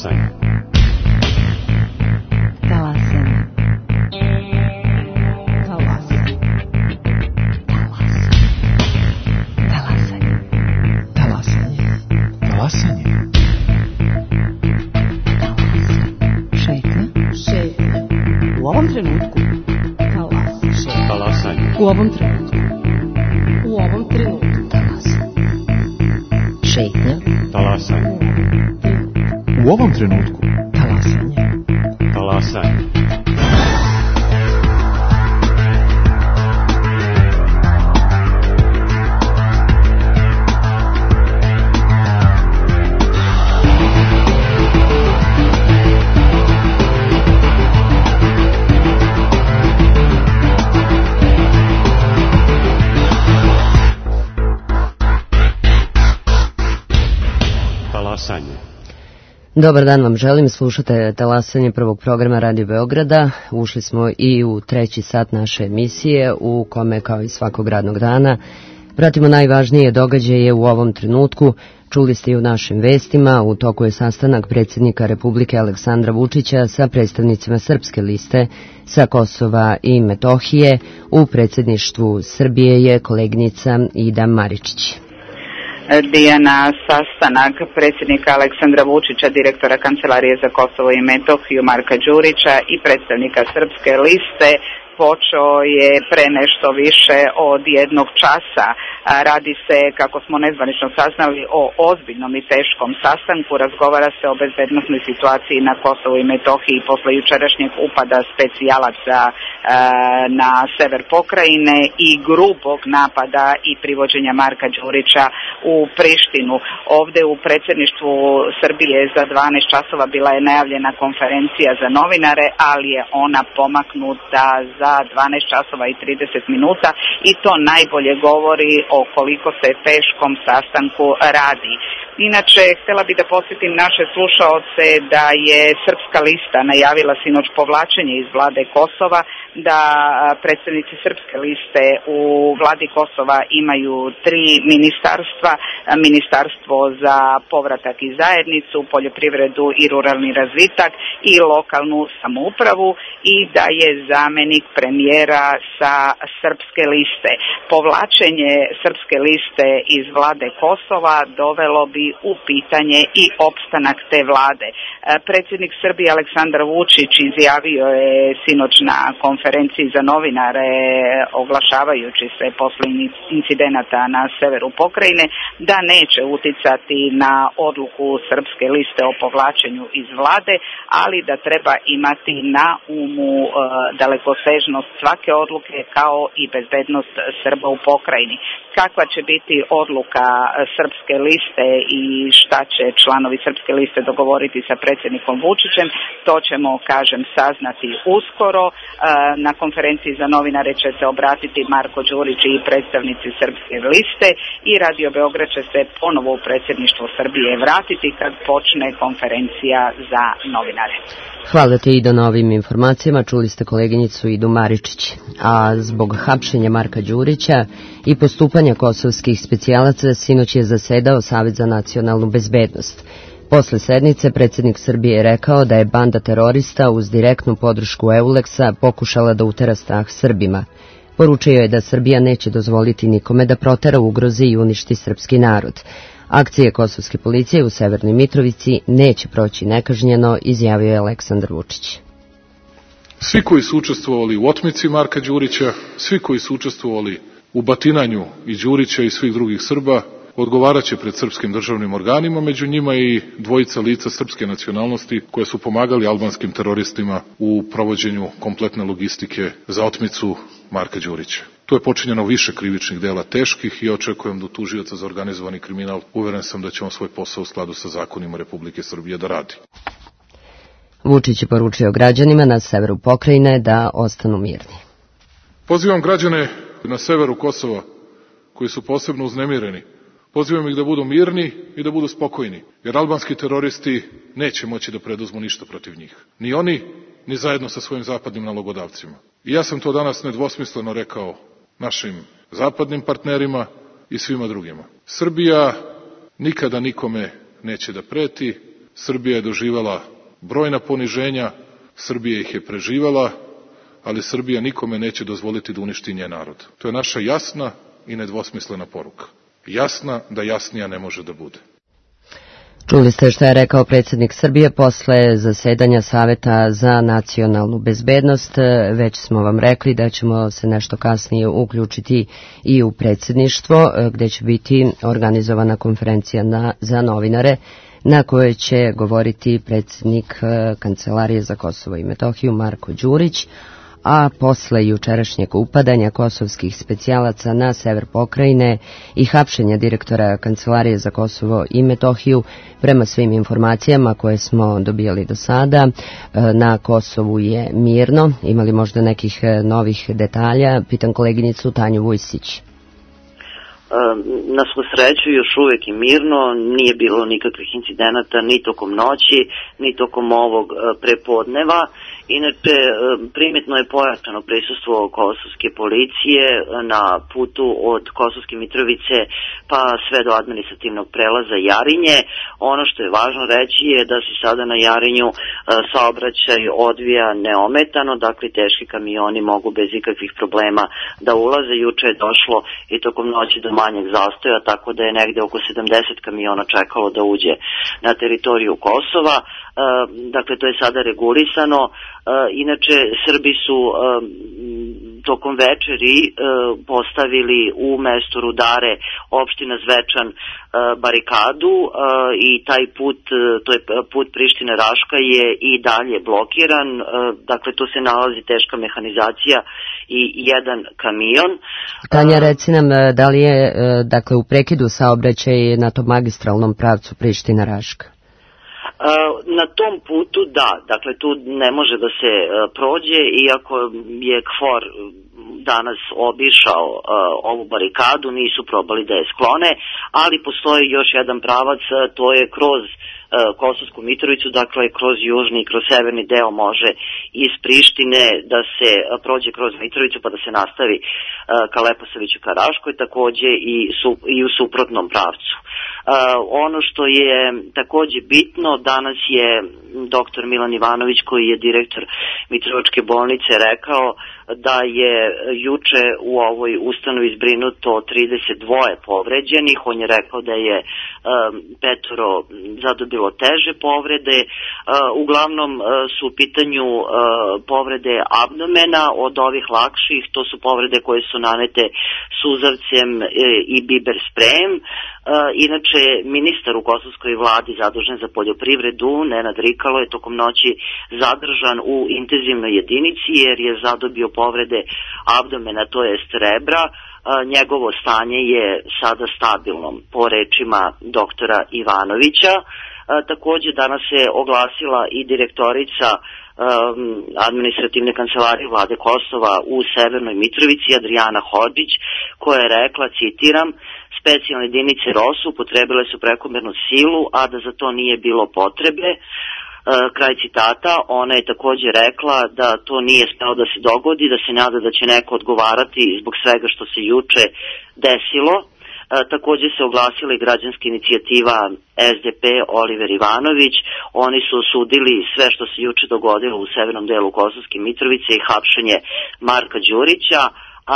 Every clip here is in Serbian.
Talasanje. Talasanje. Talasanje. Talasanje. Talasanje. Šetnja. U ovom trenutku. Talasanje. U ovom trenutku. U ovom trenutku. Šetnja. Talasanje. U ovom trenutku. Talasanje. Talasanje. Talasanje. Dobar dan vam želim, slušate Talasanje prvog programa Radio Beograda. Ušli smo i u treći sat naše emisije u kome kao i svakog radnog dana pratimo najvažnije događaje u ovom trenutku. Čuli ste i u našim vestima, u toku je sastanak predsjednika Republike Aleksandra Vučića sa predstavnicima Srpske liste sa Kosova i Metohije. U predsjedništvu Srbije je koleginica Ida Maričić. Dijana, sastanak predsjednika Aleksandra Vučića, direktora Kancelarije za Kosovo i Metohiju Marka Đurića i predstavnika Srpske liste počeo je pre nešto više od jednog časa. Radi se, kako smo nezvanično saznali, o ozbiljnom i teškom sastanku. Razgovara se o bezbednosnoj situaciji na Kosovu i Metohiji posle jučerašnjeg upada specijalaca na sever pokrajine i grubog napada i privođenja Marka Đurića u Prištinu. Ovde u predsjedništvu Srbije za 12 časova bila je najavljena konferencija za novinare, ali je ona pomaknuta za 12 časova i 30 minuta i to najbolje govori o koliko se teškom sastanku radi. Inače, htjela bih da posjetim naše slušaoce da je Srpska lista najavila sinoć povlačenje iz vlade Kosova, da predstavnici Srpske liste u vladi Kosova imaju 3 ministarstva, ministarstvo za povratak i zajednicu, poljoprivredu i ruralni razvitak i lokalnu samoupravu i da je zamenik premijera sa Srpske liste. Povlačenje Srpske liste iz vlade Kosova dovelo bi u pitanje i opstanak te vlade. Predsjednik Srbije Aleksandar Vučić izjavio je sinoć na konferenciji za novinare, oglašavajući se posle incidenata na severu pokrajine, da neće uticati na odluku Srpske liste o povlačenju iz vlade, ali da treba imati na umu dalekosežnost svake odluke kao i bezbednost Srba u pokrajini. Kakva će biti odluka Srpske liste i šta će članovi Srpske liste dogovoriti sa predsjednikom Vučićem, to ćemo, kažem, saznati uskoro. Na konferenciji za novinare će se obratiti Marko Đurić i predstavnici Srpske liste i Radio Beograd će se ponovo u predsjedništvo Srbije vratiti kad počne konferencija za novinare. Hvala te Ido na ovim informacijama, čuli ste koleginicu Idu Maričić. A zbog hapšenja Marka Đurića i postupanja kosovskih specijalaca sinoć je zasedao Savet za nacionalnu bezbednost. Posle sednice predsjednik Srbije je rekao da je banda terorista uz direktnu podršku EULEX-a pokušala da utera strah Srbima. Poručio je da Srbija neće dozvoliti nikome da protera, ugrozi i uništi srpski narod. Akcije kosovske policije u Severnoj Mitrovici neće proći nekažnjeno, izjavio je Aleksandar Vučić. Svi koji su učestvovali u otmici Marka Đurića, svi koji su učestvovali u batinanju i Đurića i svih drugih Srba, odgovarat će pred srpskim državnim organima, među njima i dvojica lica srpske nacionalnosti koje su pomagali albanskim teroristima u provođenju kompletne logistike za otmicu Marka Đurića. Tu je počinjeno više krivičnih dela teških i očekujem da tužioca za organizovani kriminal, uveren sam da će on svoj posao u skladu sa zakonima Republike Srbije da radi. Vučić je poručio građanima na severu pokrajine da ostanu mirni. Pozivam građane na severu Kosova koji su posebno uznemireni. Pozivam ih da budu mirni i da budu spokojni, jer albanski teroristi neće moći da preduzmu ništa protiv njih. Ni oni, ni zajedno sa svojim zapadnim nalogodavcima. I ja sam to danas nedvosmisleno rekao našim zapadnim partnerima i svima drugima. Srbija nikada nikome neće da preti, Srbija je doživala brojna poniženja, Srbija ih je preživala, ali Srbija nikome neće dozvoliti da uništi njen narod. To je naša jasna i nedvosmislena poruka. Jasna da jasnija ne može da bude. Čuli ste što je rekao predsjednik Srbije posle zasedanja Saveta za nacionalnu bezbednost. Već smo vam rekli da ćemo se nešto kasnije uključiti i u predsjedništvo, gdje će biti organizovana konferencija za novinare na kojoj će govoriti predsjednik Kancelarije za Kosovo i Metohiju Marko Đurić, a posle jučerašnjeg upadanja kosovskih specijalaca na sever pokrajine i hapšenja direktora Kancelarije za Kosovo i Metohiju, prema svim informacijama koje smo dobijali do sada, na Kosovu je mirno. Imali možda nekih novih detalja? Pitam koleginicu Tanju Vujsić. Na svu sreću još uvijek je mirno, nije bilo nikakvih incidenata ni tokom noći, ni tokom ovog prepodneva. Inače, primjetno je pojačano prisustvo kosovske policije na putu od Kosovske Mitrovice pa sve do administrativnog prelaza Jarinje. Ono što je važno reći je da se sada na Jarinju saobraćaj odvija neometano, dakle teški kamioni mogu bez ikakvih problema da ulaze. Juče je došlo i tokom noći do manjeg zastoja, tako da je negde oko 70 kamiona čekalo da uđe na teritoriju Kosova. Dakle, to je sada regulisano. Inače, Srbi su tokom večeri postavili u mestu Rudare, opština Zvečan, barikadu i taj put, to je put Priština-Raška, je i dalje blokiran. Dakle, tu se nalazi teška mehanizacija i jedan kamion. Tanja, reci nam, da li je dakle u prekidu saobraćaj na tom magistralnom pravcu Priština-Raška? Na tom putu da, dakle tu ne može da se prođe, iako je KFOR danas obišao ovu barikadu, nisu probali da je sklone, ali postoji još jedan pravac, to je kroz Kosovsku Mitrovicu, dakle kroz južni i kroz severni deo može iz Prištine da se prođe kroz Mitrovicu pa da se nastavi ka Leposaviću ka Raškoj, takođe i u suprotnom pravcu. Ono što je takođe bitno, danas je doktor Milan Ivanović, koji je direktor Mitrovačke bolnice, rekao da je juče u ovoj ustanovi zbrinuto 32 povređenih. On je rekao da je 5 zadobilo teže povrede. Uglavnom su u pitanju povrede abdomena. Od ovih lakših to su povrede koje su nanete suzavcem i biber sprejem. Inače, ministar u kosovskoj vladi zadužen za poljoprivredu, Nenad Rikalo, je tokom noći zadržan u intenzivnoj jedinici jer je zadobio povrede abdomena, to jest rebra. Njegovo stanje je sada stabilno, po rečima doktora Ivanovića. Takođe, danas se oglasila i direktorica administrativne kancelarije vlade Kosova u Severnoj Mitrovici, Adrijana Hodžić, koja je rekla, citiram, specijalne jedinice ROSU upotrebile su prekomernu silu, a da za to nije bilo potrebe. Kraj citata. Ona je takođe rekla da to nije smelo da se dogodi, da se nada da će neko odgovarati zbog svega što se juče desilo. Takođe se oglasila i građanska inicijativa SDP Oliver Ivanović. Oni su osudili sve što se juče dogodilo u severnom delu Kosovske Mitrovice i hapšenje Marka Đurića,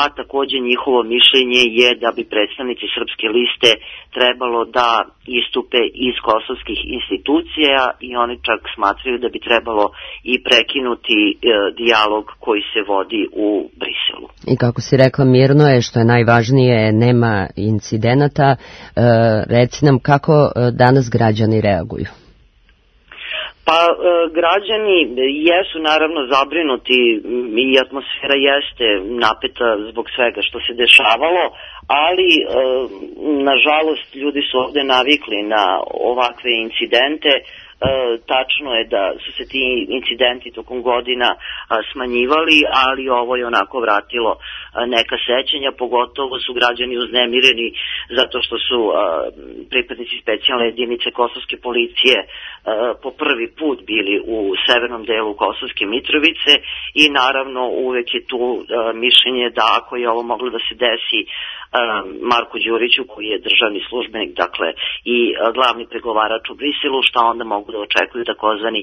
a takođe njihovo mišljenje je da bi predstavnici Srpske liste trebalo da istupe iz kosovskih institucija i oni čak smatraju da bi trebalo i prekinuti dijalog koji se vodi u Briselu. I kako si rekla, mirno je, što je najvažnije, nema incidenata. Reci nam kako danas građani reaguju. Pa građani jesu naravno zabrinuti i atmosfera jeste napeta zbog svega što se dešavalo, ali nažalost ljudi su ovde navikli na ovakve incidente. Tačno je da su se ti incidenti tokom godina smanjivali, ali ovo je onako vratilo neka sećanja, pogotovo su građani uznemireni zato što su pripadnici specijalne jedinice kosovske policije po prvi put bili u severnom delu Kosovske Mitrovice i naravno uvek je tu mišljenje da ako je ovo moglo da se desi Marku Đuriću, koji je državni službenik, dakle i glavni pregovarač u Briselu, šta onda mogu da očekuju takozvani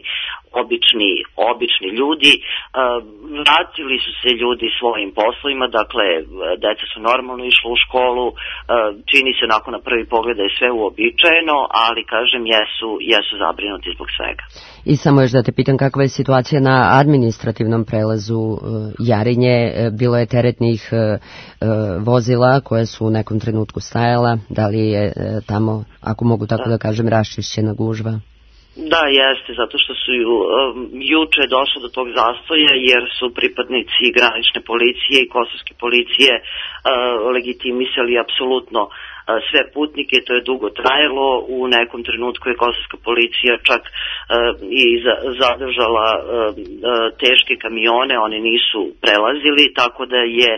obični ljudi. Vratili su se ljudi svojim poslovima, dakle deca su normalno išla u školu, čini se onako na prvi pogled da je sve uobičajeno, ali kažem jesu zabrinuti zbog svega. I samo još da te pitam kakva je situacija na administrativnom prelazu Jarinje, bilo je teretnih vozila koje su u nekom trenutku stajala, da li je tamo, ako mogu tako da kažem, raščišćena gužva? Da, jeste, zato što su juče došlo do tog zastoja jer su pripadnici granične policije i kosovske policije legitimisali apsolutno sve putnike, to je dugo trajalo, u nekom trenutku je kosovska policija čak i zadržala teške kamione, oni nisu prelazili, tako da je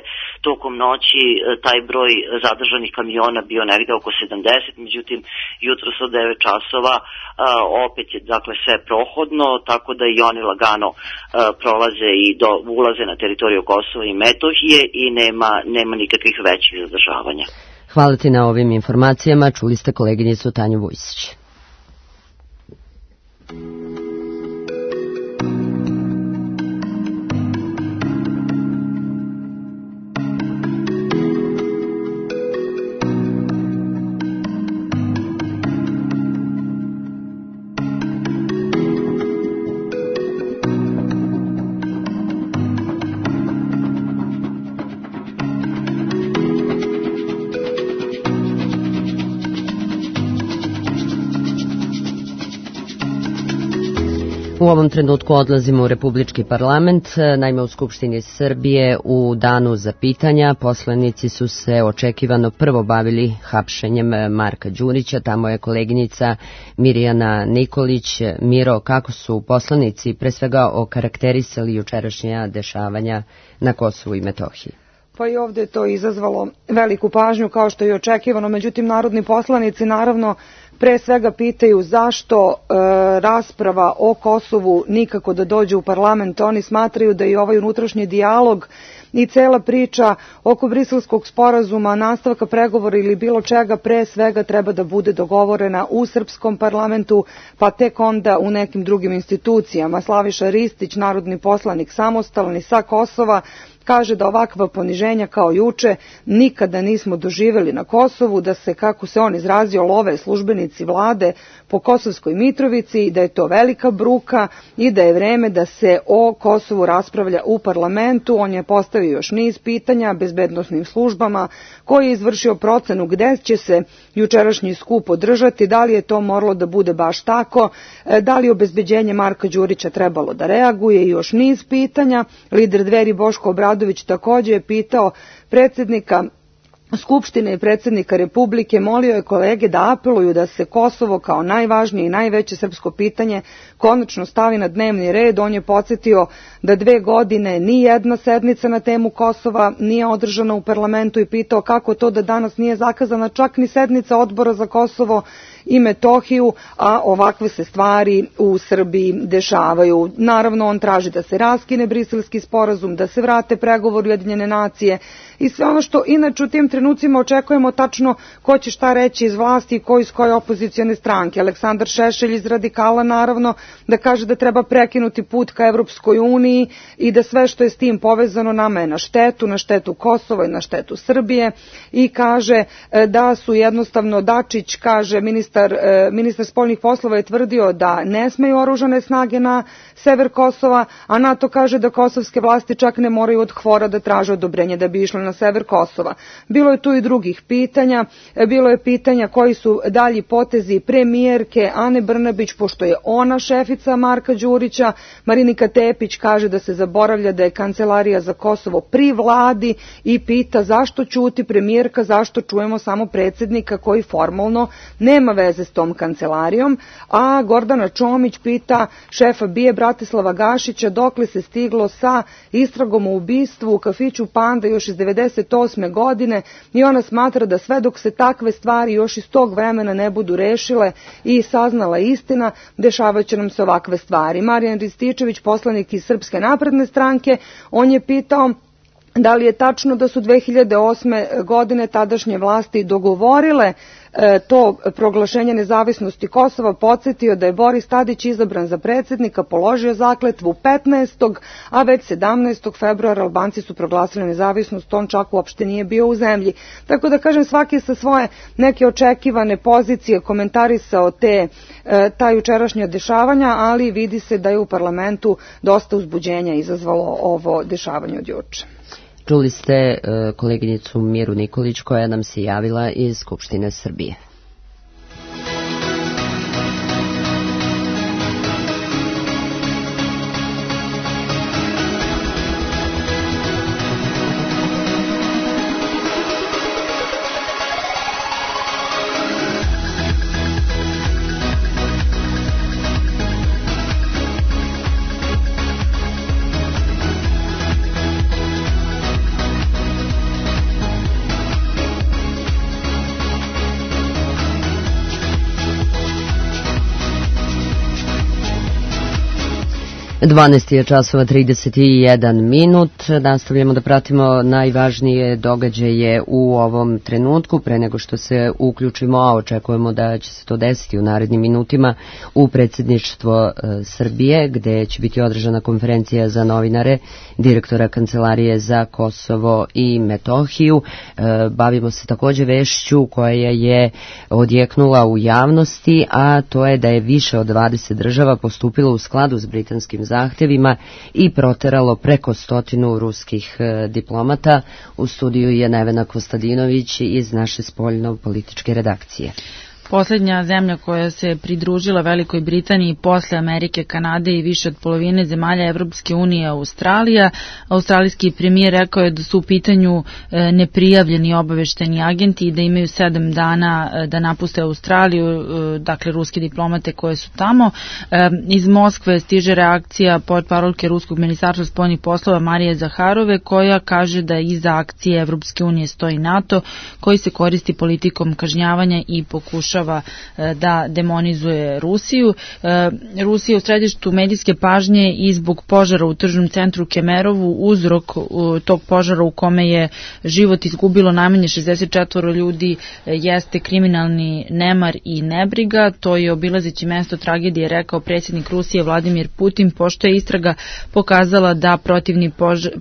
tokom noći taj broj zadržanih kamiona bio negde oko 70, međutim jutros od 9 časova opet je dakle sve prohodno, tako da i oni lagano prolaze i ulaze na teritoriju Kosova i Metohije i nema nikakvih većih zadržavanja. Hvala ti na ovim informacijama. Čuli ste koleginicu Tanju Vujsić. U ovom trenutku odlazimo u Republički parlament. Naime, u Skupštini Srbije u danu za pitanja poslanici su se očekivano prvo bavili hapšenjem Marka Đurića. Tamo je koleginica Mirjana Nikolić. Miro, kako su poslanici pre svega okarakterisali jučerašnja dešavanja na Kosovu i Metohiji? Pa i ovdje je to izazvalo veliku pažnju kao što je očekivano, međutim narodni poslanici naravno pre svega pitaju zašto rasprava o Kosovu nikako da dođe u parlament. Oni smatraju da i ovaj unutrašnji dijalog i cela priča oko Briselskog sporazuma, nastavka pregovora ili bilo čega pre svega treba da bude dogovorena u srpskom parlamentu, pa tek onda u nekim drugim institucijama. Slaviša Ristić, narodni poslanik samostalni sa Kosova, kaže da ovakva poniženja kao juče nikada nismo doživjeli na Kosovu, da se, kako se on izrazio, love službenici vlade po Kosovskoj Mitrovici i da je to velika bruka i da je vreme da se o Kosovu raspravlja u parlamentu. On je postavio još niz pitanja bezbednosnim službama, koji je izvršio procenu gde će se jučerašnji skup održati, da li je to moralo da bude baš tako, da li obezbeđenje Marka Đurića trebalo da reaguje i još niz pitanja. Lider Dveri Boško Obradović također je pitao predsjednika Skupštine i predsjednika Republike, molio je kolege da apeluju da se Kosovo kao najvažnije i najveće srpsko pitanje konačno stavi na dnevni red. On je podsjetio da 2 godine ni jedna sednica na temu Kosova nije održana u parlamentu i pitao kako to da danas nije zakazana čak ni sednica odbora za Kosovo i Metohiju, a ovakve se stvari u Srbiji dešavaju. Naravno, on traži da se raskine Briselski sporazum, da se vrate pregovori Ujedinjene nacije i sve ono što inače u tim trenucima očekujemo tačno ko će šta reći iz vlasti i ko iz koje opozicione stranke. Aleksandar Šešelj iz Radikala naravno da kaže da treba prekinuti put ka Evropskoj uniji i da sve što je s tim povezano nama je na štetu Kosova i na štetu Srbije i kaže da su jednostavno Dačić, kaže ministar spoljnih poslova je tvrdio da ne smeju oružane snage na sever Kosova, a NATO kaže da kosovske vlasti čak ne moraju od KFOR-a da traže odobrenje da bi išle na sever Kosova. Bilo je tu i drugih pitanja, bilo je pitanja koji su dalji potezi premijerke Ane Brnabić, pošto je ona šefica Marka Đurića. Marinika Tepić kaže da se zaboravlja da je Kancelarija za Kosovo pri vladi i pita zašto ćuti premijerka, zašto čujemo samo predsjednika koji formalno nema veze s tom kancelarijom, a Gordana Čomić pita šefa BIA Bratislava Gašića dokle se stiglo sa istragom o ubistvu u kafiću Panda još iz 98. godine i ona smatra da sve dok se takve stvari još iz tog vremena ne budu rešile i saznala istina, dešavaće nam se ovakve stvari. Marijan Rističević, poslanik iz Srpske napredne stranke, on je pitao Da li je tačno da su 2008. godine tadašnje vlasti dogovorile to proglašenje nezavisnosti Kosova? Podsjetio da je Boris Tadić izabran za predsjednika, položio zakletvu 15. a već 17. februara Albanci su proglasili nezavisnost, on čak uopšte nije bio u zemlji. Tako da kažem, svaki sa svoje neke očekivane pozicije komentarisao ta jučerašnja dešavanja, ali vidi se da je u parlamentu dosta uzbuđenja izazvalo ovo dešavanje od juče. Čuli ste koleginicu Miru Nikolić koja nam se javila iz Skupštine Srbije. Dvanaest je časova 31 minut. Nastavljamo da pratimo najvažnije događaje u ovom trenutku. Pre nego što se uključimo, a očekujemo da će se to desiti u narednim minutima, u predsjedništvo Srbije, gde će biti održana konferencija za novinare direktora Kancelarije za Kosovo i Metohiju. Bavimo se takođe vešću koja je odjeknula u javnosti, a to je da je više od 20 država postupilo u skladu s britanskim zahtjevima i proteralo preko 100 ruskih diplomata. U studiju je Nevena Kostadinović iz naše spoljno-političke redakcije. Poslednja zemlja koja se pridružila Velikoj Britaniji posle Amerike, Kanade i više od polovine zemalja Evropske unije, Australija. Australijski premijer rekao je da su u pitanju neprijavljeni obavešteni agenti i da imaju 7 dana da napuste Australiju, dakle ruske diplomate koje su tamo. Iz Moskve stiže reakcija portparolke Ruskog ministarstva spoljnih poslova Marije Zaharove, koja kaže da iza akcije Evropske unije stoji NATO, koji se koristi politikom kažnjavanja i pokušava da demonizuje Rusiju. Rusija je u središtu medijske pažnje i zbog požara u tržnom centru Kemerovu. Uzrok tog požara, u kome je život izgubilo najmanje 64 ljudi, jeste kriminalni nemar i nebriga. To je obilazeći mesto tragedije rekao predsjednik Rusije Vladimir Putin, pošto je istraga pokazala da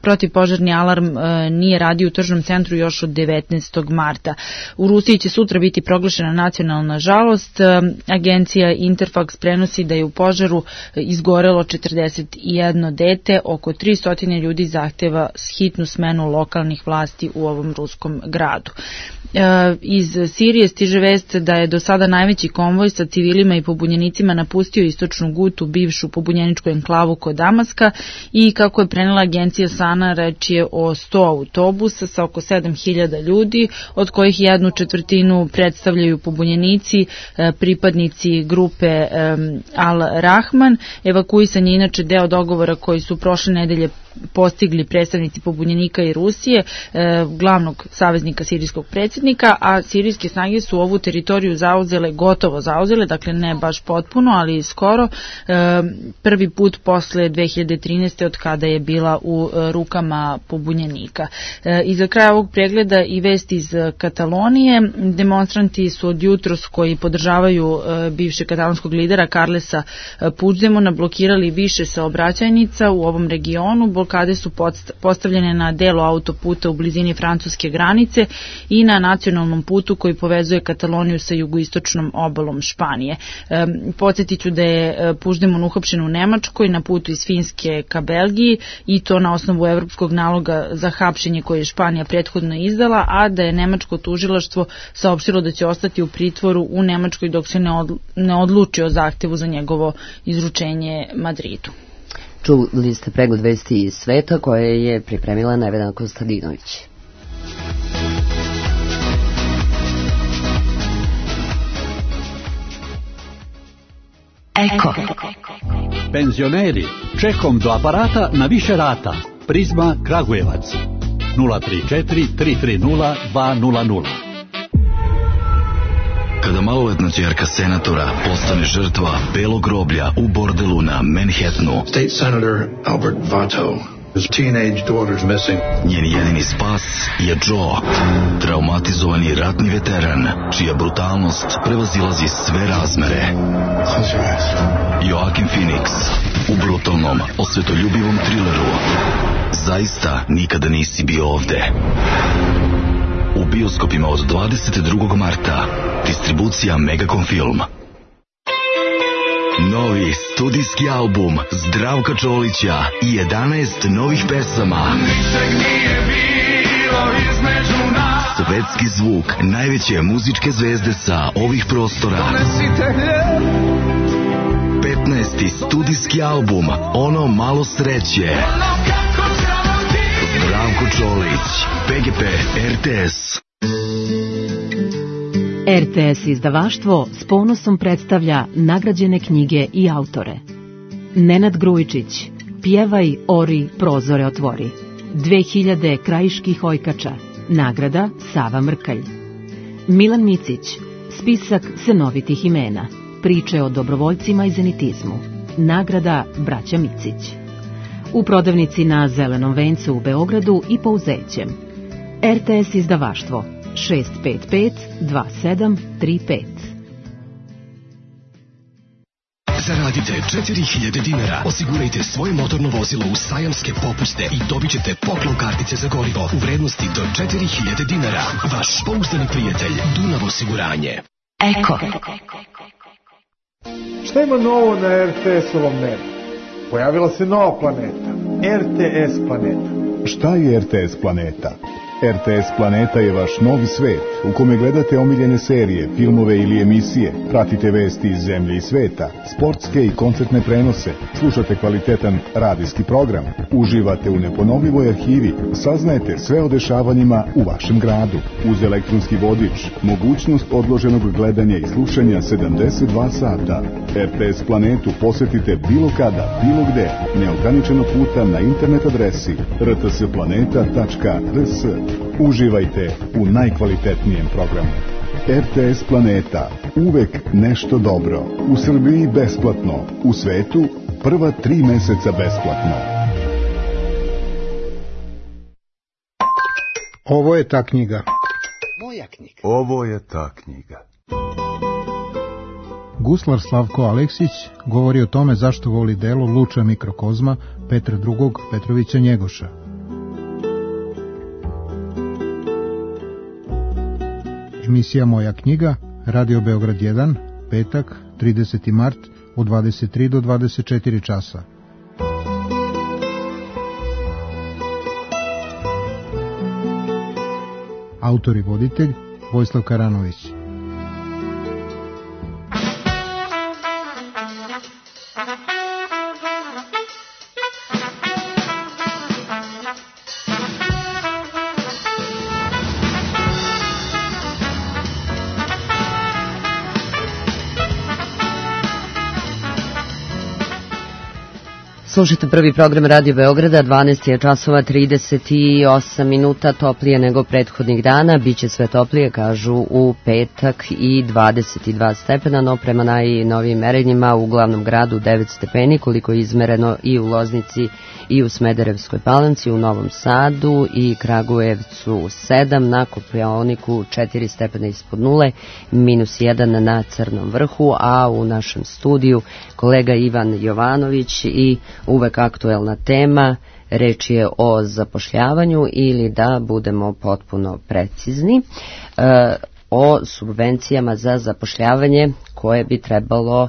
protivpožarni alarm nije radio u tržnom centru još od 19. marta. U Rusiji će sutra biti proglašena nacionalna žalost. Agencija Interfax prenosi da je u požaru izgorelo 41 dete, oko 300 ljudi zahteva hitnu smenu lokalnih vlasti u ovom ruskom gradu. Iz Sirije stiže vest da je do sada najveći konvoj sa civilima i pobunjenicima napustio istočnu Gutu, bivšu pobunjeničku enklavu kod Damaska, i kako je prenela agencija Sana, reč je o 100 autobusa sa oko 7000 ljudi, od kojih 1/4 predstavljaju pobunjenici, pripadnici grupe Al-Rahman. Evakuisan je inače deo dogovora koji su prošle nedelje postigli predstavnici pobunjenika i Rusije, glavnog saveznika sirijskog predsjednika, a sirijske snage su ovu teritoriju gotovo zauzele, dakle ne baš potpuno, ali skoro, prvi put posle 2013. od kada je bila u rukama pobunjenika. I za kraj ovog pregleda i vest iz Katalonije. Demonstranti su od jutros, koji podržavaju bivšeg katalonskog lidera Carlesa Puigdemona, blokirali više saobraćajnica u ovom regionu. Blokade su postavljene na delu autoputa u blizini francuske granice i na nacionalnom putu koji povezuje Kataloniju sa jugoistočnom obalom Španije. Podsjetit ću da je Puigdemon uhapšen u Nemačkoj na putu iz Finske ka Belgiji, i to na osnovu evropskog naloga za hapšenje koje je Španija prethodno izdala, a da je nemačko tužilaštvo saopštilo da će ostati u pritvoru u Nemačkoj dok se ne odluči o zahtevu za njegovo izručenje Madridu. Čuli ste pregled vesti iz sveta koje je pripremila Nevena Kostadinović. Eko. Penzioneri, čekom do aparata na više rata. Prizma Kragujevac 034 330 200. Kada maloletna ćerka senatora postane žrtva belog groblja u bordelu na Manhattanu, State Senator Albert Vato His teenage daughter's missing. Njen jedini spas je Joe, traumatizovani ratni veteran, čija brutalnost prevazilazi sve razmere. Joaquin Phoenix u brutalnom, osvetoljubivom trileru Zaista nikada nisi bio ovde. U bioskopima od 22. marta. Distribucija Megacom Film. Novi studijski album Zdravka Čolića i 11 novih pesama. Svetski zvuk najveće muzičke zvezde sa ovih prostora. 15. studijski album Ono malo sreće. Zdravko Čolić, PGP RTS. RTS izdavaštvo s ponosom predstavlja nagrađene knjige i autore. Nenad Grujičić, Pjevaj, ori, prozore otvori. 2000 krajiških ojkača, nagrada Sava Mrkalj. Milan Micić, spisak senovitih imena, priče o dobrovoljcima i zenitizmu, nagrada Braća Micić. U prodavnici na Zelenom vencu u Beogradu i po Uzećem. RTS izdavaštvo 655-2735. Zaradite 4000 dinara, osigurajte svoje motorno vozilo u sajamske popuste i dobit ćete poklon kartice za gorivo u vrednosti do 4000 dinara. Vaš pouzdani prijatelj Dunav osiguranje. Eko. Šta ima novo na RTS-ovom nebu? Pojavila se nova planeta, RTS planeta. Šta je RTS planeta? RTS Planeta je vaš novi svet u kome gledate omiljene serije, filmove ili emisije, pratite vesti iz zemlje i sveta, sportske i koncertne prenose, slušate kvalitetan radijski program, uživate u neponovljivoj arhivi, saznajete sve o dešavanjima u vašem gradu. Uz elektronski vodič, mogućnost odloženog gledanja i slušanja 72 sata. RTS Planetu posetite bilo kada, bilo gde, neograničeno puta na internet adresi rtsplaneta.rs. Uživajte u najkvalitetnijem programu. RTS Planeta. Uvek nešto dobro. U Srbiji besplatno. U svetu prva 3 meseca besplatno. Ovo je ta knjiga. Moja knjiga. Ovo je ta knjiga. Guslar Slavko Aleksić govori o tome zašto voli delo Luča mikrokozma Petra II. Petrovića Njegoša. Emisija Moja knjiga, Radio Beograd 1, petak, 30. mart, od 23 do 24 časa. Autor i voditelj Vojislav Karanović. Slušajte prvi program Radio Beograda, 12 je časova 38 minuta, toplije nego prethodnih dana, biće sve toplije, kažu u petak i 22 stepena, no prema najnovijim merenjima u glavnom gradu 9 stepeni, koliko je izmereno i u Loznici i u Smederevskoj Palanci, u Novom Sadu i Kragujevcu 7, na Kopaoniku 4 stepena ispod nule, -1 na Crnom vrhu, a u našem studiju kolega Ivan Jovanović i uvek aktuelna tema, reč je o zapošljavanju ili da budemo potpuno precizni, o subvencijama za zapošljavanje koje bi trebalo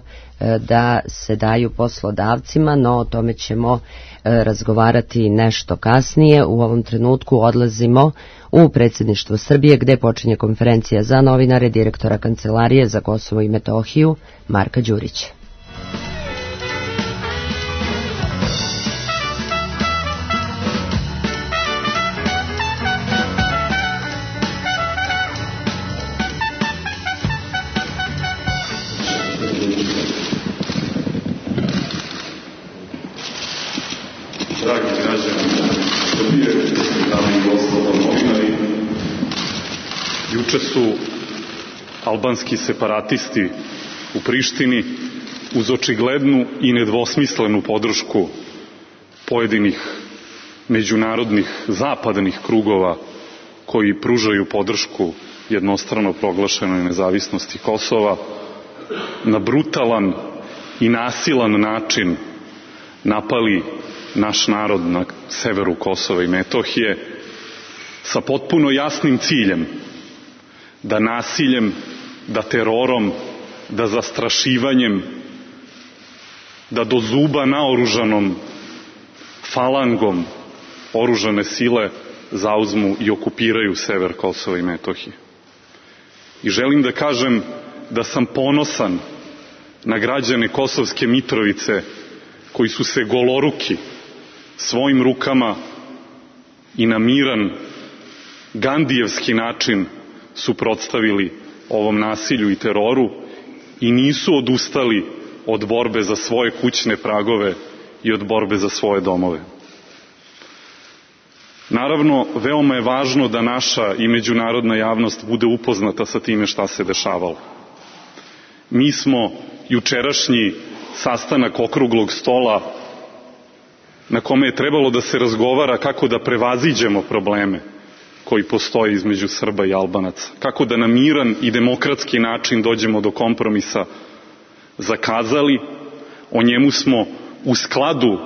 da se daju poslodavcima, no o tome ćemo razgovarati nešto kasnije. U ovom trenutku odlazimo u predsjedništvo Srbije gde počinje konferencija za novinare direktora Kancelarije za Kosovo i Metohiju Marka Đurića. Dragi građani Srbije, dame i gospodo novinari, juče su albanski separatisti u Prištini uz očiglednu i nedvosmislenu podršku pojedinih međunarodnih zapadnih krugova koji pružaju podršku jednostrano proglašenoj nezavisnosti Kosova, na brutalan i nasilan način napali naš narod na severu Kosova i Metohije sa potpuno jasnim ciljem da nasiljem, da terorom, da zastrašivanjem, da do zuba naoružanom falangom oružane sile zauzmu i okupiraju sever Kosova i Metohije. I želim da kažem da sam ponosan na građane Kosovske Mitrovice koji su se goloruki svojim rukama i na miran gandijevski način suprotstavili ovom nasilju i teroru i nisu odustali od borbe za svoje kućne pragove i od borbe za svoje domove. Naravno, veoma je važno da naša i međunarodna javnost bude upoznata sa time šta se dešavalo. Mi smo jučerašnji sastanak okruglog stola na kome je trebalo da se razgovara kako da prevaziđemo probleme koji postoje između Srba i Albanaca, kako da na miran i demokratski način dođemo do kompromisa, zakazali. O njemu smo u skladu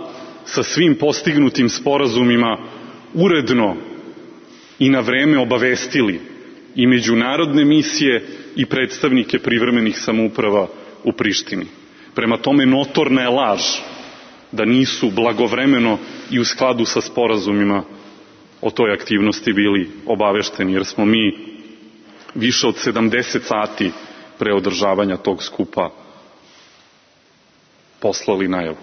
sa svim postignutim sporazumima uredno i na vreme obavestili i međunarodne misije i predstavnike privremenih samouprava u Prištini. Prema tome, notorna je laž da nisu blagovremeno i u skladu sa sporazumima o toj aktivnosti bili obavešteni, jer smo mi više od 70 sati pre održavanja tog skupa poslali najavu.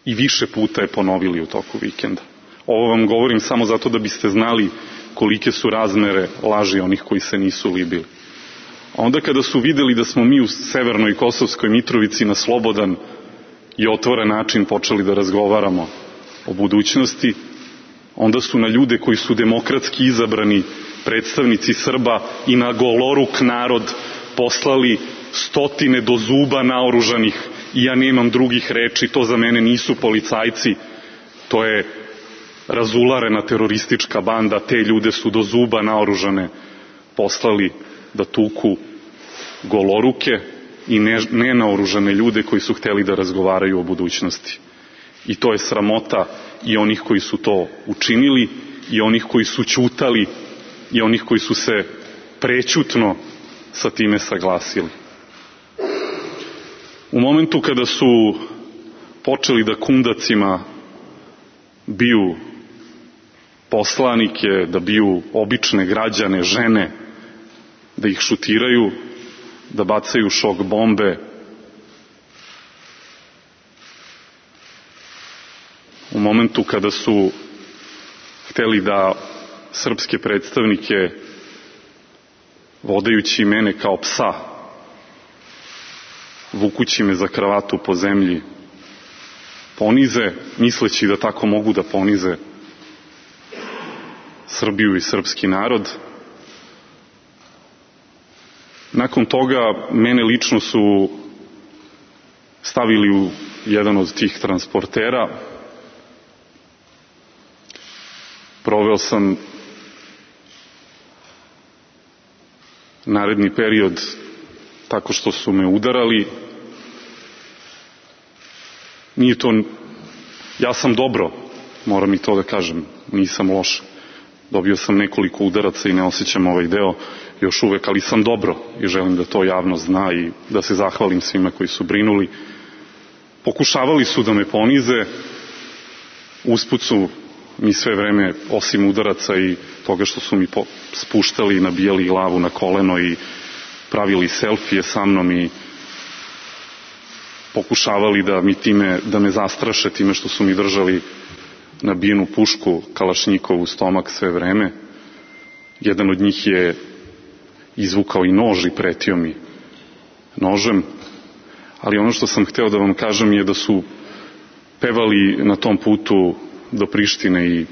I više puta je ponovili u toku vikenda. Ovo vam govorim samo zato da biste znali kolike su razmere laži onih koji se nisu libili. A onda kada su videli da smo mi u severnoj Kosovskoj Mitrovici na slobodan i otvoren način počeli da razgovaramo o budućnosti, onda su na ljude koji su demokratski izabrani predstavnici Srba i na goloruk narod poslali stotine do zuba naoružanih, i ja nemam drugih reči, to za mene nisu policajci, to je razularena teroristička banda, te ljude su do zuba naoružane poslali da tuku goloruke i nenaoružane ljude koji su hteli da razgovaraju o budućnosti. I to je sramota i onih koji su to učinili, i onih koji su ćutali, i onih koji su se prećutno sa time saglasili. U momentu kada su počeli da kundacima biju poslanike, da biju obične građane, žene, da ih šutiraju, da bacaju šok bombe, u momentu kada su hteli da srpske predstavnike, vodajući mene kao psa, vukući me za kravatu po zemlji, ponize, misleći da tako mogu da ponize Srbiju i srpski narod. Nakon toga mene lično su stavili u jedan od tih transportera. Proveo sam naredni period tako što su me udarali. Nije to, ja sam dobro, moram i to da kažem, nisam loš. Dobio sam nekoliko udaraca i ne osjećam ovaj deo još uvek, ali sam dobro i želim da to javnost zna i da se zahvalim svima koji su brinuli. Pokušavali su da me ponize, usput su mi sve vreme, osim udaraca i toga što su mi spuštali i nabijali glavu na koleno i pravili selfije sa mnom i pokušavali da me zastraše time što su mi držali nabijenu pušku Kalašnjikovu u stomak sve vreme. Jedan od njih je izvukao i nož i pretio mi nožem, ali ono što sam hteo da vam kažem je da su pevali na tom putu do Prištine i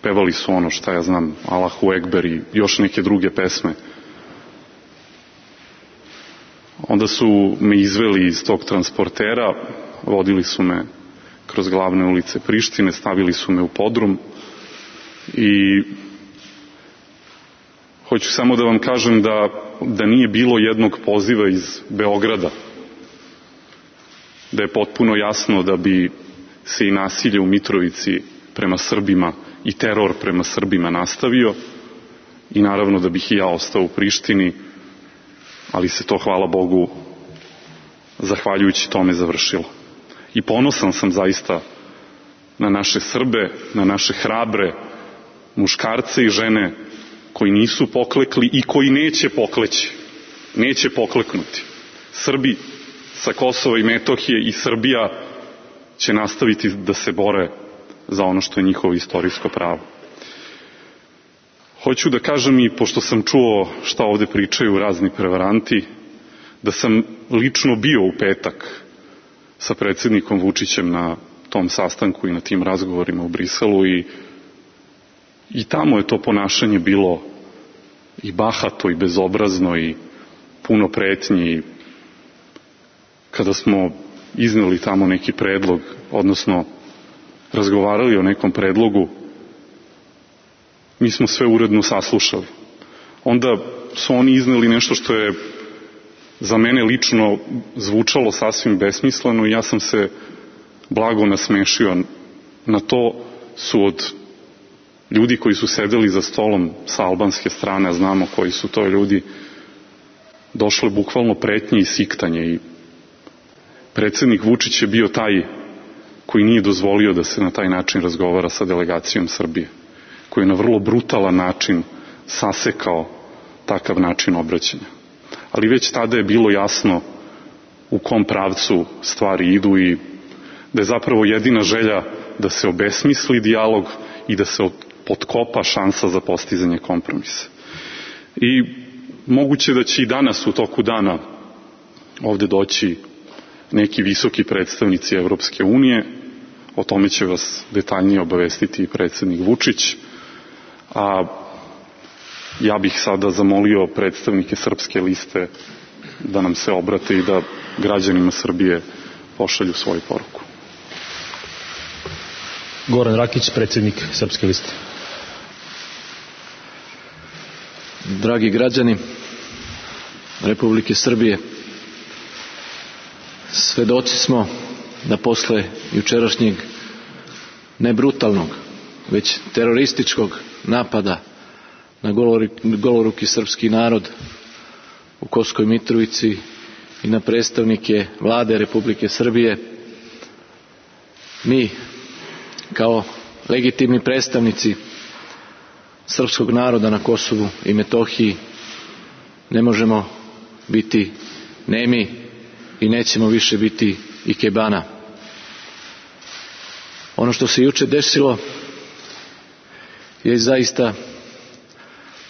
pevali su ono, šta ja znam, Allahu Ekber i još neke druge pesme. Onda su me izveli iz tog transportera, vodili su me kroz glavne ulice Prištine, stavili su me u podrum i hoću samo da vam kažem da nije bilo jednog poziva iz Beograda, da je potpuno jasno da bi se i nasilje u Mitrovici prema Srbima i teror prema Srbima nastavio i naravno da bih i ja ostao u Prištini, ali se to, hvala Bogu, zahvaljujući tome završilo. I ponosan sam zaista na naše Srbe, na naše hrabre muškarce i žene koji nisu poklekli i koji neće pokleći, neće pokleknuti. Srbi sa Kosova i Metohije i Srbija će nastaviti da se bore za ono što je njihovo istorijsko pravo. Hoću da kažem, i pošto sam čuo šta ovde pričaju razni prevaranti, da sam lično bio u petak sa predsjednikom Vučićem na tom sastanku i na tim razgovorima u Briselu i tamo je to ponašanje bilo i bahato i bezobrazno i puno pretnji. Kada smo izneli tamo neki predlog, odnosno razgovarali o nekom predlogu, mi smo sve uredno saslušali. Onda su oni izneli nešto što je za mene lično zvučalo sasvim besmisleno i ja sam se blago nasmešio. Na to su od ljudi koji su sedeli za stolom sa albanske strane, a znamo koji su to ljudi, došle bukvalno pretnje i siktanje i predsjednik Vučić je bio taj koji nije dozvolio da se na taj način razgovara sa delegacijom Srbije, koji je na vrlo brutalan način sasekao takav način obraćanja. Ali već tada je bilo jasno u kom pravcu stvari idu i da je zapravo jedina želja da se obesmisli dijalog i da se potkopa šansa za postizanje kompromisa. I moguće da će i danas u toku dana ovde doći neki visoki predstavnici Evropske unije, o tome će vas detaljnije obavestiti i predsjednik Vučić, a ja bih sada zamolio predstavnike Srpske liste da nam se obrate i da građanima Srbije pošalju svoju poruku. Goran Rakić, predsjednik Srpske liste. Dragi građani Republike Srbije, svedoci smo da posle jučerašnjeg ne brutalnog, već terorističkog napada na goloruki srpski narod u Kosovskoj Mitrovici i na predstavnike Vlade Republike Srbije, mi kao legitimni predstavnici srpskog naroda na Kosovu i Metohiji ne možemo biti nemi i nećemo više biti ikebana. Ono što se juče desilo je zaista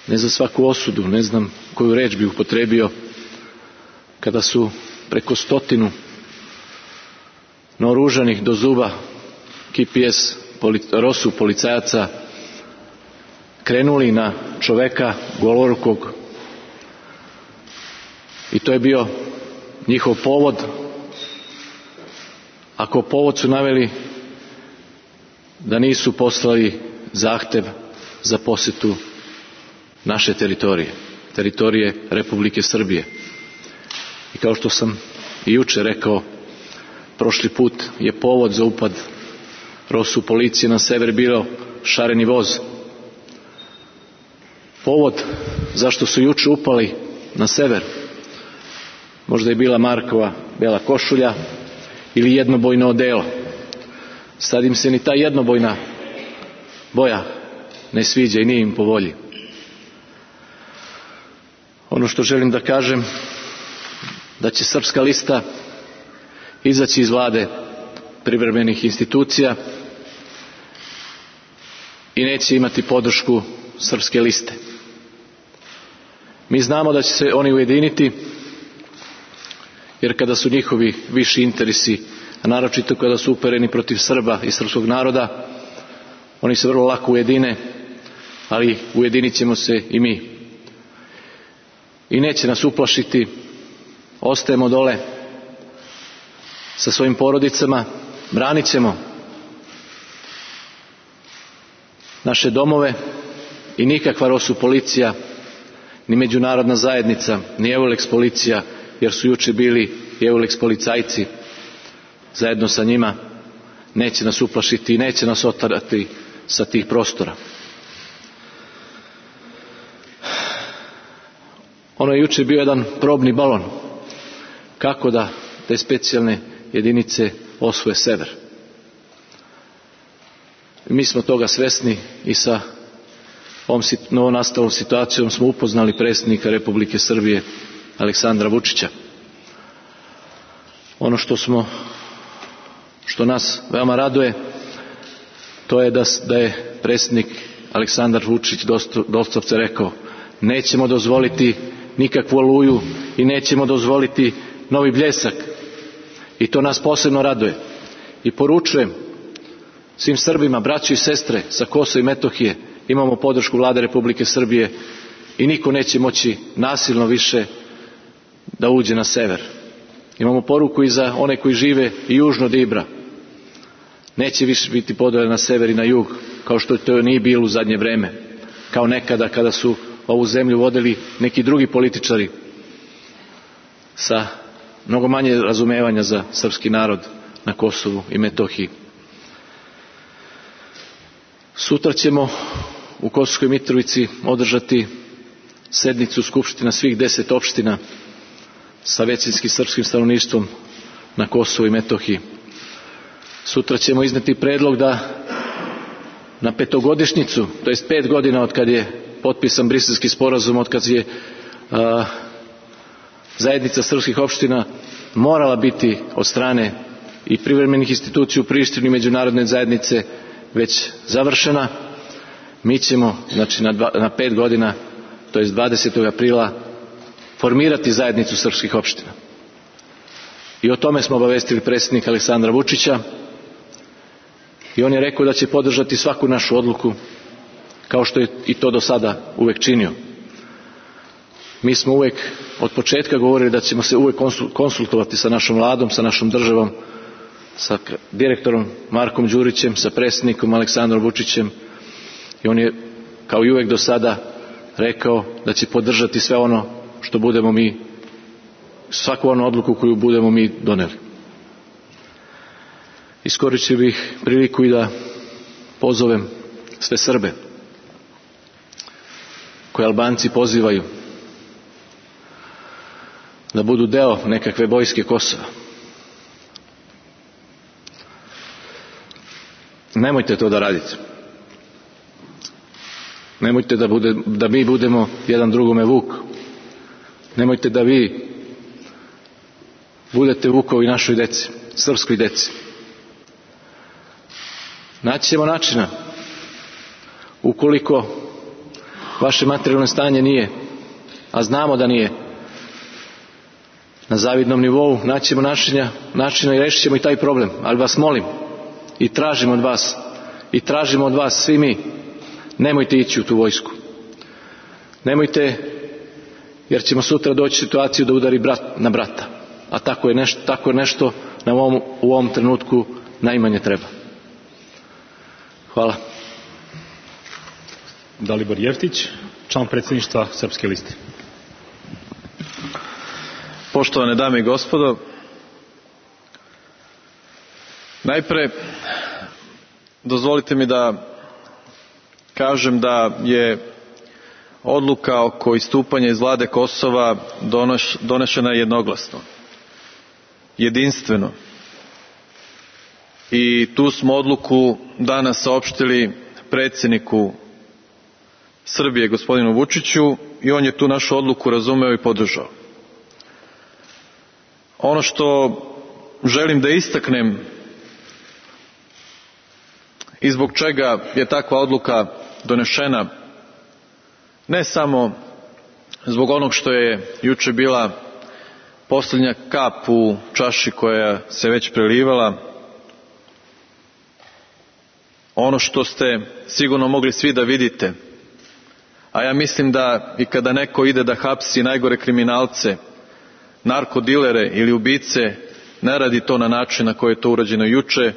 ne za svaku osudu, ne znam koju reč bi upotrebio, kada su preko 100 naoružanih do zuba KPS ROSU policajaca krenuli na čoveka golorukog i to je bio njihov povod. Ako povod su naveli da nisu poslali zahtev za posetu naše teritorije Republike Srbije. I kao što sam i juče rekao, prošli put je povod za upad ROSU policije na sever bio šareni voz. Povod zašto su juče upali na sever možda je bila Markova bela košulja ili jednobojno odelo. Sad im se ni ta jednobojna boja ne sviđa i nije im po volji. Ono što želim da kažem, da će Srpska lista izaći iz vlade privremenih institucija i neće imati podršku Srpske liste. Mi znamo da će se oni ujediniti, jer kada su njihovi viši interesi, a naročito kada su upereni protiv Srba i srpskog naroda, oni se vrlo lako ujedine, ali ujedinit ćemo se i mi. I neće nas uplašiti, ostajemo dole sa svojim porodicama, branit ćemo naše domove i nikakva ROSU policija, ni međunarodna zajednica, ni EULEX policija, jer su juče bili i EULEX policajci zajedno sa njima, neće nas uplašiti i neće nas otarati sa tih prostora. Ono je juče bio jedan probni balon kako da te specijalne jedinice osvoje sever. Mi smo toga svesni i sa ovom novonastalom situacijom smo upoznali predsjednika Republike Srbije Aleksandra Vučića. Ono što nas veoma raduje, to je da je predsjednik Aleksandar Vučić doslovce rekao: nećemo dozvoliti nikakvu oluju i nećemo dozvoliti novi Bljesak. I to nas posebno raduje. I poručujem svim Srbima, braćo i sestre sa Kosova i Metohije, imamo podršku Vlade Republike Srbije i niko neće moći nasilno više da uđe na sever. Imamo poruku i za one koji žive i južno od Ibra. Neće više biti podjele na sever i na jug, kao što to nije bilo u zadnje vreme, kao nekada kada su ovu zemlju vodili neki drugi političari sa mnogo manje razumevanja za srpski narod na Kosovu i Metohiji. Sutra ćemo u Kosovskoj Mitrovici održati sednicu skupština svih 10 opština sa većinskim srpskim stanovništvom na Kosovu i Metohiji. Sutra ćemo izneti predlog da na petogodišnjicu, to jest 5 godina od kad je potpisan Briselski sporazum, od kad je zajednica srpskih opština morala biti od strane i privremenih institucija u Prištini i međunarodne zajednice već završena, mi ćemo znači na 5 godina, to jest 20. aprila, formirati zajednicu srpskih opština. I o tome smo obavestili predsjednika Aleksandra Vučića i on je rekao da će podržati svaku našu odluku, kao što je i to do sada uvek činio. Mi smo uvek od početka govorili da ćemo se uvek konsultovati sa našom vladom, sa našom državom, sa direktorom Markom Đurićem, sa predsjednikom Aleksandrom Vučićem, i on je kao i uvek do sada rekao da će podržati sve ono što budemo mi, svaku onu odluku koju budemo mi doneli. Iskoristio bih priliku i da pozovem sve Srbe koje Albanci pozivaju da budu deo nekakve vojske Kosova. Nemojte to da radite. Nemojte da mi budemo jedan drugome vuk. Nemojte da vi budete vukovi našoj deci, srpskoj deci. Naći ćemo načina, ukoliko vaše materijalno stanje nije, a znamo da nije na zavidnom nivou, naći ćemo načina i rešit ćemo i taj problem. Ali vas molim i tražimo od vas svi mi, nemojte ići u tu vojsku. Nemojte, jer ćemo sutra doći u situaciju da udari brat na brata. A tako je nešto nam u ovom trenutku najmanje treba. Hvala. Dalibor Jeftić, član predsjedništva Srpske liste. Poštovane dame i gospodo, najpre dozvolite mi da kažem da je odluka oko istupanja iz vlade Kosova donešena jednoglasno, jedinstveno. I tu smo odluku danas saopštili predsjedniku Srbije, gospodinu Vučiću, i on je tu našu odluku razumeo i podržao. Ono što želim da istaknem i zbog čega je takva odluka donešena, ne samo zbog onog što je juče bila posljednja kap u čaši koja se već prelivala, ono što ste sigurno mogli svi da vidite, a ja mislim da i kada neko ide da hapsi najgore kriminalce, narkodilere ili ubice, ne radi to na način na koji je to urađeno juče,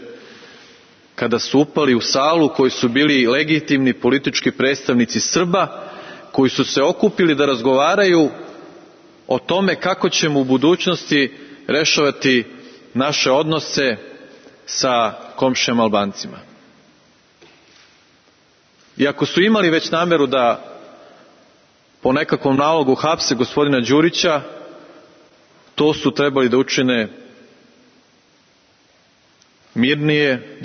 kada su upali u salu koji su bili legitimni politički predstavnici Srba, koji su se okupili da razgovaraju o tome kako ćemo u budućnosti rešavati naše odnose sa komšijama Albancima. I ako su imali već nameru da po nekakvom nalogu hapse gospodina Đurića, to su trebali da učine mirnije,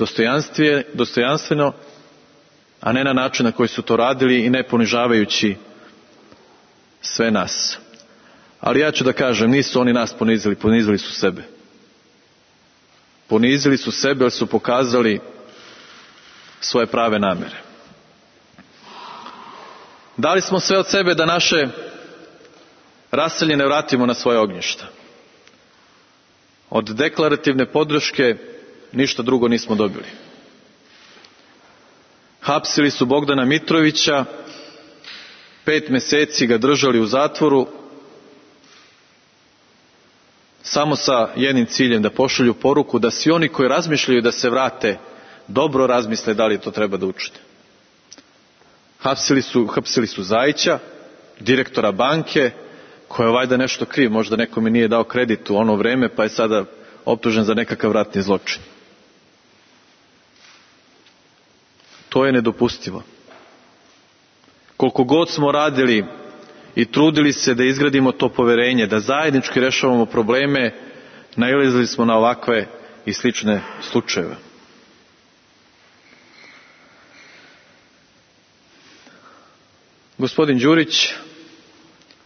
dostojanstveno, a ne na način na koji su to radili i ne ponižavajući sve nas. Ali ja ću da kažem, nisu oni nas ponizili, ponizili su sebe. Ponizili su sebe jer su pokazali svoje prave namere. Dali smo sve od sebe da naše raseljene vratimo na svoje ognjišta. Od deklarativne podrške ništa drugo nismo dobili. Hapsili su Bogdana Mitrovića, 5 meseci ga držali u zatvoru, samo sa jednim ciljem, da pošalju poruku da svi oni koji razmišljaju da se dobro razmisle da li to treba da učine. Hapsili su Zajića, direktora banke, koja je valjda nešto kriv, možda nekome nije dao kredit u ono vreme, pa je sada optužen za nekakav ratni zločin. To je nedopustivo. Koliko god smo radili i trudili se da izgradimo to poverenje, da zajednički rešavamo probleme, nailazili smo na ovakve i slične slučajeve. Gospodin Đurić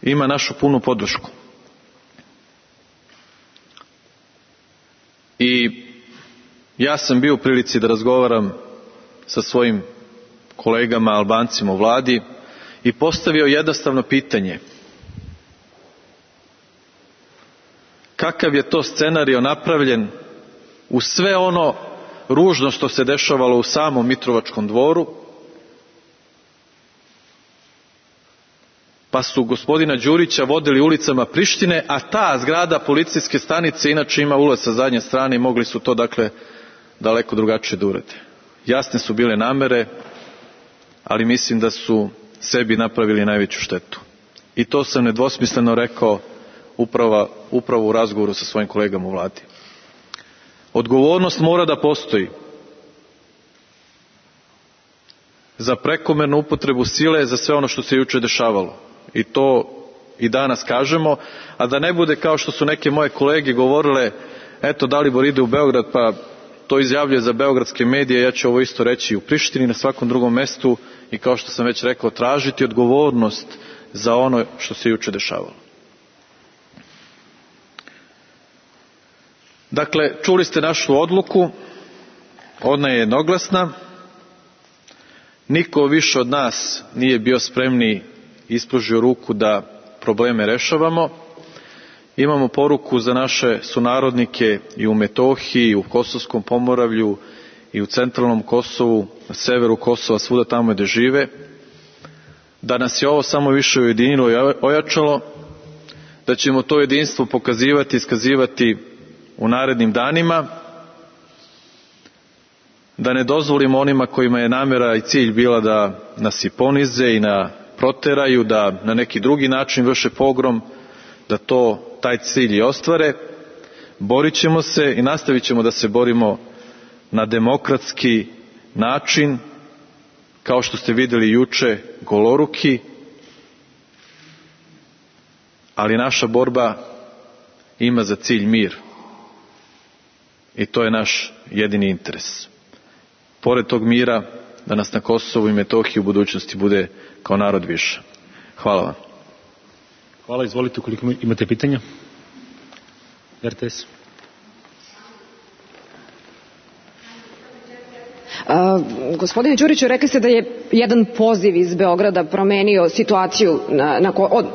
ima našu punu podršku. I ja sam bio u prilici da razgovaram sa svojim kolegama Albancima u vladi i postavio jednostavno pitanje: kakav je to scenario napravljen u sve ono ružno što se dešavalo u samom Mitrovačkom dvoru, pa su gospodina Đurića vodili ulicama Prištine, a ta zgrada policijske stanice inače ima ulaz sa zadnje strane i mogli su to dakle daleko drugačije da urade. Jasne su bile namere, ali mislim da su sebi napravili najveću štetu. I to sam nedvosmisleno rekao upravo u razgovoru sa svojim kolegama u vladi. Odgovornost mora da postoji za prekomernu upotrebu sile, za sve ono što se juče dešavalo. I to i danas kažemo, a da ne bude kao što su neke moje kolege govorile, eto Dalibor ide u Beograd pa to izjavljuje za beogradske medije, ja ću ovo isto reći u Prištini, na svakom drugom mestu, i kao što sam već rekao, tražiti odgovornost za ono što se juče dešavalo. Dakle, čuli ste našu odluku, ona je jednoglasna, niko više od nas nije bio spremniji ispružio ruku da probleme rešavamo. Imamo poruku za naše sunarodnike i u Metohiji, i u Kosovskom Pomoravlju, i u centralnom Kosovu, na severu Kosova, svuda tamo gde žive, da nas je ovo samo više ujedinilo i ojačalo, da ćemo to jedinstvo pokazivati i iskazivati u narednim danima, da ne dozvolimo onima kojima je namera i cilj bila da nas i ponize i proteraju, da na neki drugi način vrše pogrom, da taj cilj i ostvare. Borit ćemo se i nastavit ćemo da se borimo na demokratski način, kao što ste vidjeli juče, goloruki, ali naša borba ima za cilj mir. I to je naš jedini interes. Pored tog mira, da nas na Kosovu i Metohiji u budućnosti bude kao narod više. Hvala vam. Hvala, izvolite ukoliko imate pitanja. RTS. Gospodine Đuriću, rekli ste da je jedan poziv iz Beograda promenio situaciju,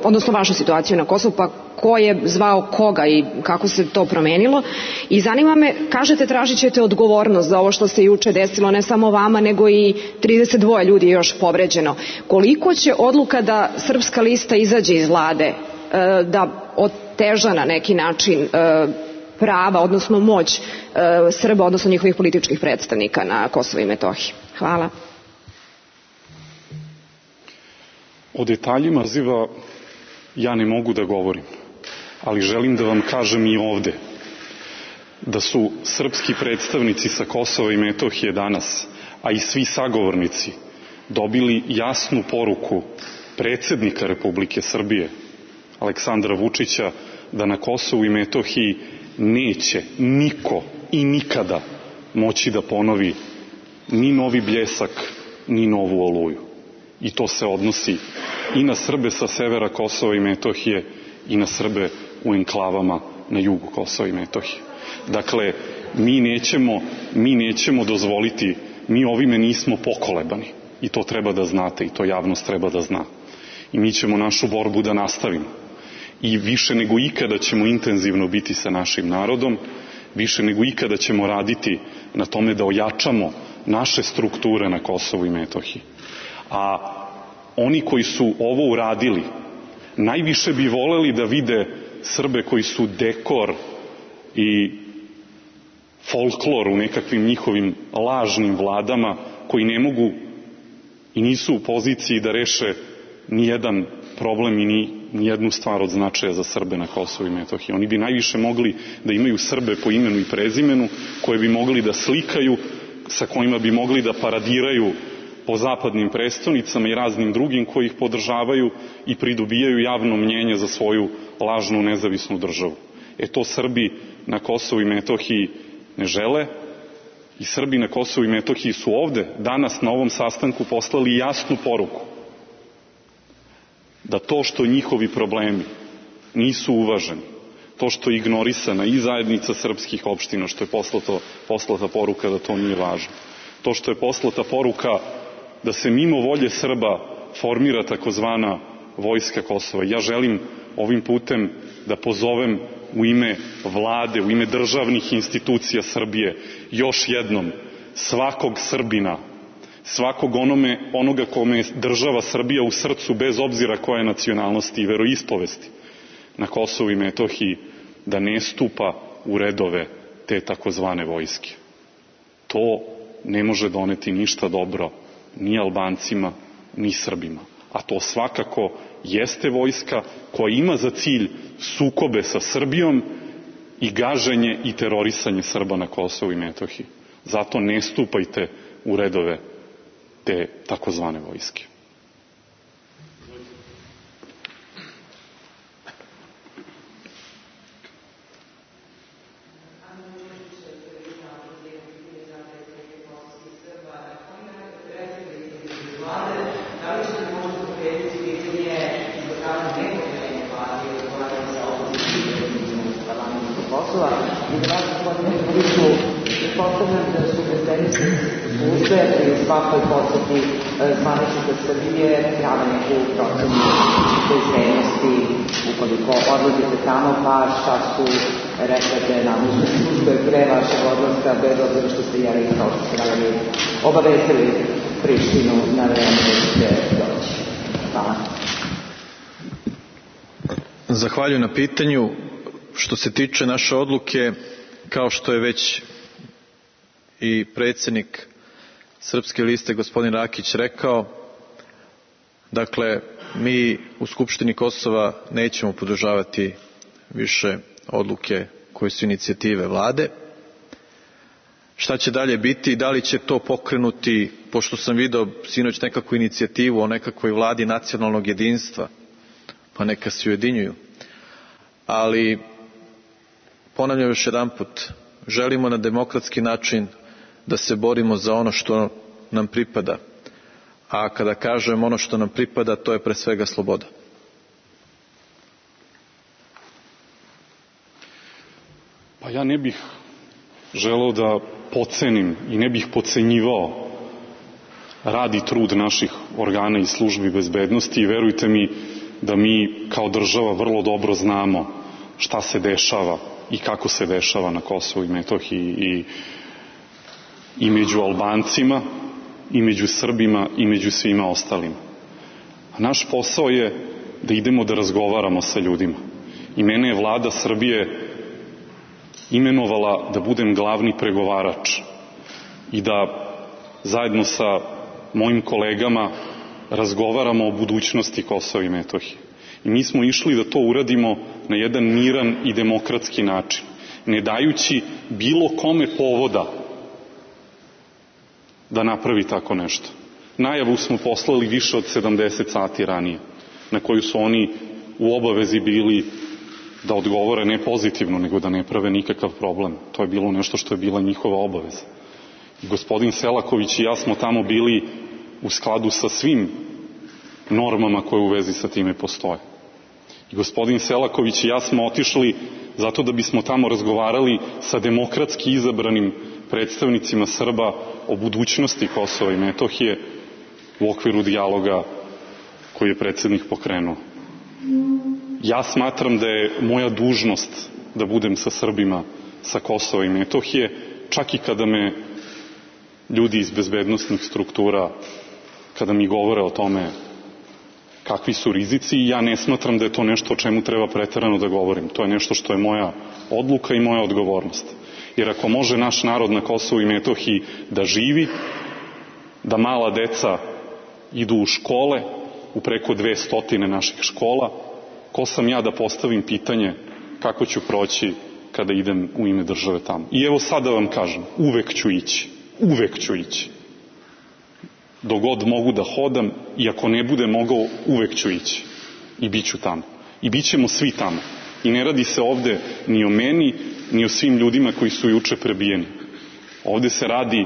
odnosno vašu situaciju na Kosovu, pa ko je zvao koga i kako se to promenilo. I zanima me, kažete tražit ćete odgovornost za ovo što se juče desilo, ne samo vama, nego i 32 ljudi još povređeno. Koliko će odluka da Srpska lista izađe iz vlade, da oteža na neki način prava, odnosno moć Srba, odnosno njihovih političkih predstavnika na Kosovo i Metohiji. Hvala. O detaljima poziva ja ne mogu da govorim, ali želim da vam kažem i ovde da su srpski predstavnici sa Kosova i Metohije danas, a i svi sagovornici, dobili jasnu poruku predsjednika Republike Srbije, Aleksandra Vučića, da na Kosovu i Metohiji neće niko i nikada moći da ponovi ni Novi Bljesak, ni Novu Oluju. I to se odnosi i na Srbe sa severa Kosova i Metohije i na Srbe u enklavama na jugu Kosova i Metohije. Dakle, mi nećemo dozvoliti, mi ovime nismo pokolebani i to treba da znate i to javnost treba da zna. I mi ćemo našu borbu da nastavimo. I više nego ikada ćemo intenzivno biti sa našim narodom, više nego ikada ćemo raditi na tome da ojačamo naše strukture na Kosovu i Metohiji. A oni koji su ovo uradili, najviše bi voleli da vide Srbe koji su dekor i folklor u nekakvim njihovim lažnim vladama, koji ne mogu i nisu u poziciji da reše ni jedan problem i ni jednu stvar od značaja za Srbe na Kosovu i Metohiji. Oni bi najviše mogli da imaju Srbe po imenu i prezimenu, koje bi mogli da slikaju, sa kojima bi mogli da paradiraju po zapadnim prestonicama i raznim drugim koji ih podržavaju i pridobijaju javno mnjenje za svoju lažnu nezavisnu državu. To Srbi na Kosovu i Metohiji ne žele i Srbi na Kosovu i Metohiji su ovde danas na ovom sastanku poslali jasnu poruku da to što njihovi problemi nisu uvaženi, to što je ignorisana i zajednica srpskih opština, što je poslata poruka da to nije važno, to što je poslata poruka da se mimo volje Srba formira takozvana vojska Kosova. Ja želim ovim putem da pozovem u ime vlade, u ime državnih institucija Srbije još jednom svakog Srbina, svakog onoga kome je država Srbija u srcu, bez obzira koje nacionalnosti i veroispovesti na Kosovu i Metohiji, da ne stupa u redove te takozvane vojske. To ne može doneti ništa dobro ni Albancima, ni Srbima. A to svakako jeste vojska koja ima za cilj sukobe sa Srbijom i gaženje i terorisanje Srba na Kosovu i Metohiji. Zato ne stupajte u redove te takozvane vojske. Pretpostavljam da su bezbednosne službe pri svakoj poseti zvaničnika Srbije prave neku procenu bezbednosti ukoliko odlazite tamo, pa šta su rekate nadležne službe pre vašeg odlaska, bez obzira što ste jeli kao što ste radili obavestili Prištinu na vreme da ćete doći. Hvala. Zahvaljujem na pitanju. Što se tiče naše odluke, kao što je već i predsjednik Srpske liste gospodin Rakić rekao, dakle, mi u Skupštini Kosova nećemo podržavati više odluke koje su inicijative vlade. Šta će dalje biti, da li će to pokrenuti, pošto sam video sinoć nekakvu inicijativu o nekakvoj vladi nacionalnog jedinstva, pa neka se ujedinjuju. Ali, ponavljam još jedanput, želimo na demokratski način da se borimo za ono što nam pripada. A kada kažem ono što nam pripada, to je pre svega sloboda. Pa ja ne bih želeo da podcenim i ne bih podcenjivao rad i trud naših organa i službi bezbednosti i verujte mi da mi kao država vrlo dobro znamo šta se dešava i kako se dešava na Kosovu i Metohiji i među Albancima, i među Srbima, i među svima ostalima. A naš posao je da idemo da razgovaramo sa ljudima. I mene je vlada Srbije imenovala da budem glavni pregovarač i da zajedno sa mojim kolegama razgovaramo o budućnosti Kosova i Metohije. I mi smo išli da to uradimo na jedan miran i demokratski način, ne dajući bilo kome povoda da napravi tako nešto. Najavu smo poslali više od 70 sati ranije, na koju su oni u obavezi bili da odgovore ne pozitivno, nego da ne prave nikakav problem. To je bilo nešto što je bila njihova obaveza. I gospodin Selaković i ja smo tamo bili u skladu sa svim normama koje u vezi sa time postoje. I gospodin Selaković i ja smo otišli zato da bismo tamo razgovarali sa demokratski izabranim predstavnicima Srba o budućnosti Kosova i Metohije u okviru dijaloga koji je predsjednik pokrenuo. Ja smatram da je moja dužnost da budem sa Srbima sa Kosova i Metohije, čak i kada me ljudi iz bezbednosnih struktura, kada mi govore o tome kakvi su rizici, ja ne smatram da je to nešto o čemu treba preterano da govorim. To je nešto što je moja odluka i moja odgovornost. Jer ako može naš narod na Kosovu i Metohiji da živi, da mala deca idu u škole, u preko 200 naših škola, ko sam ja da postavim pitanje kako ću proći kada idem u ime države tamo. I evo sad da vam kažem, uvek ću ići. Dok god mogu da hodam, i ako ne bude mogao, uvek ću ići. I bit ću tamo. I bit ćemo svi tamo. I ne radi se ovde ni o meni, ni o svim ljudima koji su juče prebijeni. Ovde se radi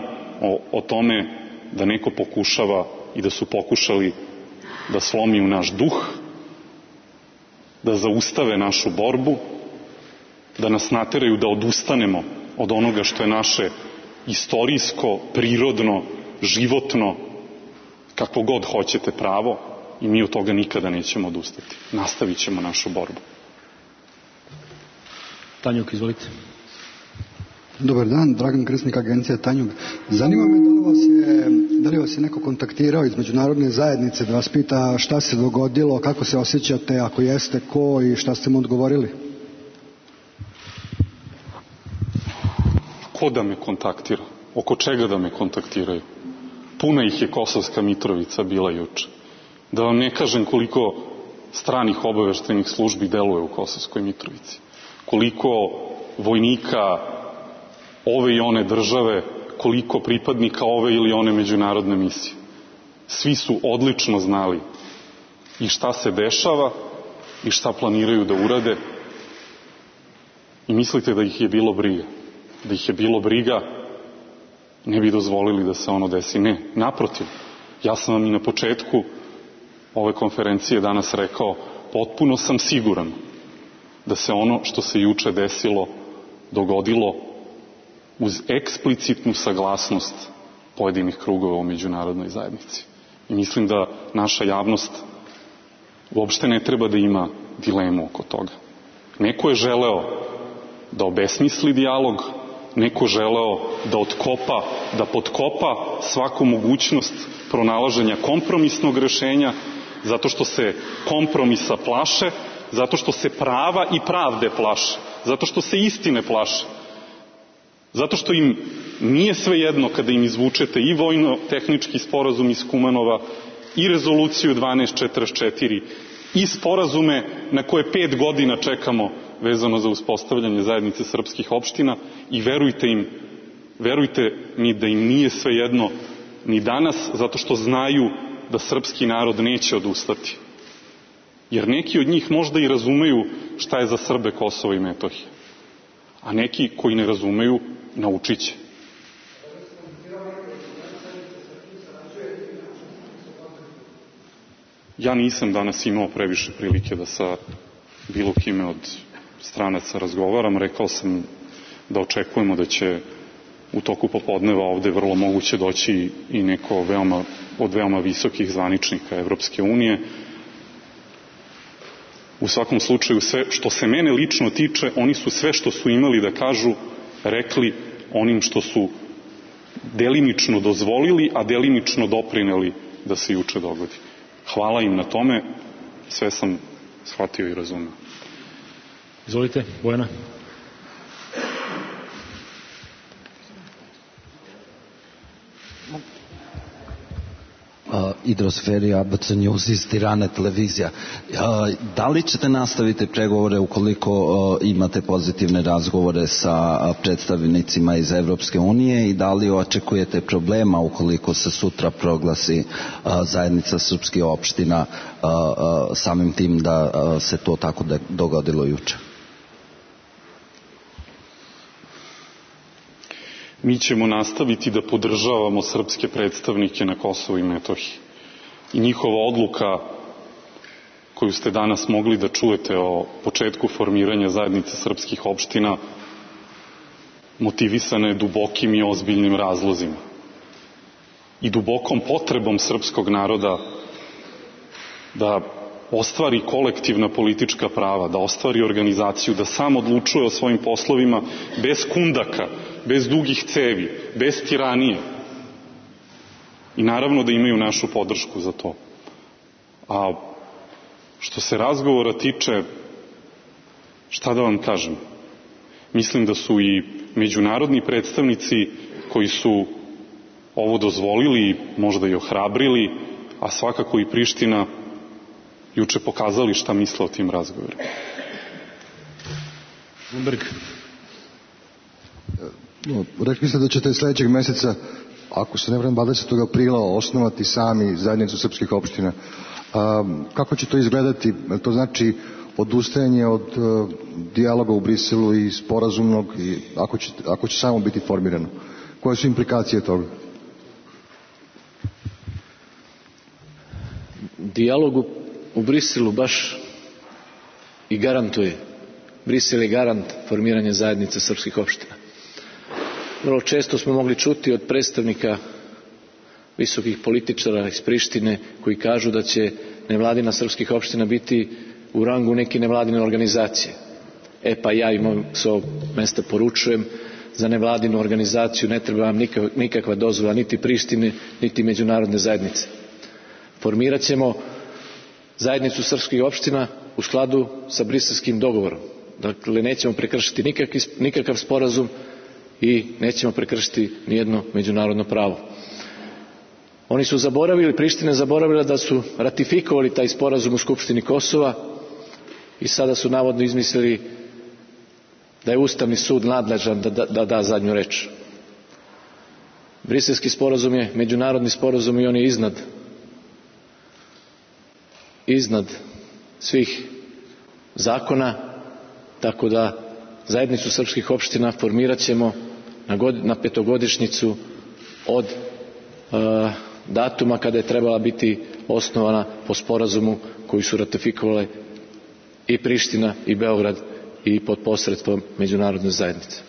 o tome da neko pokušava i da su pokušali da slomiju naš duh, da zaustave našu borbu, da nas nateraju da odustanemo od onoga što je naše istorijsko, prirodno, životno, kako god hoćete pravo, i mi od toga nikada nećemo odustati. Nastavit ćemo našu borbu. Tanjuk, izvolite. Dobar dan, Dragan Krsnik, agencija Tanjug. Zanima me da li vas je neko kontaktirao iz međunarodne zajednice da vas pita šta se dogodilo, kako se osjećate, ako jeste, ko i šta ste mu odgovorili? Ko da me kontaktira? Oko čega da me kontaktiraju? Puna ih je Kosovska Mitrovica bila juče. Da vam ne kažem koliko stranih obaveštajnih službi deluje u Kosovskoj Mitrovici. Koliko vojnika ove i one države, koliko pripadnika ove ili one međunarodne misije. Svi su odlično znali i šta se dešava i šta planiraju da urade. I mislite da ih je bilo briga? Da ih je bilo briga, ne bi dozvolili da se ono desi. Ne, naprotiv. Ja sam vam i na početku ove konferencije danas rekao, potpuno sam siguran da se ono što se juče desilo dogodilo uz eksplicitnu saglasnost pojedinih krugova u međunarodnoj zajednici. I mislim da naša javnost uopšte ne treba da ima dilemu oko toga. Neko je želeo da obesmisli dijalog, neko želeo da otkopa, da potkopa svaku mogućnost pronalaženja kompromisnog rešenja, zato što se kompromisa plaše, zato što se prava i pravde plaše, zato što se istine plaše, zato što im nije svejedno kada im izvučete i vojno-tehnički sporazum iz Kumanova, i rezoluciju 1244, i sporazume na koje 5 godina čekamo vezano za uspostavljanje zajednice srpskih opština, i verujte mi da im nije svejedno ni danas, zato što znaju da srpski narod neće odustati. Jer neki od njih možda i razumeju šta je za Srbe Kosovo i Metohija, a neki koji ne razumeju naučit će. Ja nisam danas imao previše prilike da sa bilo kime od stranaca razgovaram. Rekao sam da očekujemo da će u toku popodneva ovde vrlo moguće doći i neko od veoma visokih zvaničnika Evropske unije. U svakom slučaju, sve što se mene lično tiče, oni su sve što su imali da kažu rekli onim što su delimično dozvolili, a delimično doprineli da se juče dogodi. Hvala im na tome, sve sam shvatio i razumio. Izvolite, Bojana. Idrosferi, ABC News iz Tirane televizija. Da li ćete nastaviti pregovore ukoliko imate pozitivne razgovore sa predstavnicima iz Evropske unije i da li očekujete problema ukoliko se sutra proglasi zajednica srpskih opština, samim tim da se to tako dogodilo juče? Mi ćemo nastaviti da podržavamo srpske predstavnike na Kosovu i Metohiji. I njihova odluka koju ste danas mogli da čujete o početku formiranja zajednice srpskih opština motivisana je dubokim i ozbiljnim razlozima i dubokom potrebom srpskog naroda da ostvari kolektivna politička prava, da ostvari organizaciju, da sam odlučuje o svojim poslovima bez kundaka, bez dugih cevi, bez tiranije. I naravno da imaju našu podršku za to. A što se razgovora tiče, šta da vam kažem? Mislim da su i međunarodni predstavnici koji su ovo dozvolili, možda i ohrabrili, a svakako i Priština, juče pokazali šta misle o tim razgovorima. Rekli ste da ćete sljedećeg meseca, ako se ne varam 20. aprila, osnovati sami zajednicu srpskih opština. Kako će to izgledati? To znači odustajanje od dijaloga u Briselu i sporazumnog, i ako će samo biti formirano? Koje su implikacije toga? Dijalog u Briselu baš i garantuje. Brisel je garant formiranja zajednice srpskih opština. Vrlo često smo mogli čuti od predstavnika visokih političara iz Prištine koji kažu da će nevladina srpskih opština biti u rangu neke nevladine organizacije. Pa ja im s ovog mesta poručujem, za nevladinu organizaciju ne treba vam nikakva dozvola niti Prištine, niti međunarodne zajednice. Formirat ćemo zajednicu srpskih opština u skladu sa briselskim dogovorom. Dakle, nećemo prekršiti nikakav sporazum i nećemo prekršiti nijedno međunarodno pravo. Oni su zaboravili, Priština je zaboravila da su ratifikovali taj sporazum u Skupštini Kosova i sada su navodno izmislili da je Ustavni sud nadležan da da zadnju reč. Briselski sporazum je međunarodni sporazum i on je iznad svih zakona, tako da zajednicu srpskih opština formirat ćemo na petogodišnjicu od datuma kada je trebala biti osnovana po sporazumu koji su ratifikovale i Priština i Beograd i pod posredstvom međunarodne zajednice.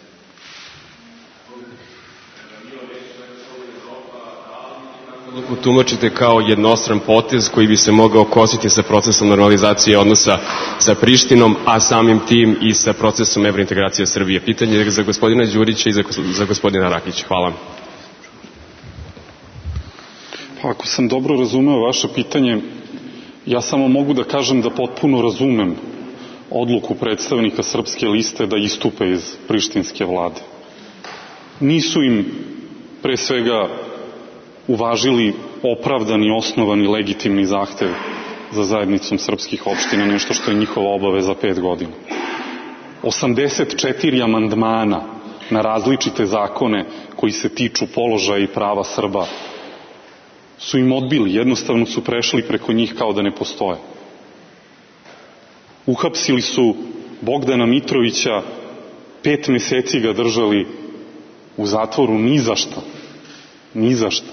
Tumačite kao jednostran potez koji bi se mogao kositi sa procesom normalizacije odnosa sa Prištinom, a samim tim i sa procesom evrointegracije Srbije. Pitanje je za gospodina Đurića i za gospodina Rakića. Hvala. Pa ako sam dobro razumeo vaše pitanje, ja samo mogu da kažem da potpuno razumem odluku predstavnika Srpske liste da istupe iz prištinske vlade. Nisu im pre svega uvažili opravdani, osnovani, legitimni zahtev za zajednicom srpskih opština, nešto što je njihova obaveza 5 godina. 84 amandmana na različite zakone koji se tiču položaja i prava Srba su im odbili, jednostavno su prešli preko njih kao da ne postoje. Uhapsili su Bogdana Mitrovića, 5 meseci ga držali u zatvoru ni za šta.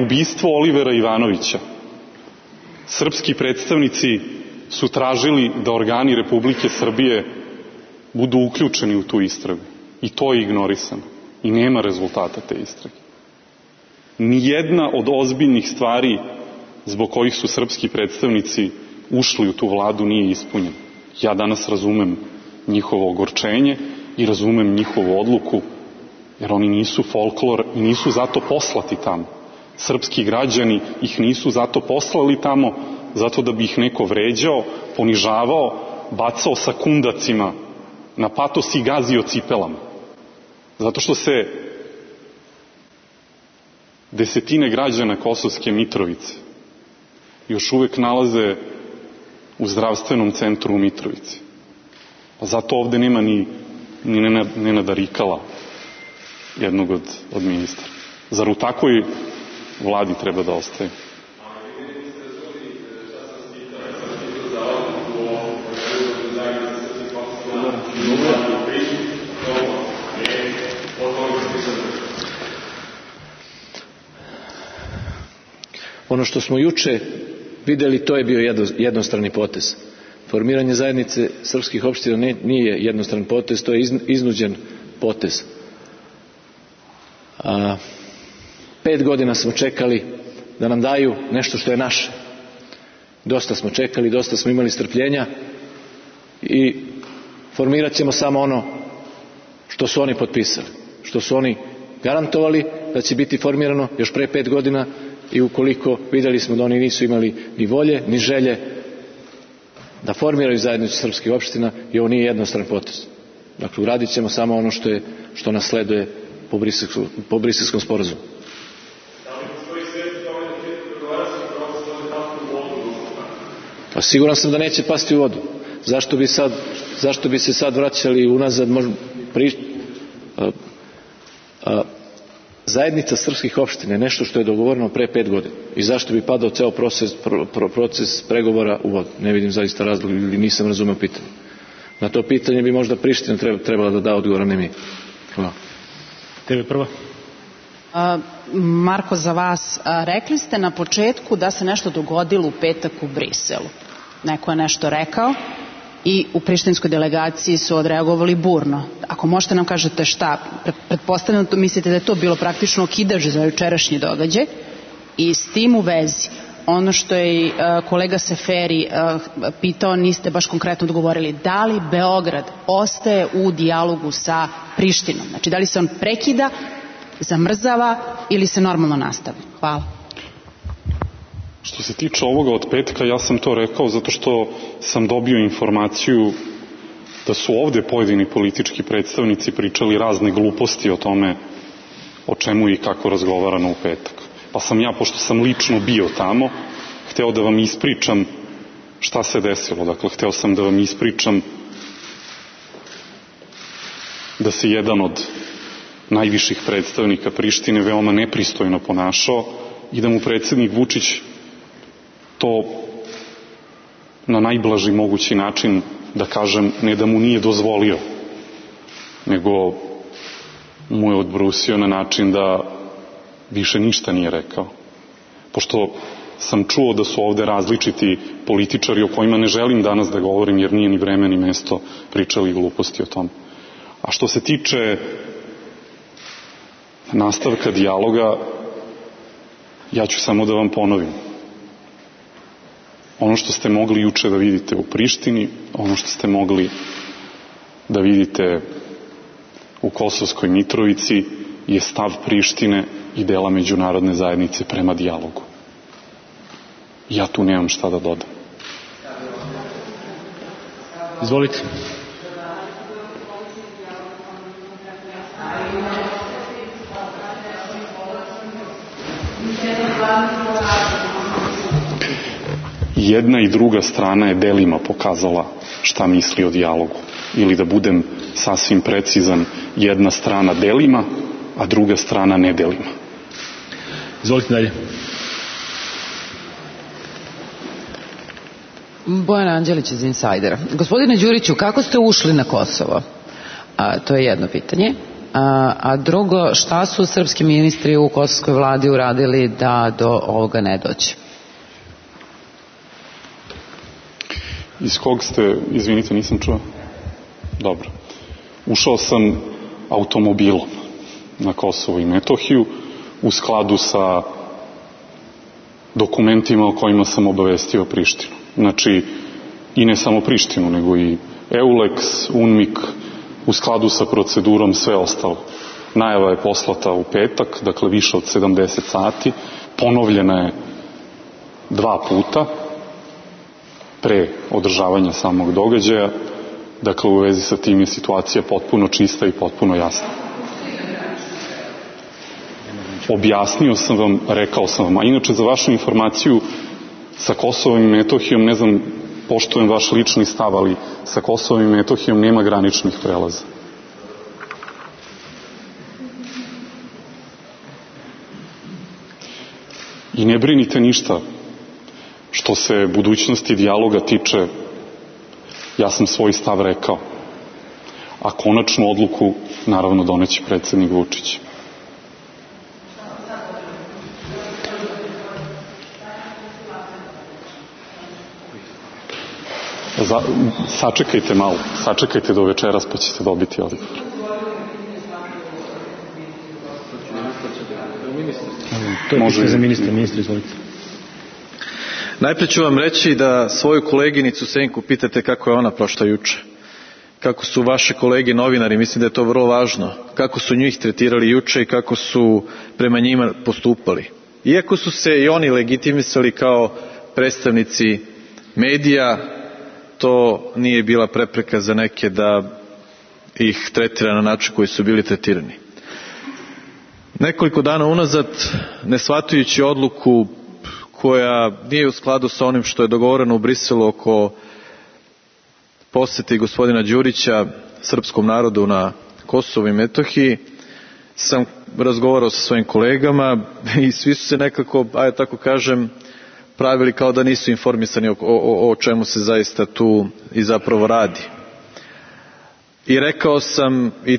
Ubistvo Olivera Ivanovića. Srpski predstavnici su tražili da organi Republike Srbije budu uključeni u tu istragu. I to je ignorisano. I nema rezultata te istrage. Nijedna od ozbiljnih stvari zbog kojih su srpski predstavnici ušli u tu vladu nije ispunjena. Ja danas razumem njihovo ogorčenje i razumem njihovu odluku, jer oni nisu folklor i nisu zato poslati tamo. Srpski građani ih nisu zato poslali tamo, zato da bi ih neko vređao, ponižavao, bacao sa kundacima na patos i gazio cipelama. Zato što se desetine građana Kosovske Mitrovice još uvek nalaze u zdravstvenom centru u Mitrovici. Pa zato ovde nema ni Nenada Rikala, jednog od ministara. Zar u takvoj vladi treba da ostaje? Ono što smo juče videli, to je bio jednostrani potez. Formiranje zajednice srpskih opština nije jednostran potez, to je iznuđen potez. 5 godina smo čekali da nam daju nešto što je naše. Dosta smo čekali, dosta smo imali strpljenja i formirat ćemo samo ono što su oni potpisali, što su oni garantovali da će biti formirano još pre 5 godina i ukoliko vidjeli smo da oni nisu imali ni volje, ni želje da formiraju zajednicu srpskih opština i ovo nije jednostran potez. Dakle, uradit ćemo samo ono što nas sleduje po Briselskom sporazumu. Pa siguran sam da neće pasti u vodu. Zašto bi se sad vraćali unazad? Zajednica srpskih opština je nešto što je dogovoreno pre 5 godina. I zašto bi padao ceo proces pregovora u vodu? Ne vidim zaista razlog ili nisam razumeo pitanje. Na to pitanje bi možda Priština trebala da da odgovor, a ne mi. Hvala. Tebe prva. Marko, za vas, rekli ste na početku da se nešto dogodilo u petak u Briselu. Neko je nešto rekao i u prištinskoj delegaciji su odreagovali burno. Ako možete nam kažete šta, pretpostavljam da mislite da je to bilo praktično okidaž za jučerašnji događaj i s tim u vezi ono što je kolega Seferi pitao, niste baš konkretno odgovorili. Da li Beograd ostaje u dijalogu sa Prištinom? Znači, da li se on prekida, zamrzava ili se normalno nastavlja? Hvala. Što se tiče ovoga od petka, ja sam to rekao zato što sam dobio informaciju da su ovde pojedini politički predstavnici pričali razne gluposti o tome o čemu i kako razgovarano u petak. Pa sam ja, pošto sam lično bio tamo, hteo da vam ispričam šta se desilo. Dakle, hteo sam da vam ispričam da se jedan od najviših predstavnika Prištine veoma nepristojno ponašao i da mu predsjednik Vučić to na najblaži mogući način, da kažem, ne da mu nije dozvolio, nego mu je odbrusio na način da više ništa nije rekao. Pošto sam čuo da su ovde različiti političari o kojima ne želim danas da govorim jer nije ni vreme ni mesto, pričali gluposti o tom. A što se tiče nastavka dijaloga, ja ću samo da vam ponovim. Ono što ste mogli juče da vidite u Prištini, ono što ste mogli da vidite u Kosovskoj Mitrovici je stav Prištine i dela međunarodne zajednice prema dijalogu. Ja tu nemam šta da dodam. Izvolite. Jedna i druga strana je delima pokazala šta misli o dijalogu. Ili da budem sasvim precizan, jedna strana delima, a druga strana ne delima. Izvolite dalje. Bojana Anđelić iz Insajdera. Gospodine Đuriću, kako ste ušli na Kosovo? To je jedno pitanje. A drugo, šta su srpski ministri u kosovskoj vladi uradili da do ovoga ne dođe? Iz kog ste, izvinite, nisam čuo? Dobro. Ušao sam automobilom na Kosovo i Metohiju u skladu sa dokumentima o kojima sam obavestio Prištinu. Znači, i ne samo Prištinu, nego i EULEX, UNMIK, u skladu sa procedurom, sve ostalo. Najava je poslata u petak, dakle više od 70 sati, ponovljena je 2 puta pre održavanja samog događaja. Dakle, u vezi sa tim je situacija potpuno čista i potpuno jasna. objasnio sam vam, rekao sam vam. A inače, za vašu informaciju, sa Kosovom i Metohijom, ne znam, poštujem vaš lični stav, ali sa Kosovom i Metohijom nema graničnih prelaza. I ne brinite ništa što se budućnosti dijaloga tiče, ja sam svoj stav rekao. A konačnu odluku, naravno, doneće predsjednik Vučić. Sačekajte malo, sačekajte do večeras pa ćete dobiti odgovor. Može za ministra, izvolite. Najprije ću vam reći da svoju koleginicu Senku pitate kako je ona prošla juče. Kako su vaše kolege novinari, mislim da je to vrlo važno, kako su njih tretirali juče i kako su prema njima postupali. Iako su se i oni legitimisali kao predstavnici medija, to nije bila prepreka za neke da ih tretira na način koji su bili tretirani. Nekoliko dana unazad, ne shvatajući odluku koja nije u skladu sa onim što je dogovoreno u Briselu oko posjeti gospodina Đurića srpskom narodu na Kosovu i Metohiji, sam razgovarao sa svojim kolegama i svi su se nekako, ajde tako kažem, pravili kao da nisu informisani o čemu se zaista tu i zapravo radi. I rekao sam, i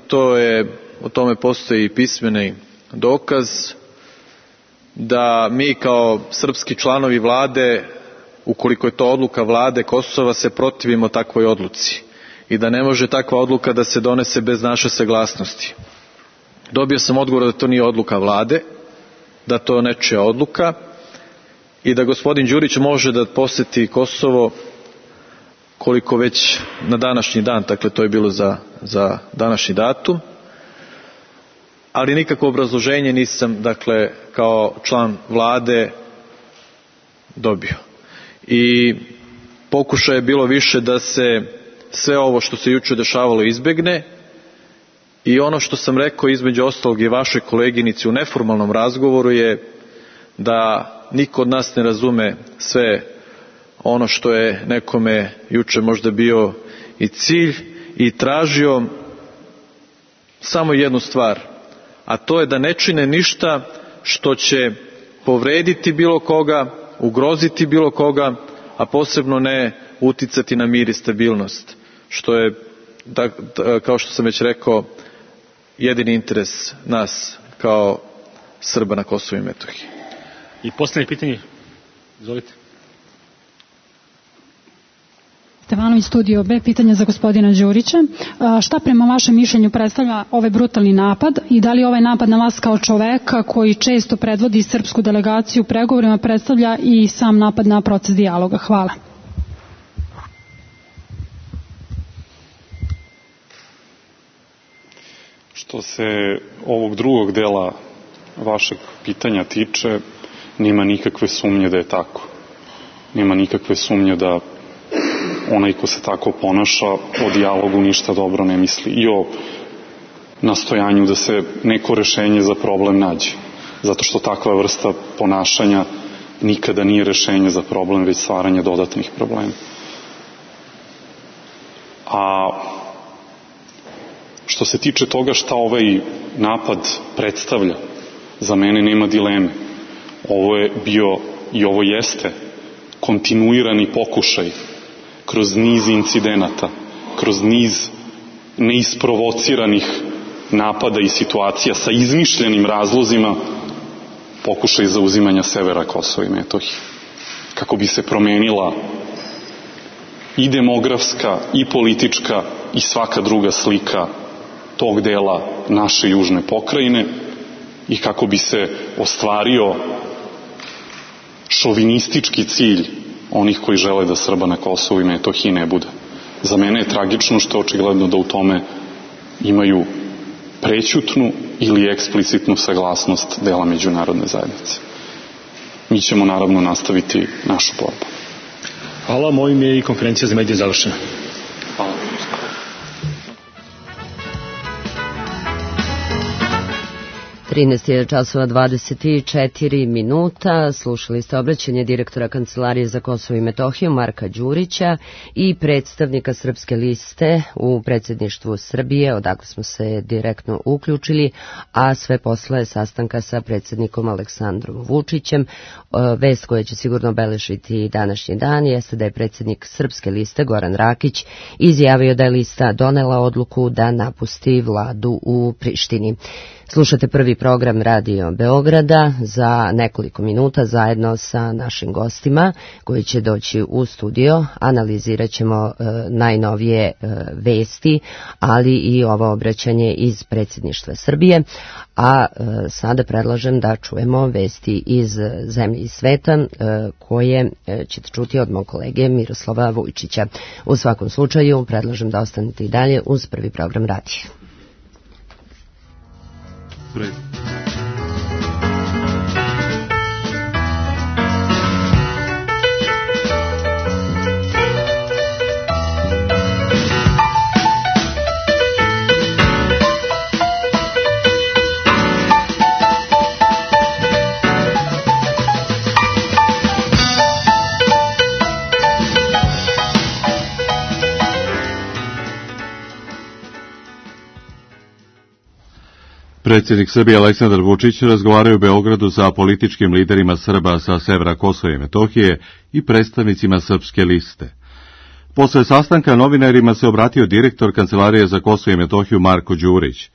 o tome postoji pismeni dokaz, da mi kao srpski članovi vlade, ukoliko je to odluka vlade Kosova, se protivimo takvoj odluci i da ne može takva odluka da se donese bez naše saglasnosti. Dobio sam odgovor da to nije odluka vlade, da to je nečija odluka i da gospodin Đurić može da poseti Kosovo koliko već na današnji dan, dakle to je bilo za današnji datum, ali nikakvo obrazloženje nisam, dakle, kao član vlade dobio. I pokušaj je bilo više da se sve ovo što se juče dešavalo izbegne i ono što sam rekao između ostalog i vašoj koleginici u neformalnom razgovoru je da niko od nas ne razume sve ono što je nekome juče možda bio i cilj i tražio samo jednu stvar, a to je da ne čine ništa što će povrediti bilo koga, ugroziti bilo koga, a posebno ne uticati na mir i stabilnost, što je, kao što sam već rekao, jedini interes nas kao Srba na Kosovu i Metohiji. I posljednje pitanje, izvolite. Stevanović, Studio B, pitanje za gospodina Đurića. Šta prema vašem mišljenju predstavlja ovaj brutalni napad i da li ovaj napad na vas kao čoveka koji često predvodi srpsku delegaciju u pregovorima predstavlja i sam napad na proces dijaloga? Hvala. Što se ovog drugog dela vašeg pitanja tiče, nema nikakve sumnje da je tako. Nema nikakve sumnje da onaj ko se tako ponaša o dijalogu ništa dobro ne misli i o nastojanju da se neko rešenje za problem nađe. Zato što takva vrsta ponašanja nikada nije rešenje za problem, već stvaranje dodatnih problema. A što se tiče toga šta ovaj napad predstavlja, za mene nema dileme. Ovo je bio i ovo jeste kontinuirani pokušaj kroz niz incidenata, kroz niz neisprovociranih napada i situacija sa izmišljenim razlozima, pokušaj zauzimanja severa Kosova i Metohije. Kako bi se promenila i demografska, i politička, i svaka druga slika tog dela naše južne pokrajine i kako bi se ostvario šovinistički cilj onih koji žele da Srba na Kosovu i Metohiji ne bude. Za mene je tragično što je očigledno da u tome imaju prećutnu ili eksplicitnu saglasnost dela međunarodne zajednice. Mi ćemo naravno nastaviti našu borbu. Hvala, mojim je i konferencija za medije završena. Hvala. 13:24 minuta. Slušali ste obraćanje direktora Kancelarije za Kosovo i Metohiju Marka Đurića i predstavnika Srpske liste u predsjedništvu Srbije, odakle smo se direktno uključili, a sve posle sastanka sa predsjednikom Aleksandrom Vučićem. Vest koja će sigurno obeležiti današnji dan jeste da je predsjednik Srpske liste Goran Rakić izjavio da je lista donela odluku da napusti vladu u Prištini. Slušate prvi program Radio Beograda. Za nekoliko minuta zajedno sa našim gostima koji će doći u studio analizirat ćemo najnovije vesti, ali i ovo obraćanje iz predsjedništva Srbije. A sada predlažem da čujemo vesti iz zemlje i sveta koje ćete čuti od mog kolege Miroslava Vujčića. U svakom slučaju predlažem da ostanete i dalje uz prvi program radija. Predsjednik Srbije Aleksandar Vučić razgovaraju u Beogradu sa političkim liderima Srba sa severa Kosova i Metohije i predstavnicima Srpske liste. Posle sastanka novinarima se obratio direktor Kancelarije za Kosovo i Metohiju Marko Đurić.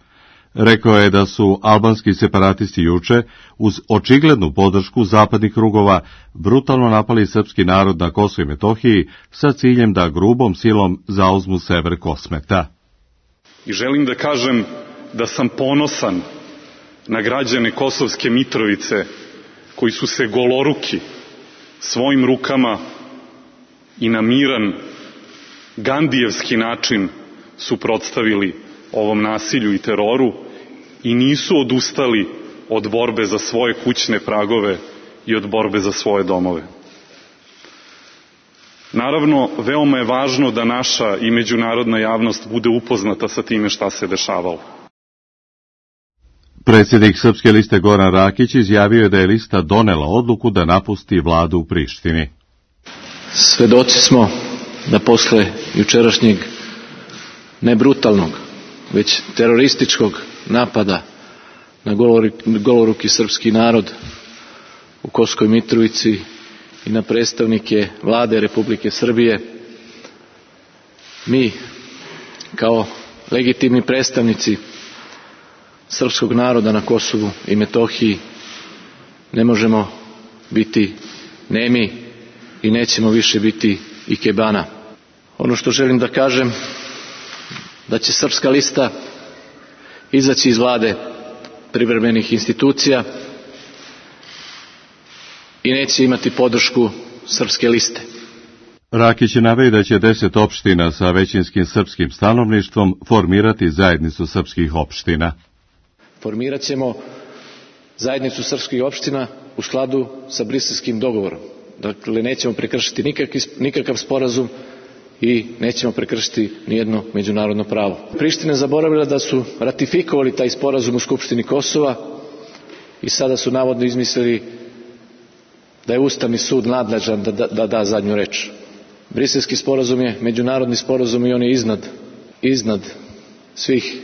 Rekao je da su albanski separatisti juče, uz očiglednu podršku zapadnih krugova, brutalno napali srpski narod na Kosovu i Metohiji sa ciljem da grubom silom zauzmu sever Kosmeta. I želim da kažem da sam ponosan na građane Kosovske Mitrovice koji su se goloruki svojim rukama i na miran gandijevski način suprotstavili ovom nasilju i teroru i nisu odustali od borbe za svoje kućne pragove i od borbe za svoje domove. Naravno, veoma je važno da naša i međunarodna javnost bude upoznata sa time šta se dešavalo. Predsjednik Srpske liste Goran Rakić izjavio je da je lista donela odluku da napusti vladu u Prištini. Svedoci smo da posle jučerašnjeg ne brutalnog, već terorističkog napada na goloruki srpski narod u Kosovskoj Mitrovici i na predstavnike vlade Republike Srbije, mi kao legitimni predstavnici srpskog naroda na Kosovu i Metohiji ne možemo biti nemi i nećemo više biti ikebana. Ono što želim da kažem, da će Srpska lista izaći iz vlade privremenih institucija i neće imati podršku Srpske liste. Rakić je naveo da će 10 opština sa većinskim srpskim stanovništvom formirati zajednicu srpskih opština. Formirat ćemo zajednicu srpskih opština u skladu sa Briselskim dogovorom. Dakle, nećemo prekršiti nikakav sporazum i nećemo prekršiti nijedno međunarodno pravo. Priština je zaboravila da su ratifikovali taj sporazum u Skupštini Kosova i sada su navodno izmislili da je Ustavni sud nadležan da da zadnju reč. Briselski sporazum je međunarodni sporazum i on je iznad svih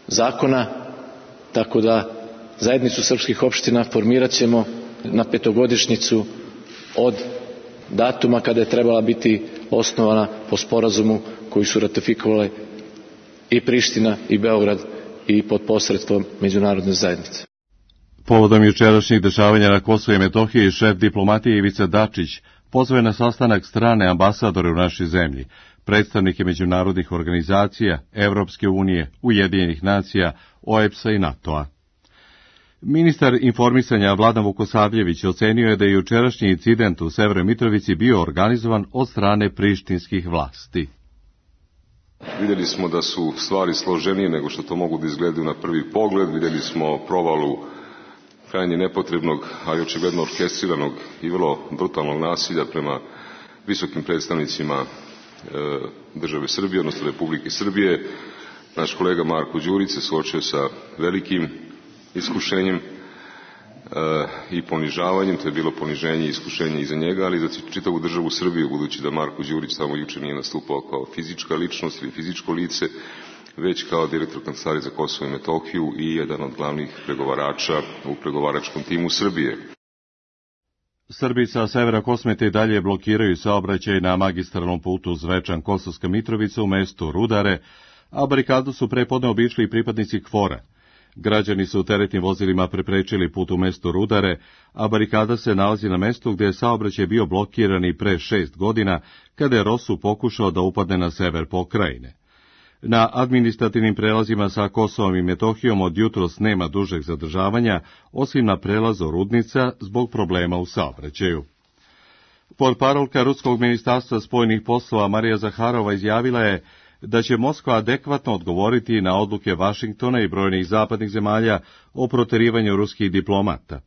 zakona, tako da zajednicu srpskih opština formirat ćemo na 5-godišnjicu od datuma kada je trebala biti osnovana po sporazumu koji su ratifikovale i Priština i Beograd i pod posredstvom međunarodne zajednice. Povodom jučerašnjih dešavanja na Kosovu i Metohiji, šef diplomatije Ivica Dačić pozvao je na sastanak strane ambasadore u našoj zemlji, predstavnike međunarodnih organizacija, Evropske unije, Ujedinjenih nacija, OEBS-a i NATO-a. Ministar informisanja Vladan Vukosavljević ocenio je da je jučerašnji incident u Severnoj Mitrovici bio organizovan od strane prištinskih vlasti. Vidjeli smo da su stvari složenije nego što to mogu da izgledaju na prvi pogled. Vidjeli smo provalu krajnje nepotrebnog, a i očigledno orkestriranog i vrlo brutalnog nasilja prema visokim predstavnicima države Srbije, odnosno Republike Srbije. Naš kolega Marko Đurić se suočio sa velikim iskušenjem i ponižavanjem. To je bilo poniženje i iskušenje i za njega, ali i za čitavu državu Srbiju, budući da Marko Đurić samo juče nije nastupao kao fizička ličnost ili fizičko lice, već kao direktor Kancelarije za Kosovo i Metohiju i jedan od glavnih pregovarača u pregovaračkom timu Srbije. Srbi sa severa Kosmete i dalje blokiraju saobraćaj na magistralnom putu Zvečan-Kosovska Mitrovica u mestu Rudare, a barikadu su prepodne obišli pripadnici KFOR-a. Građani su teretnim vozilima preprečili put u mestu Rudare, a barikada se nalazi na mestu gde je saobraćaj bio blokiran i pre 6 godina, kada je ROSU pokušao da upadne na sever pokrajine. Na administrativnim prelazima sa Kosovom i Metohijom od jutros nema dužeg zadržavanja, osim na prelazu Rudnica zbog problema u saobraćaju. Portparolka Ruskog ministarstva spoljnih poslova Marija Zaharova izjavila je da će Moskva adekvatno odgovoriti na odluke Vašingtona i brojnih zapadnih zemalja o proterivanju ruskih diplomata.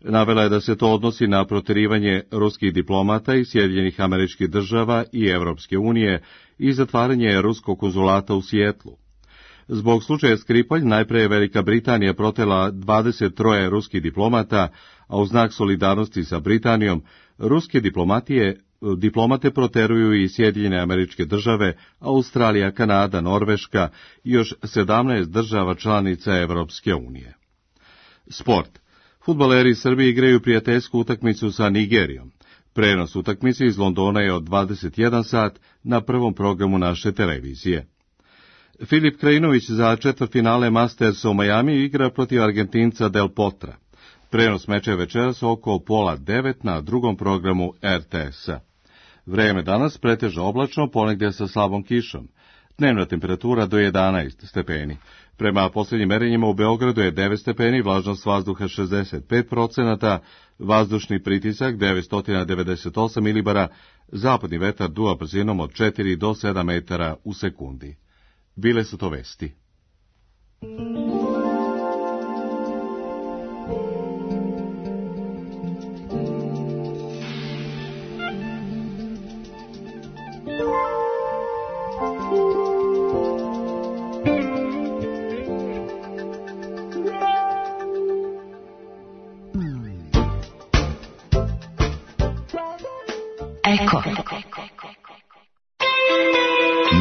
Navela je da se to odnosi na proterivanje ruskih diplomata iz Sjedinjenih Američkih Država i Evropske unije i zatvaranje ruskog konzulata u Sijetlu. Zbog slučaja Skripalj najpre je Velika Britanija protela 23 ruskih diplomata, a u znak solidarnosti sa Britanijom, ruske diplomate proteruju i Sjedinjene Američke Države, Australija, Kanada, Norveška i još 17 država članica Evropske unije. Sport. Fudbaleri Srbije igraju prijateljsku utakmicu sa Nigerijom. Prenos utakmice iz Londona je od 21 sat na prvom programu naše televizije. Filip Krajinović za četvrtfinale Mastersa u Majamiju igra protiv Argentinca Del Potra. Prenos meča je večeras oko 8:30 na drugom programu RTS-a. Vreme danas pretežno oblačno, ponegdje sa slabom kišom. Dnevna temperatura do 11 stepeni. Prema posljednjim merenjima u Beogradu je 9 stepeni, vlažnost vazduha 65%, vazdušni pritisak 998 milibara, zapadni vetar duva brzinom od 4 do 7 metara u sekundi. Bile su to vesti. Eko.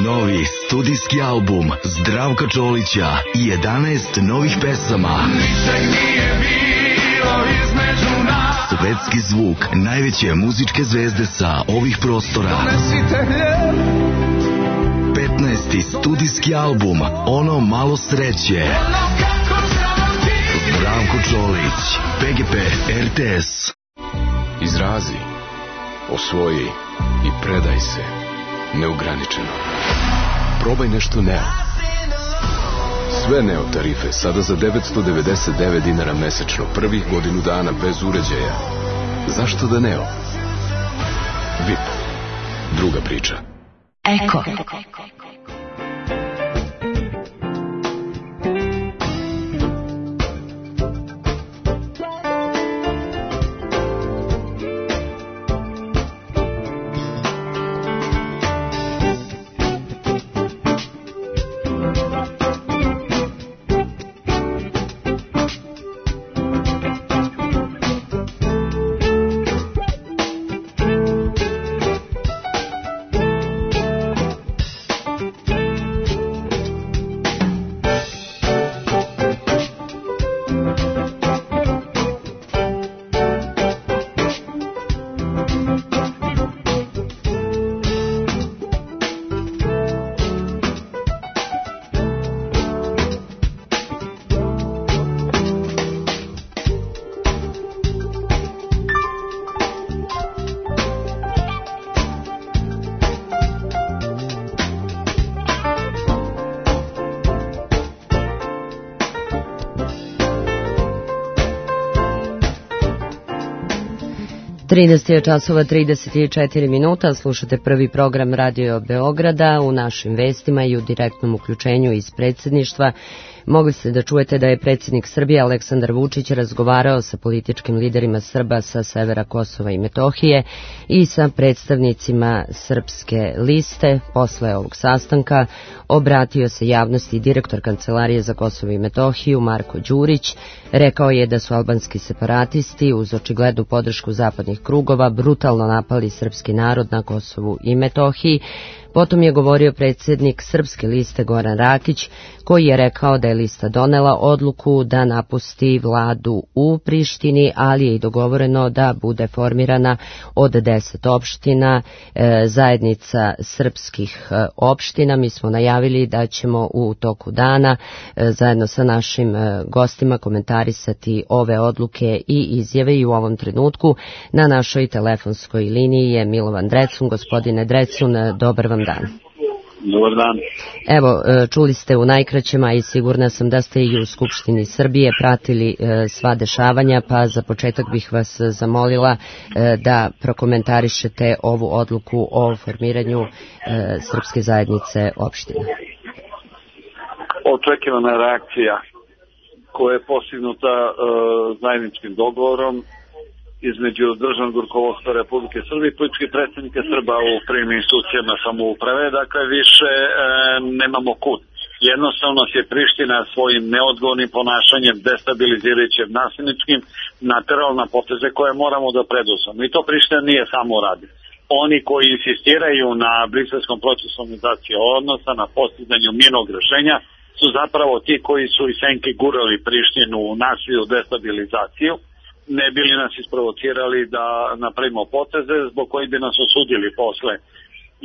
Novi studijski album Zdravka Čolića i 11 novih pesama. Svetski zvuk najveće muzičke zvezde sa ovih prostora. 15. studijski album Ono malo sreće. Zdravko Čolić, PGP RTS. Izrazi, osvoji i predaj se neograničeno. Probaj nešto Neo. Sve Neo tarife sada za 999 dinara mesečno, prvih godinu dana bez uređaja. Zašto da Neo? VIP. Druga priča. Eko. je časova 34 minuta, slušate prvi program Radio Beograda. U našim vestima i u direktnom uključenju iz predsjedništva Mogli ste da čujete da je predsjednik Srbije Aleksandar Vučić razgovarao sa političkim liderima Srba sa severa Kosova i Metohije i sa predstavnicima Srpske liste. Posle ovog sastanka obratio se javnosti direktor Kancelarije za Kosovo i Metohiju Marko Đurić. Rekao je da su albanski separatisti uz očiglednu podršku zapadnih krugova brutalno napali srpski narod na Kosovu i Metohiji. Potom je govorio predsjednik Srpske liste Goran Rakić, koji je rekao da je lista donela odluku da napusti vladu u Prištini, ali je i dogovoreno da bude formirana od 10 opština, zajednica srpskih opština. Mi smo najavili da ćemo u toku dana zajedno sa našim gostima komentarisati ove odluke i izjave i u ovom trenutku na našoj telefonskoj liniji je Milovan Drecun. Gospodine Drecun, dobar vam dan. Dobar dan. Evo, čuli ste u najkraćem, a i sigurna sam da ste i u Skupštini Srbije pratili sva dešavanja, pa za početak bih vas zamolila da prokomentarišete ovu odluku o formiranju Srpske zajednice opština. Očekivana reakcija koja je postignuta zajedničkim dogovorom između državnog rukovodstva Republike Srbije i političkih predstavnika Srba u prvim institucijama samouprave, dakle više nemamo kud. Jednostavno se Priština svojim neodgovornim ponašanjem, destabilizirajućim, nasilničkim, naterala na poteze koje moramo da preduzmemo. I to Priština nije samo radi. Oni koji insistiraju na briselskom procesu normalizacije odnosa, na postizanju mirnog rešenja, su zapravo ti koji su iz senke gurali Prištinu u nasilju, destabilizaciju, ne bili nas isprovocirali da napravimo poteze zbog koji bi nas osudili posle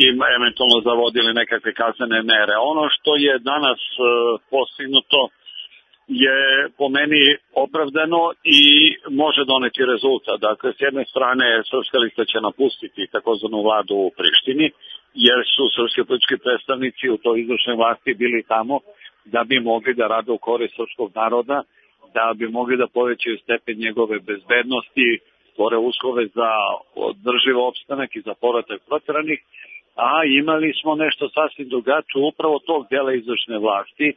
i eventualno zavodili nekakve kaznene mere. Ono što je danas postignuto je po meni opravdano i može doneti rezultat. Dakle, s jedne strane Srpska lista će napustiti takozvanu vladu u Prištini, jer su srpski politički predstavnici u toj izvršnoj vlasti bili tamo da bi mogli da rade u korist srpskog naroda, da bi mogli da povećaju stepen njegove bezbednosti, stvore uslove za održiv opstanak i za povratak proteranih, a imali smo nešto sasvim drugačije upravo tog dela izvršne vlasti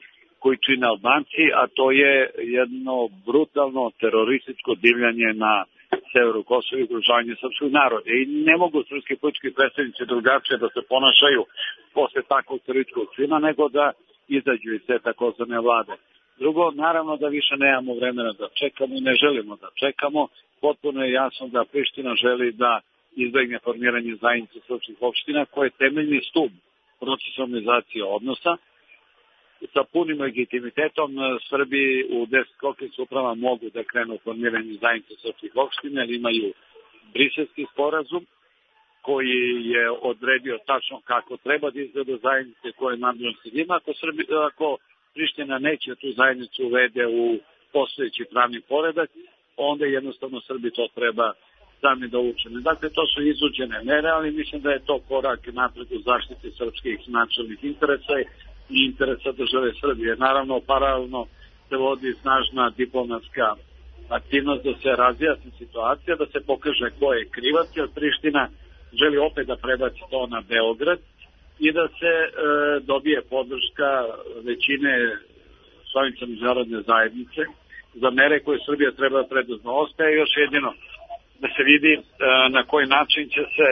koji čine Albanci, a to je jedno brutalno terorističko divljanje na severu Kosova i ugrožavanje srpskog naroda. I ne mogu srpski politički predstavnici drugačije da se ponašaju posle takvog terorističkog čina, nego da izađu iz te takozvane vlade. Drugo, naravno da više nemamo vremena da čekamo i ne želimo da čekamo. Potpuno je jasno da Priština želi da izbegne formiranje zajednice srpskih opština koje je temeljni stub procesa normalizacije odnosa. Sa punim legitimitetom Srbi u 10 okvirnih uprava mogu da krenu formiranje zajednice srpskih opština, jer imaju briselski sporazum koji je odredio tačno kako treba da izgleda zajednice koje nadležnosti ima. Ako Priština neće tu zajednicu uvede u postojeći pravni poredak, onda jednostavno Srbi to treba sami da učine. Dakle, to su izuđene mere, ali mislim da je to korak napred u zaštiti srpskih nacionalnih interesa i interesa države Srbije. Naravno, paralelno se vodi snažna diplomatska aktivnost da se razjasni situacija, da se pokaže ko je krivac, jer Priština želi opet da prebaci to na Beograd i da se dobije podrška većine članica međunarodne zajednice za mere koje Srbija treba da preduzme. Ostaje još jedino da se vidi na koji način će se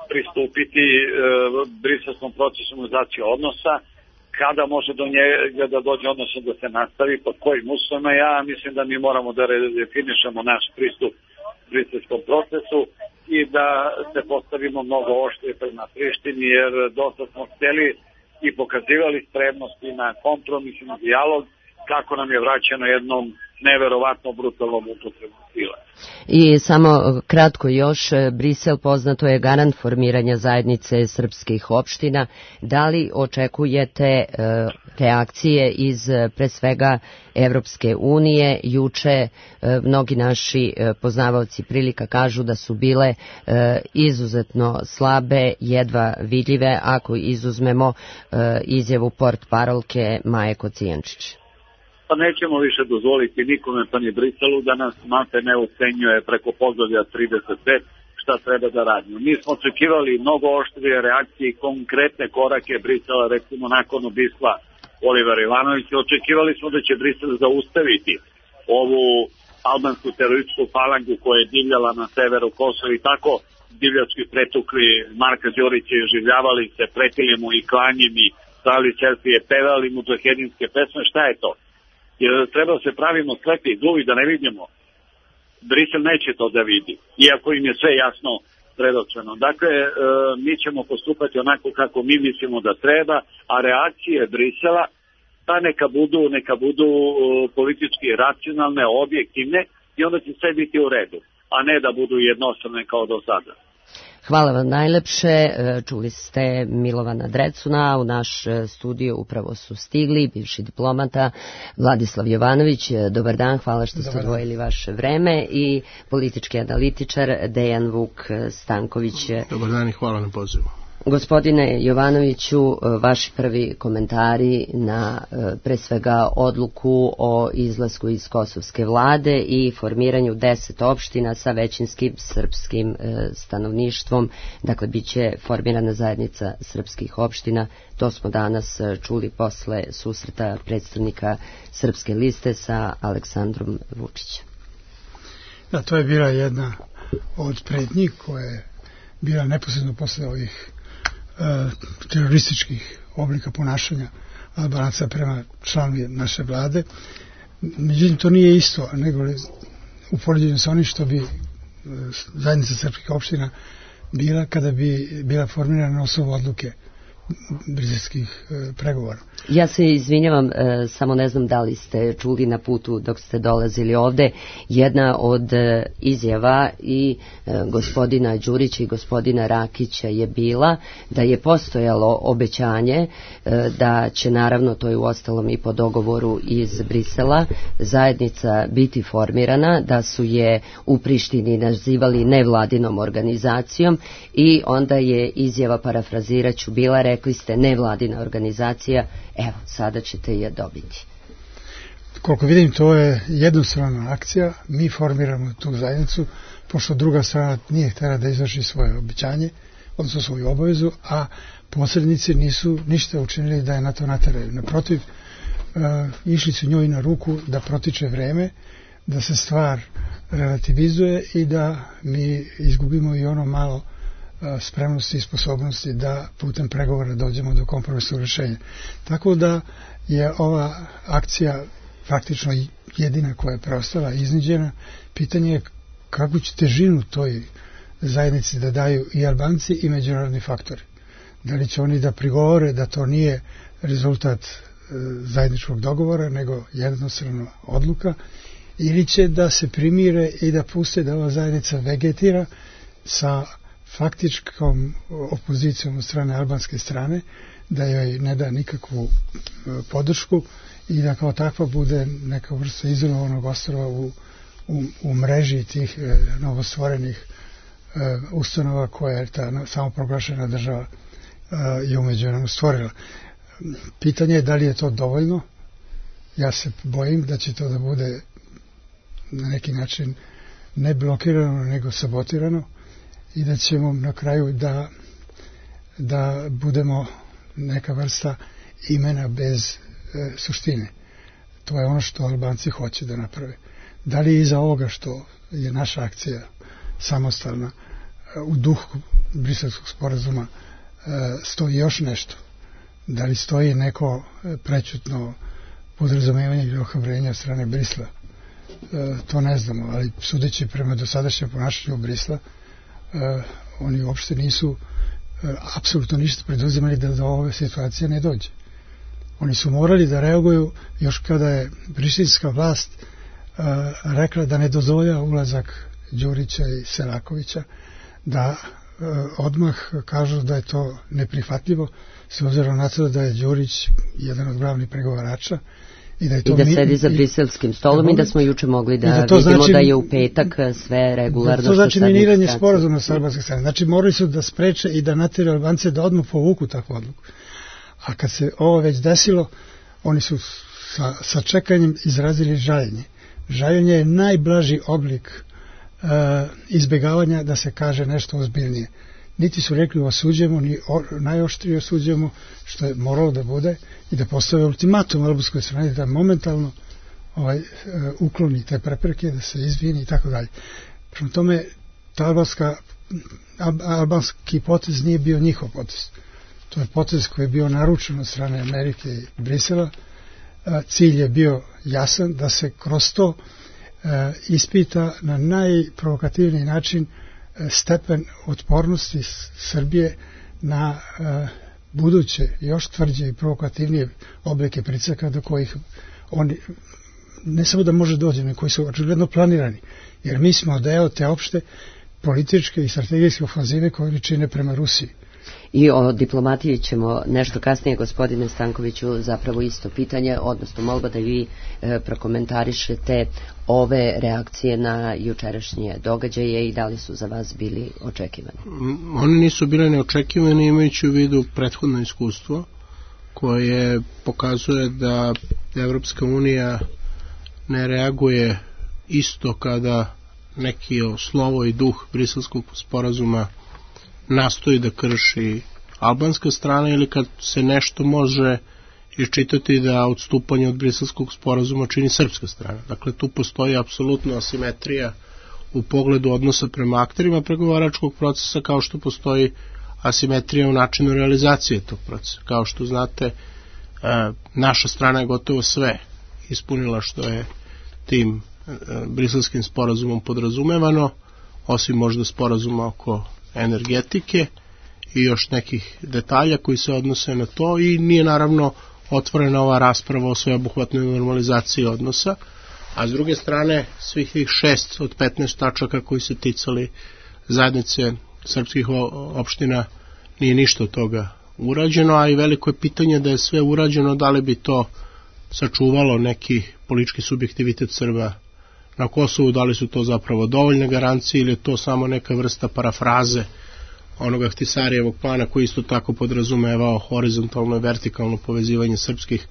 pristupiti briselskom procesu normalizacije odnosa, kada može do njega da dođe, odnosno da se nastavi, pod kojim uslovima. Ja mislim da mi moramo da redefinišemo naš pristup briselskom procesu i da se postavimo mnogo oštrije prema Prištini, jer dosta smo hteli i pokazivali spremnosti na kompromis i na dijalog, kako nam je vraćeno jednom neverovatno brutalnom upotrebom sile. I samo kratko još, Brisel poznato je garant formiranja zajednice srpskih opština. Da li očekujete reakcije iz pre svega Evropske unije? Juče mnogi naši poznavaoci prilika kažu da su bile izuzetno slabe, jedva vidljive, ako izuzmemo izjavu portparolke Maje Kocijančić. Pa nećemo više dozvoliti nikome, pa ni Briselu, da nas malte ne ucenjuje preko poglavlja 35 šta treba da radimo. Mi smo očekivali mnogo oštrije reakcije i konkretne korake Brisela, recimo nakon ubistva Oliver Ivanovića. Očekivali smo da će Brisel zaustaviti ovu albansku terorističku falangu koja je divljala na severu Kosova i tako divljački pretukli Marka Đurića i oživljavali se, pretili mu i klanjem i stavili selfije, pevali mu džahedinske pesme. Šta je to? Jer treba se pravimo slepi i gluvi da ne vidimo. Brisel neće to da vidi, iako im je sve jasno predočeno. Dakle, mi ćemo postupati onako kako mi mislimo da treba, a reakcije Brisela pa neka budu politički racionalne, objektivne i onda će sve biti u redu, a ne da budu jednostavne kao do sada. Hvala vam najlepše. Čuli ste Milovana Drecuna. U naš studio upravo su stigli bivši diplomata Vladislav Jovanović. Dobar dan, hvala što ste odvojili vaše vreme, i politički analitičar Dejan Vuk Stanković. Dobar dan i hvala na pozivu. Gospodine Jovanoviću, vaši prvi komentari na pre svega odluku o izlasku iz kosovske vlade i formiranju 10 opština sa većinskim srpskim stanovništvom. Dakle, bit će formirana zajednica srpskih opština. To smo danas čuli posle susreta predstavnika Srpske liste sa Aleksandrom Vučićem. Da, to je bila jedna od pretnji koja je bila neposredno posle ovih terorističkih oblika ponašanja Albanaca prema članovi naše vlade. Međutim, to nije isto, nego u poređenju sa onim što bi zajednica srpskih opština bila kada bi bila formirana na osnovu odluke briselskih pregovora. Ja se izvinjavam, samo ne znam da li ste čuli na putu dok ste dolazili ovde, jedna od izjava i gospodina Đurića i gospodina Rakića je bila da je postojalo obećanje da će, naravno, to je uostalom i po dogovoru iz Brisela, zajednica biti formirana, da su je u Prištini nazivali nevladinom organizacijom, i onda je izjava, parafraziraću, bila, rekli ste nevladina organizacija, evo, sada ćete je dobiti. Koliko vidim, to je jednostrana akcija. Mi formiramo tu zajednicu, pošto druga strana nije htjela da izvrši svoje obećanje, odnosno svoju obavezu, a posrednici nisu ništa učinili da je na to nateraju. Naprotiv, išli su njoj na ruku da protiče vreme, da se stvar relativizuje i da mi izgubimo i ono malo spremnosti i sposobnosti da putem pregovora dođemo do kompromisnog rješenja. Tako da je ova akcija faktično jedina koja je preostala, izniđena. Pitanje je kakvu će težinu toj zajednici da daju i Albanci i međunarodni faktori. Da li će oni da prigovore da to nije rezultat zajedničkog dogovora, nego jednostrana odluka, ili će da se primire i da puste da ova zajednica vegetira sa faktičkom opozicijom od strane albanske strane, da joj ne da nikakvu podršku i da kao takva bude neka vrsta izolovanog ostrva u mreži tih novostvorenih ustanova koja je ta samoproglašena država je umeđu vremenu stvorila. Pitanje je da li je to dovoljno. Ja se bojim da će to da bude na neki način ne blokirano, nego sabotirano, i da ćemo na kraju da budemo neka vrsta imena bez suštine. To je ono što Albanci hoće da naprave. Da li iza ovoga što je naša akcija samostalna u duhu briselskog sporazuma stoji još nešto? Da li stoji neko prećutno podrazumevanje ili ohrabrenje od strane Brisla? To ne znamo, ali sudeći prema dosadašnjem ponašanju Brisla, oni uopšte nisu apsolutno ništa preduzimali da do ove situacije ne dođe. Oni su morali da reaguju još kada je prištinska vlast rekla da ne dozvolja ulazak Đurića i Selakovića, da odmah kažu da je to neprihvatljivo, s obzirom na to da je Đurić jedan od glavnih pregovarača i da sedi za briselskim stolom i da smo juče mogli da vidimo da je u petak sve regularno. To znači miniranje sporazuma sa albanske strane. Znači morali su da spreče i da natjeraju Albance da odmah povuku takvu odluku. A kad se ovo već desilo, oni su sa čekanjem izrazili žaljenje. Žaljenje je najblaži oblik izbjegavanja da se kaže nešto ozbiljnije. niti su rekli osuđujemo, ni najoštrije osuđujemo, što je moralo da bude, i da postave ultimatum albanskoj strani da momentalno ukloni te prepreke, da se izvini i tako dalje. Prema tome, albanski potez nije bio njihov potez. To je potez koji je bio naručen od strane Amerike i Brisela. Cilj je bio jasan, da se kroz to ispita na najprovokativniji način stepen otpornosti Srbije na buduće, još tvrđe i provokativnije oblike pritiska do kojih oni ne samo da može doći, nego koji su očigledno planirani. Jer mi smo deo te opšte političke i strategijske ofanzive koje oni čine prema Rusiji. I o diplomatiji ćemo nešto kasnije, gospodine Stankoviću, zapravo isto pitanje, odnosno molba da vi prokomentarišete ove reakcije na jučerašnje događaje i da li su za vas bili očekivani? One nisu bile neočekivane, imajući u vidu prethodno iskustvo koje pokazuje da Evropska unija ne reaguje isto kada neki slovo i duh Briselskog sporazuma nastoji da krši albanska strana ili kad se nešto može iščitati da odstupanje od Briselskog sporazuma čini srpska strana. Dakle, tu postoji apsolutna asimetrija u pogledu odnosa prema akterima pregovaračkog procesa, kao što postoji asimetrija u načinu realizacije tog procesa. Kao što znate, naša strana je gotovo sve ispunila što je tim Briselskim sporazumom podrazumevano, osim možda sporazuma oko energetike i još nekih detalja koji se odnose na to, i nije naravno otvorena ova rasprava o sveobuhvatnoj normalizaciji odnosa, a s druge strane svih tih 6 od 15 tačaka koji se ticali zajednice srpskih opština nije ništa od toga urađeno, a i veliko je pitanje da je sve urađeno, da li bi to sačuvalo neki politički subjektivitet Srba na Kosovu, da li su to zapravo dovoljne garancije ili je to samo neka vrsta parafraze onoga Ahtisarijevog plana koji isto tako podrazumevao horizontalno i vertikalno povezivanje srpskih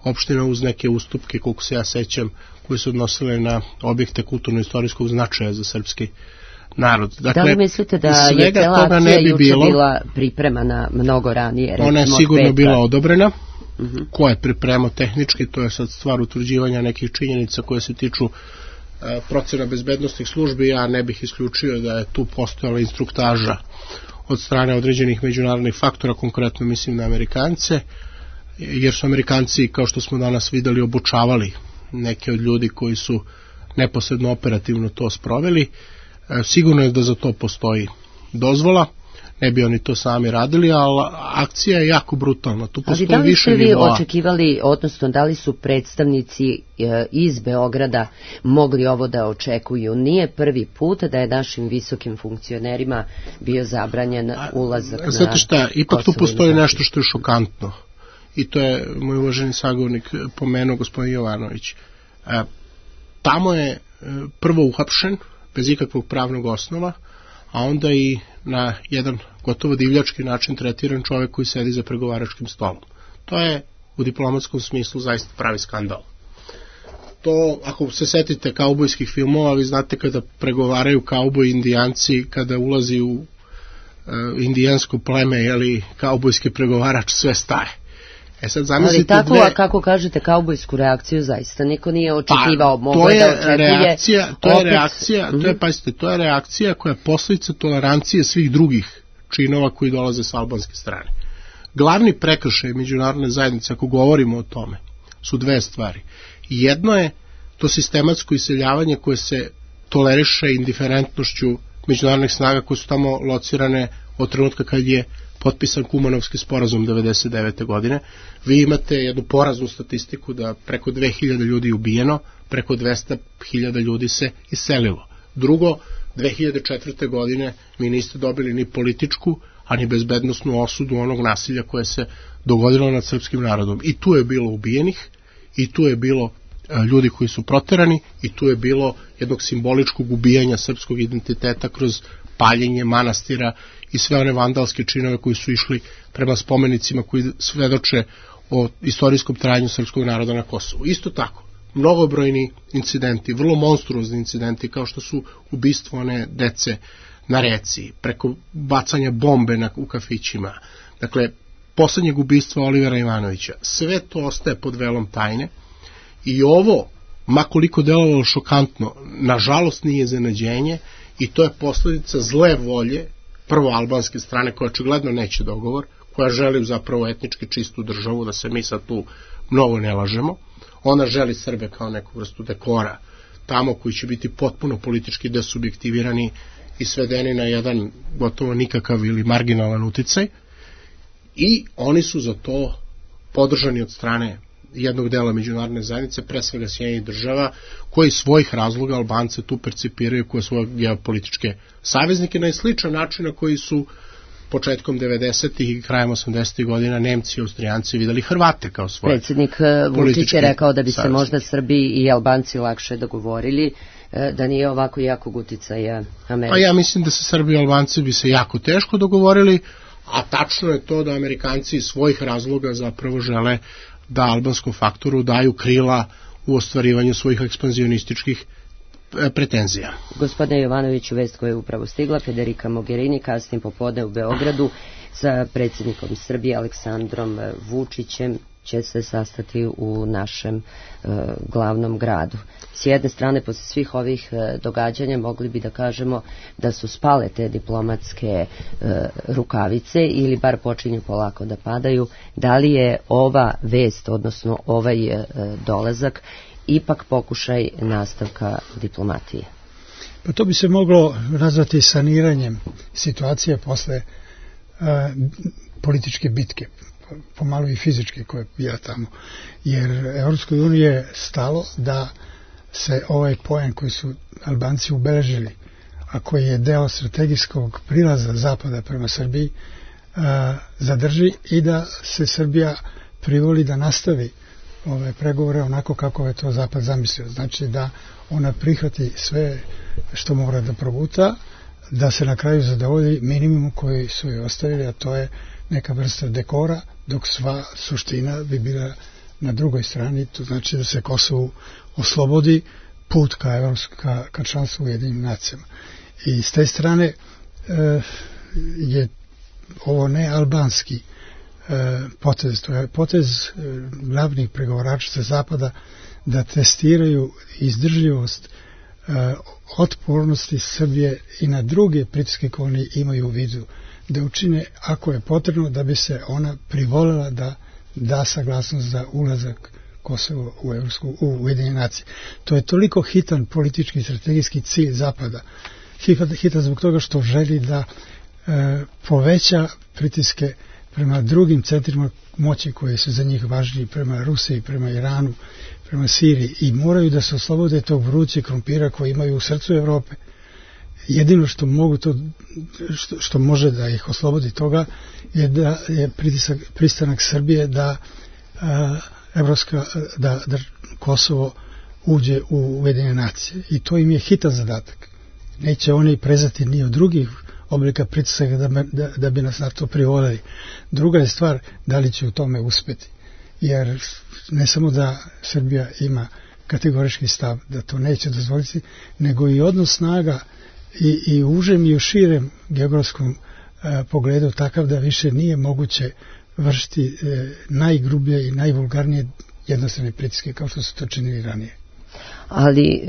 opština uz neke ustupke, koliko se ja sećam, koji su odnosile na objekte kulturno-istorijskog značaja za srpski narod. Dakle, da li mislite da je cela akcija juče bila pripremana mnogo ranije? Ona je sigurno bila odobrena. Ko je pripremao tehnički, to je sad stvar utvrđivanja nekih činjenica koje se tiču procena bezbednostnih službi. Ja ne bih isključio da je tu postojala instruktaža od strane određenih međunarodnih faktora, konkretno mislim na Amerikance, jer su Amerikanci, kao što smo danas videli, obučavali neke od ljudi koji su neposredno operativno to sproveli. Sigurno je da za to postoji dozvola, ne bi oni to sami radili, ali akcija je jako brutalna. Tu postoji više nivoa. Ali da li ste vi očekivali, odnosno da li su predstavnici iz Beograda mogli ovo da očekuju? Nije prvi put da je našim visokim funkcionerima bio zabranjen ulazak na Kosovo. Znate šta, ipak tu postoji nešto što je šokantno. I to je moj uvaženi sagovornik pomenuo, gospodin Jovanović. Tamo je prvo uhapšen, bez ikakvog pravnog osnova, a onda i na jedan gotovo divljački način tretiran čovjek koji sedi za pregovaračkim stolom. To je u diplomatskom smislu zaista pravi skandal. To, ako se setite kaubojskih filmova, vi znate kada pregovaraju kauboji indijanci, kada ulazi u indijansko pleme, jeli, kaubojski pregovarač, sve staje. Sad ali tako, a kako kažete kaubojsku reakciju, zaista niko nije očekivao, moglo da očekuje. To je reakcija koja je posljedica tolerancije svih drugih činova koji dolaze s albanske strane. Glavni prekršaj međunarodne zajednice, ako govorimo o tome, su dve stvari. Jedno je to sistematsko iseljavanje koje se toleriše indiferentnošću međunarodnih snaga koje su tamo locirane od trenutka kad je potpisan Kumanovski sporazum 1999. godine. Vi imate jednu poraznu statistiku da preko 2000 ljudi je ubijeno, preko 200.000 ljudi se iselilo. Drugo, 2004. godine mi niste dobili ni političku, a ni bezbednosnu osudu onog nasilja koje se dogodilo nad srpskim narodom. I tu je bilo ubijenih, i tu je bilo ljudi koji su proterani, i tu je bilo jednog simboličkog ubijanja srpskog identiteta kroz paljenje manastira i sve one vandalske činove koji su išli prema spomenicima koji svedoče o istorijskom trajanju srpskog naroda na Kosovu. Isto tako, mnogobrojni incidenti, vrlo monstruozni incidenti, kao što su ubistvo one dece na reci, preko bacanja bombe u kafićima, dakle, poslednjeg ubistva Olivera Ivanovića, sve to ostaje pod velom tajne i ovo, makoliko delovalo šokantno, nažalost nije iznenađenje i to je posledica zle volje prvo albanske strane koja očigledno neće dogovor, koja želi zapravo etnički čistu državu, da se mi sad tu mnogo ne lažemo. Ona želi Srbe kao neku vrstu dekora tamo koji će biti potpuno politički desubjektivirani i svedeni na jedan gotovo nikakav ili marginalan uticaj i oni su za to podržani od strane jednog dela međunarodne zajednice, pre svega Sjedinjenih država, koji svojih razloga Albance tu percipiraju kao svoje geopolitičke saveznike na sličan način na koji su početkom 90. i krajem 80. godina Nemci i Austrijanci videli Hrvate kao svoje političke saveznike. Predsjednik Vučić je rekao da bi se možda Srbi i Albanci lakše dogovorili, da nije ovako jakog uticaja Amerike. Pa ja mislim da se Srbi i Albanci bi se jako teško dogovorili, a tačno je to da Amerikanci iz svojih razloga zapravo žele da albanskom faktoru daju krila u ostvarivanju svojih ekspanzionističkih pretenzija. Gospodine Jovanoviću, vest koja je upravo stigla, Federica Mogherini kasnije popodne u Beogradu sa predsjednikom Srbije Aleksandrom Vučićem će se sastati u našem glavnom gradu. S jedne strane, posle svih ovih događanja, mogli bi da kažemo da su spale te diplomatske rukavice ili bar počinju polako da padaju. Da li je ova vest, odnosno ovaj dolazak, ipak pokušaj nastavka diplomatije? Pa to bi se moglo nazvati saniranjem situacije posle političke bitke, pomalo i fizičke koje je bila tamo. Jer Evropskoj uniji je stalo da se ovaj poen koji su Albanci ubeležili, a koji je deo strategijskog prilaza Zapada prema Srbiji, zadrži i da se Srbija privoli da nastavi ove pregovore onako kako je to Zapad zamislio. Znači da ona prihvati sve što mora da proguta, da se na kraju zadovolji minimum koji su joj ostavili, a to je neka vrsta dekora, dok sva suština bi bila na drugoj strani, to znači da se Kosovu oslobodi put ka članstvu u Ujedinjenim nacijama. I s te strane je ovo ne albanski potez, to je potez glavnih pregovarača sa Zapada da testiraju izdržljivost otpornosti Srbije i na druge pritiske koje oni imaju u vidu, da učine ako je potrebno da bi se ona privolila da da saglasnost za ulazak Kosova u Ujedinjene nacije. To je toliko hitan politički i strategijski cilj Zapada. Hitan zbog toga što želi da poveća pritiske prema drugim centrima moći koji su za njih važniji, prema Rusiji, prema Iranu, prema Siriji, i moraju da se oslobode tog vrućeg krompira koji imaju u srcu Evrope. Jedino što mogu što može da ih oslobodi toga je da je pristanak Srbije da Kosovo uđe u Ujedinjene nacije, i to im je hitan zadatak. Neće oni prezati ni od drugih oblika pritisaka da bi nas na to privolili. Druga je stvar da li će u tome uspeti, jer ne samo da Srbija ima kategorički stav da to neće dozvoliti, nego i odnos snaga i u užem i u širem geografskom pogledu takav da više nije moguće vršiti najgrublje i najvulgarnije jednostrane pritiske kao što su to činili ranije. Ali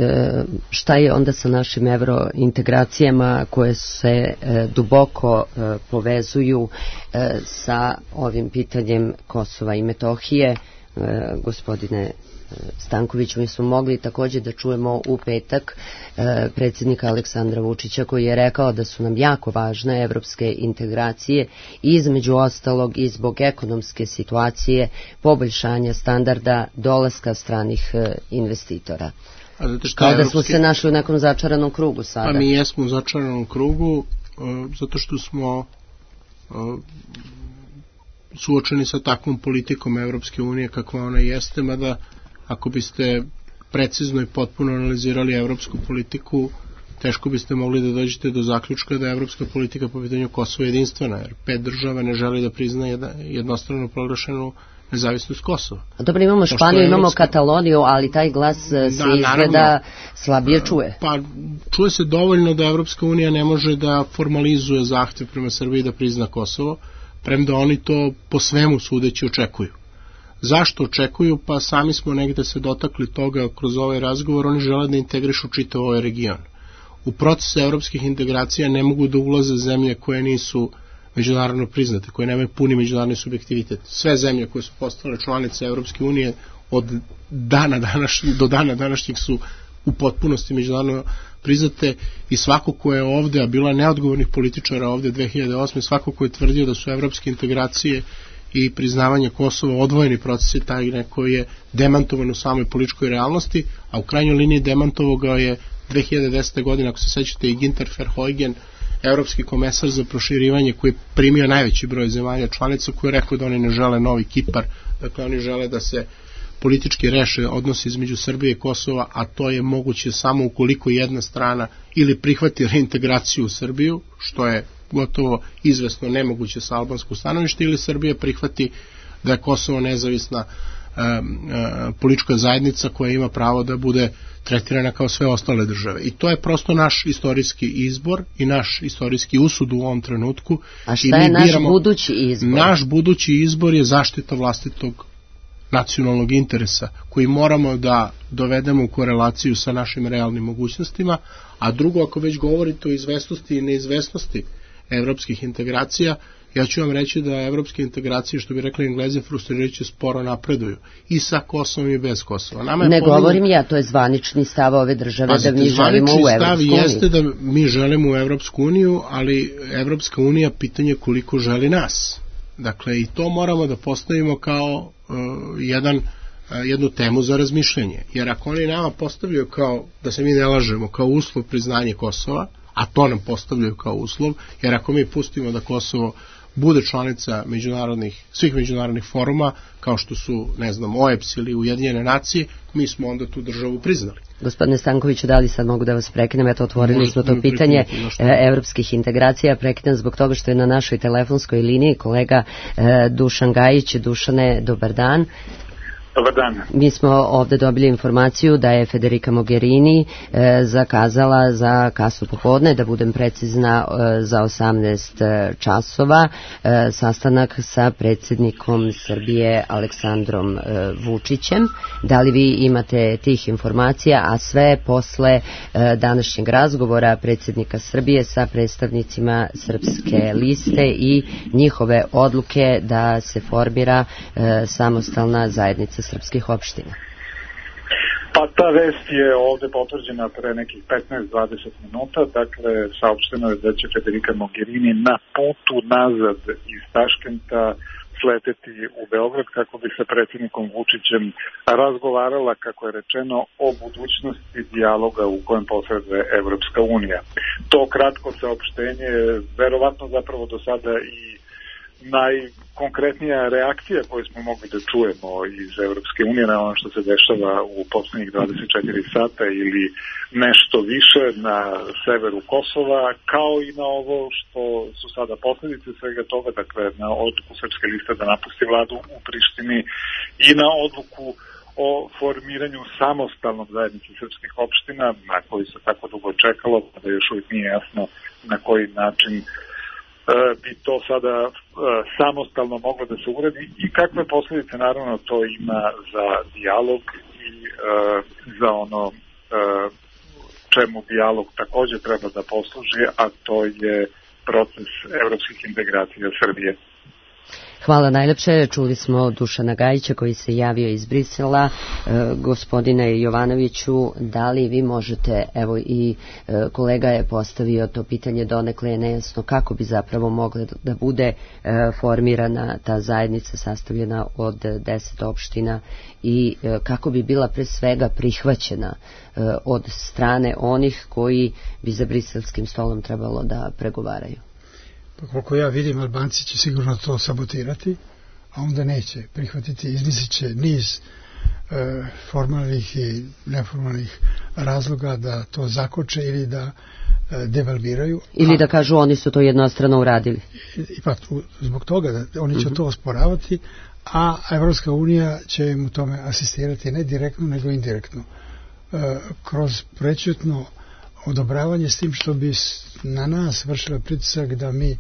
šta je onda sa našim evrointegracijama koje se duboko povezuju sa ovim pitanjem Kosova i Metohije? Gospodine Stanković, mi smo mogli također da čujemo u petak predsjednika Aleksandra Vučića koji je rekao da su nam jako važne evropske integracije, između ostalog i zbog ekonomske situacije, poboljšanja standarda, dolaska stranih investitora. Kao da smo se našli u nekom začaranom krugu sada. Pa mi jesmo u začaranom krugu zato što smo suočeni sa takvom politikom Evropske unije kakva ona jeste, mada ako biste precizno i potpuno analizirali evropsku politiku, teško biste mogli da dođete do zaključka da je evropska politika po pitanju Kosova jedinstvena, jer 5 država ne želi da prizna jednostrano proglašenu nezavisnost Kosova. Dobro, imamo Španiju, imamo Kataloniju, ali taj glas se izgleda slabije čuje. Pa čuje se dovoljno da Evropska unija ne može da formalizuje zahtev prema Srbiji da prizna Kosovo, premda oni to po svemu sudeći očekuju. Zašto očekuju? Pa sami smo negde se dotakli toga kroz ovaj razgovor, oni žele da integrišu čitav ovaj region. U procesu evropskih integracija ne mogu da ulaze zemlje koje nisu međunarodno priznate, koje nemaju puni međunarodni subjektivitet. Sve zemlje koje su postale članice Evropske unije od do dana današnjeg su u potpunosti međunarodno priznate i svako ko je ovde, a bila neodgovornih političara ovde 2008. svako ko je tvrdio da su evropske integracije i priznavanje Kosova odvojeni procesi, taj neko je demantovan u samoj političkoj realnosti, a u krajnjoj liniji demantovao ga je 2010. godine, ako se sećate, i Ginter Verheugen, evropski komesar za proširivanje, koji je primio najveći broj zemalja članica, koji je rekao da oni ne žele novi Kipar, dakle oni žele da se politički reše odnosi između Srbije i Kosova, a to je moguće samo ukoliko jedna strana ili prihvati reintegraciju u Srbiju, što je gotovo izvesno nemoguće sa albanskog stanovišta, ili Srbija prihvati da je Kosovo nezavisna politička zajednica koja ima pravo da bude tretirana kao sve ostale države. I to je prosto naš istorijski izbor i naš istorijski usud u ovom trenutku. A šta je naš budući izbor? Naš budući izbor je zaštita vlastitog nacionalnog interesa, koji moramo da dovedemo u korelaciju sa našim realnim mogućnostima, a drugo, ako već govorite o izvesnosti i neizvesnosti evropskih integracija, ja ću vam reći da evropske integracije, što bi rekli Englezi, frustrirajuće sporo napreduju. I sa Kosovom i bez Kosova. Ne govorim ja, to je zvanični stav ove države da mi želimo u Evropsku uniju. Jeste da mi želimo u Evropsku uniju, ali Evropska unija pitanje koliko želi nas. Dakle, i to moramo da postavimo kao jednu temu za razmišljanje. Jer ako oni nama postavljaju kao, da se mi ne lažemo, kao uslov priznanje Kosova, a to nam postavljaju kao uslov, jer ako mi pustimo da Kosovo bude članica svih međunarodnih foruma, kao što su, ne znam, OEBS ili Ujedinjene nacije, mi smo onda tu državu priznali. Gospodine Stankoviću, da li sad mogu da vas prekinem? Eto, otvorili smo to pitanje evropskih integracija. Prekinem zbog toga što je na našoj telefonskoj liniji kolega Dušan Gajić. Dušane, dobar dan. Dobar dan. Mi smo ovde dobili informaciju da je Federica Mogherini zakazala za kasno popodne, da budem precizna, za 18 časova, sastanak sa predsjednikom Srbije Aleksandrom Vučićem. Da li vi imate tih informacija, a sve posle današnjeg razgovora predsjednika Srbije sa predstavnicima Srpske liste i njihove odluke da se formira samostalna zajednica srpskih opština? Pa ta vest je ovde potvrđena pre nekih 15-20 minuta, dakle saopšteno je da će Federica Mogherini na putu nazad iz Taškenta sleteti u Beograd kako bi sa predsjednikom Vučićem razgovarala, kako je rečeno, o budućnosti dijaloga u kojem posreduje Evropska unija. To kratko saopštenje je verovatno zapravo do sada i najkonkretnija reakcija koju smo mogli da čujemo iz Evropske unije na ono što se dešava u poslednjih 24 sata ili nešto više na severu Kosova, kao i na ovo što su sada posledice svega toga, dakle na odluku Srpske liste da napusti vladu u Prištini i na odluku o formiranju samostalnog zajednice srpskih opština, na koji se tako dugo čekalo, da još uvijek nije jasno na koji način bi to sada samostalno moglo da se uredi i kakve posljedice naravno to ima za dijalog i za ono čemu dijalog također treba da posluži, a to je proces evropskih integracija Srbije. Hvala najlepše. Čuli smo Dušana Gajića koji se javio iz Brisela. Gospodine Jovanoviću, da li vi možete, evo i kolega je postavio to pitanje, donekle je nejasno kako bi zapravo mogla da bude formirana ta zajednica sastavljena od 10 opština i kako bi bila pre svega prihvaćena od strane onih koji bi za briselskim stolom trebalo da pregovaraju. Pa koliko ja vidim, Albanci će sigurno to sabotirati, a onda neće prihvatiti, izmislit će niz formalnih i neformalnih razloga da to zakoče ili da devalviraju. Ili da kažu oni su to jednostrano uradili. Ipak zbog toga da oni će to osporavati, a Evropska unija će im u tome asistirati ne direktno nego indirektno. Kroz prećutno odobravanje s tim što bi na nas vršila pritisak da mi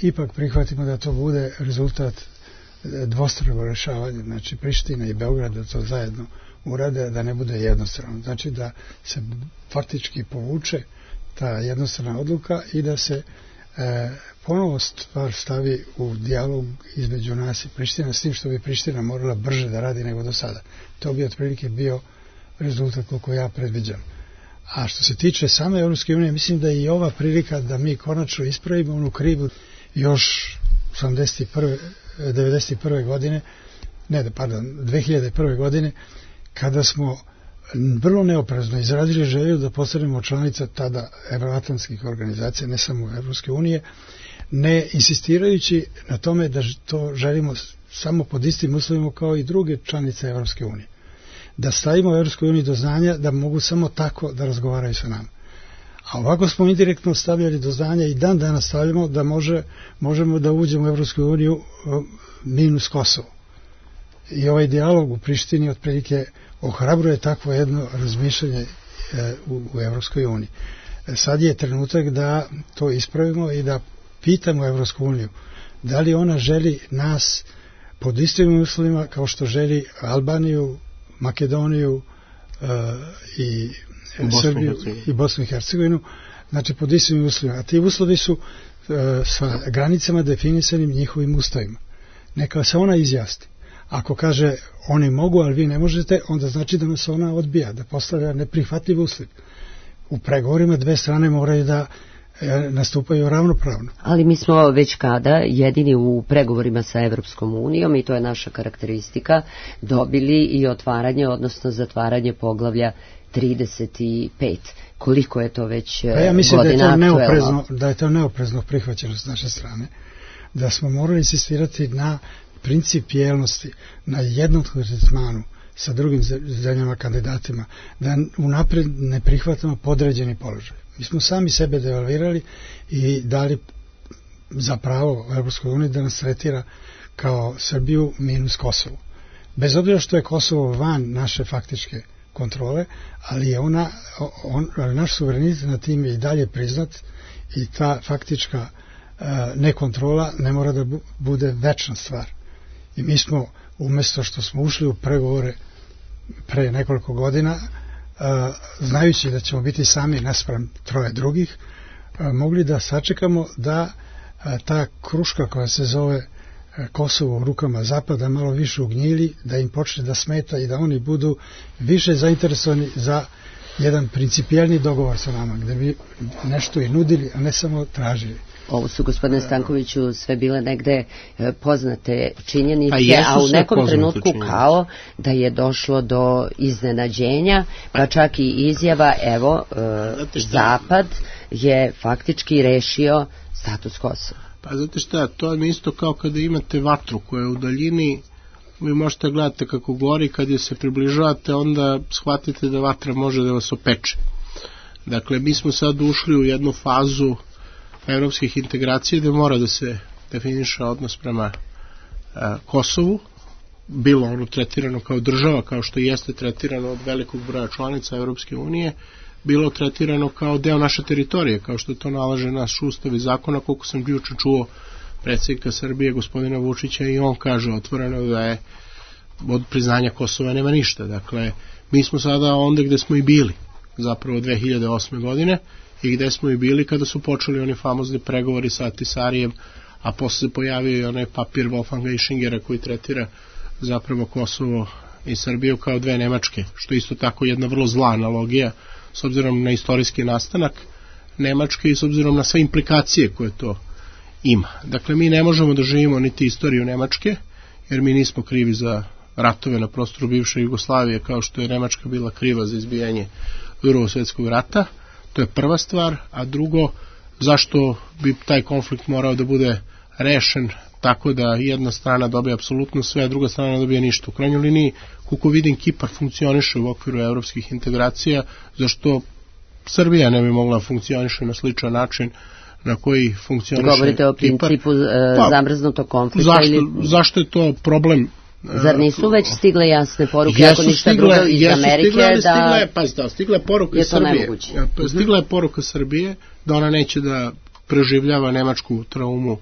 ipak prihvatimo da to bude rezultat dvostruko rešavanja, znači Priština i Beograd da to zajedno urade, da ne bude jednostrano. Znači da se faktički povuče ta jednostrana odluka i da se ponovo stvar stavi u dijalog između nas i Priština, s tim što bi Priština morala brže da radi nego do sada. To bi otprilike bio rezultat koliko ja predviđam. A što se tiče same Evropske unije, mislim da je i ova prilika da mi konačno ispravimo onu krivu još 91. godine, 2001. godine, kada smo vrlo neoprezno izrazili želju da postanemo članica tada evroatlantskih organizacija, ne samo Evropske unije, ne insistirajući na tome da to želimo samo pod istim uslovima kao i druge članice Evropske unije. Da stavimo Evropskoj uniji do znanja da mogu samo tako da razgovaraju sa nama. A ovako smo indirektno stavljali do znanja i dan danas stavljamo da možemo da uđemo u Evropsku uniju minus Kosovo. I ovaj dijalog u Prištini otprilike ohrabruje takvo jedno razmišljanje u Evropskoj uniji. Sad je trenutak da to ispravimo i da pitamo Evropsku uniju da li ona želi nas pod istim uslovima kao što želi Albaniju, Makedoniju i Srbiju i Bosnu i Hercegovinu, znači pod istim uslovima. A ti uslovi su sa granicama definisanim njihovim ustavima. Neka se ona izjasni. Ako kaže oni mogu, ali vi ne možete, onda znači da nas ona odbija, da postavlja neprihvatljiv uslov. U pregovorima dve strane moraju da nastupaju ravnopravno. Ali mi smo već kada jedini u pregovorima sa Evropskom unijom, i to je naša karakteristika, dobili i otvaranje, odnosno zatvaranje poglavlja 35. Koliko je to već godina aktuelno? Ja mislim da je to neoprezno prihvaćeno s naše strane. Da smo morali insistirati na principijelnosti, na jednom tretmanu sa drugim zemljama kandidatima, da unapred ne prihvatamo podređeni položaj. Mi smo sami sebe devalvirali i dali za pravo Evropskoj uniji da nas tretira kao Srbiju minus Kosovo. Bez obzira što je Kosovo van naše faktičke kontrole, ali je ali naš suverenitet na tim je i dalje priznat i ta faktička nekontrola ne mora da bude večna stvar. I mi smo, umjesto što smo ušli u pregovore pre nekoliko godina, znajući da ćemo biti sami naspram troje drugih, mogli da sačekamo da ta kruška koja se zove Kosovo u rukama Zapada malo više ugnjili, da im počne da smeta i da oni budu više zainteresovani za jedan principijelni dogovor sa nama, gde bi nešto i nudili, a ne samo tražili. Ovo su, gospodine Stankoviću, sve bile negde poznate činjenice, a u nekom trenutku kao da je došlo do iznenađenja, pa čak i izjava, evo, Zapad je faktički rešio status Kosova. Pa znate šta, to je isto kao kada imate vatru koja je u daljini, vi možete gledati kako gori, kad je se približavate, onda shvatite da vatra može da vas opeče. Dakle, mi smo sad ušli u jednu fazu evropskih integracija gde mora da se definiše odnos prema Kosovu, bilo ono tretirano kao država, kao što jeste tretirano od velikog broja članica Evropske unije, bilo tretirano kao deo naše teritorije, kao što to nalaže naš ustav i zakona, koliko sam juče čuo predsjednika Srbije, gospodina Vučića, i on kaže otvoreno da je od priznanja Kosova nema ništa. Dakle, mi smo sada onda gde smo i bili, zapravo 2008. godine, i gde smo i bili kada su počeli oni famozni pregovori sa Ahtisarijem, a posle se pojavio i onaj papir Wolfganga Ischingera koji tretira zapravo Kosovo i Srbiju kao dve Nemačke, što isto tako jedna vrlo zla analogija s obzirom na istorijski nastanak Nemačke i s obzirom na sve implikacije koje to ima. Dakle, mi ne možemo da živimo niti istoriju Nemačke, jer mi nismo krivi za ratove na prostoru bivše Jugoslavije, kao što je Nemačka bila kriva za izbijanje Drugog svjetskog rata. To je prva stvar, a drugo, zašto bi taj konflikt morao da bude rešen tako da jedna strana dobije apsolutno sve, a druga strana dobije ništa. U krajnjoj liniji, koliko vidim, Kipar funkcioniše u okviru evropskih integracija, zašto Srbija ne bi mogla funkcioniše na sličan način na koji funkcioniše. Govorite o principu zamrznutog konflikta? Zašto je to problem? Zar nisu već stigle jasne poruke, ako ništa drugo iz Amerike, stigla je poruka Srbije. Stigla je poruka Srbije da ona neće da preživljava nemačku traumu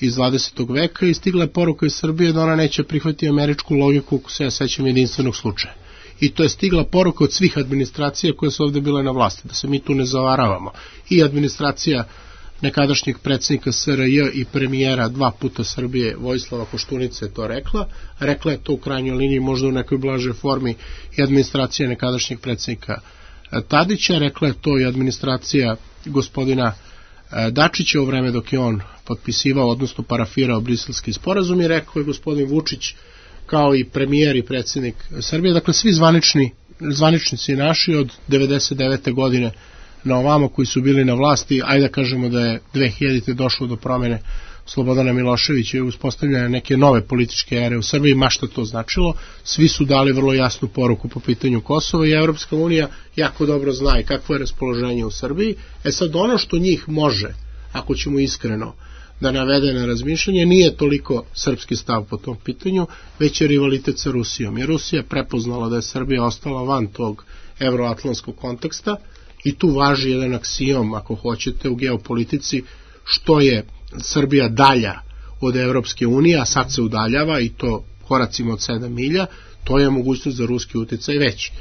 iz 20. veka i stigla je poruka iz Srbije da ona neće prihvatiti američku logiku, ako se ja sećam, jedinstvenog slučaja. I to je stigla poruka od svih administracija koje su ovde bile na vlasti, da se mi tu ne zavaravamo. I administracija nekadašnjeg predsjednika SRJ i premijera 2 puta Srbije, Vojislava Koštunice, je to rekla. Rekla je to u krajnjoj liniji, možda u nekoj blažoj formi, i administracija nekadašnjeg predsjednika Tadića. Rekla je to i administracija gospodina Dačića u vreme dok je on potpisivao, odnosno parafirao briselski sporazum, i rekao je gospodin Vučić kao i premijer i predsjednik Srbije. Dakle, svi zvaničnici naši od 99. godine na ovamo koji su bili na vlasti, ajde da kažemo da je 2000. došlo do promjene Slobodana Miloševića i uspostavljanja neke nove političke ere u Srbiji, ma šta to značilo, svi su dali vrlo jasnu poruku po pitanju Kosova i Evropska unija jako dobro zna i kakvo je raspoloženje u Srbiji. Sad ono što njih može, ako ćemo iskreno da navede na razmišljanje, nije toliko srpski stav po tom pitanju, već je rivalitet sa Rusijom. Jer Rusija je prepoznala da je Srbija ostala van tog evroatlantskog konteksta i tu važi jedan aksijom, ako hoćete, u geopolitici, što je Srbija dalja od Evropske unije, a sad se udaljava i to koracima od 7 milja, to je mogućnost za ruski uticaj veći.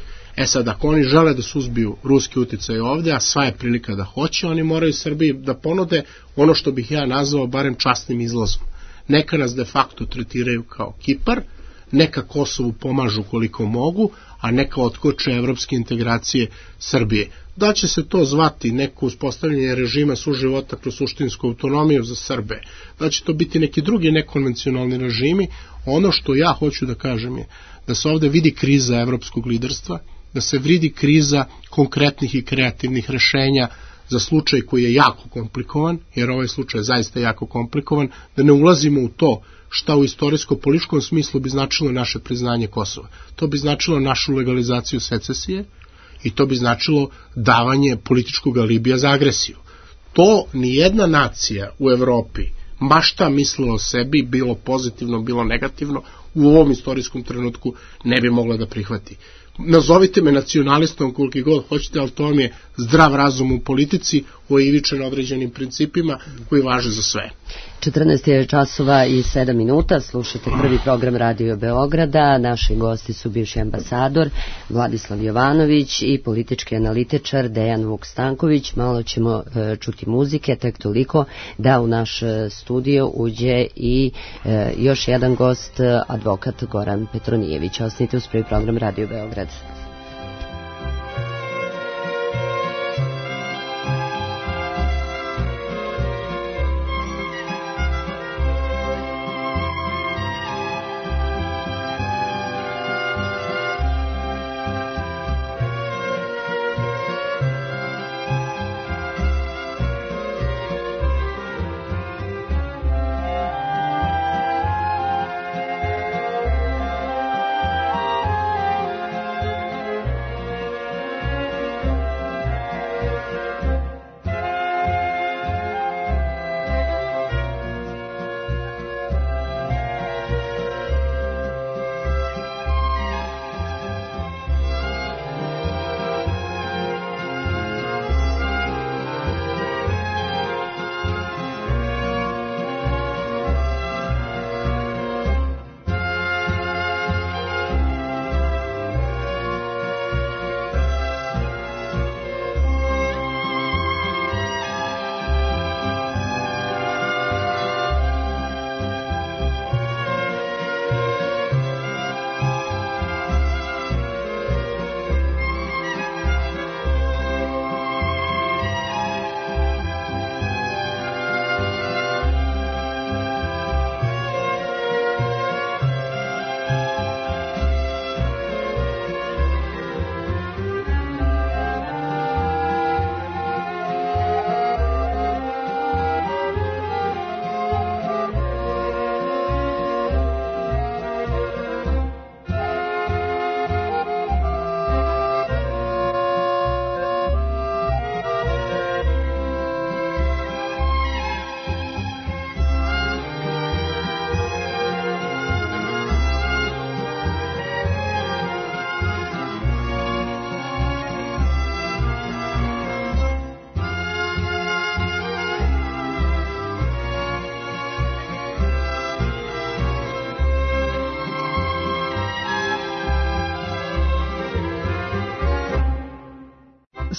Sad, ako oni žele da suzbiju ruski uticaj ovde, a sva je prilika da hoće, oni moraju Srbiji da ponude ono što bih ja nazvao barem časnim izlazom. Neka nas de facto tretiraju kao Kipar, neka Kosovu pomažu koliko mogu, a neka otkoče evropske integracije Srbije. Da će se to zvati neko uspostavljanje režima suživota kroz suštinsku autonomiju za Srbe, da će to biti neki drugi nekonvencionalni režimi, ono što ja hoću da kažem je da se ovde vidi kriza evropskog liderstva, da se vidi kriza konkretnih i kreativnih rešenja za slučaj koji je jako komplikovan, jer ovaj slučaj je zaista jako komplikovan, da ne ulazimo u to šta u istorijsko-političkom smislu bi značilo naše priznanje Kosova. To bi značilo našu legalizaciju secesije i to bi značilo davanje političkog alibija za agresiju. To nijedna nacija u Evropi, ma šta mislila o sebi, bilo pozitivno, bilo negativno, u ovom istorijskom trenutku ne bi mogla da prihvati. Nazovite me nacionalistom koliko god hoćete, ali to vam je zdrav razum u politici oivičen određenim principima koji važe za sve. 14 časova i 7 minuta, slušate prvi program Radio Beograda. Naši gosti su bivši ambasador Vladislav Jovanović i politički analitičar Dejan Vuk Stanković. Malo ćemo čuti muzike, tek toliko da u naš studio uđe i još jedan gost, advokat Goran Petronijević. Ostanite uz prvi program Radio Beograd.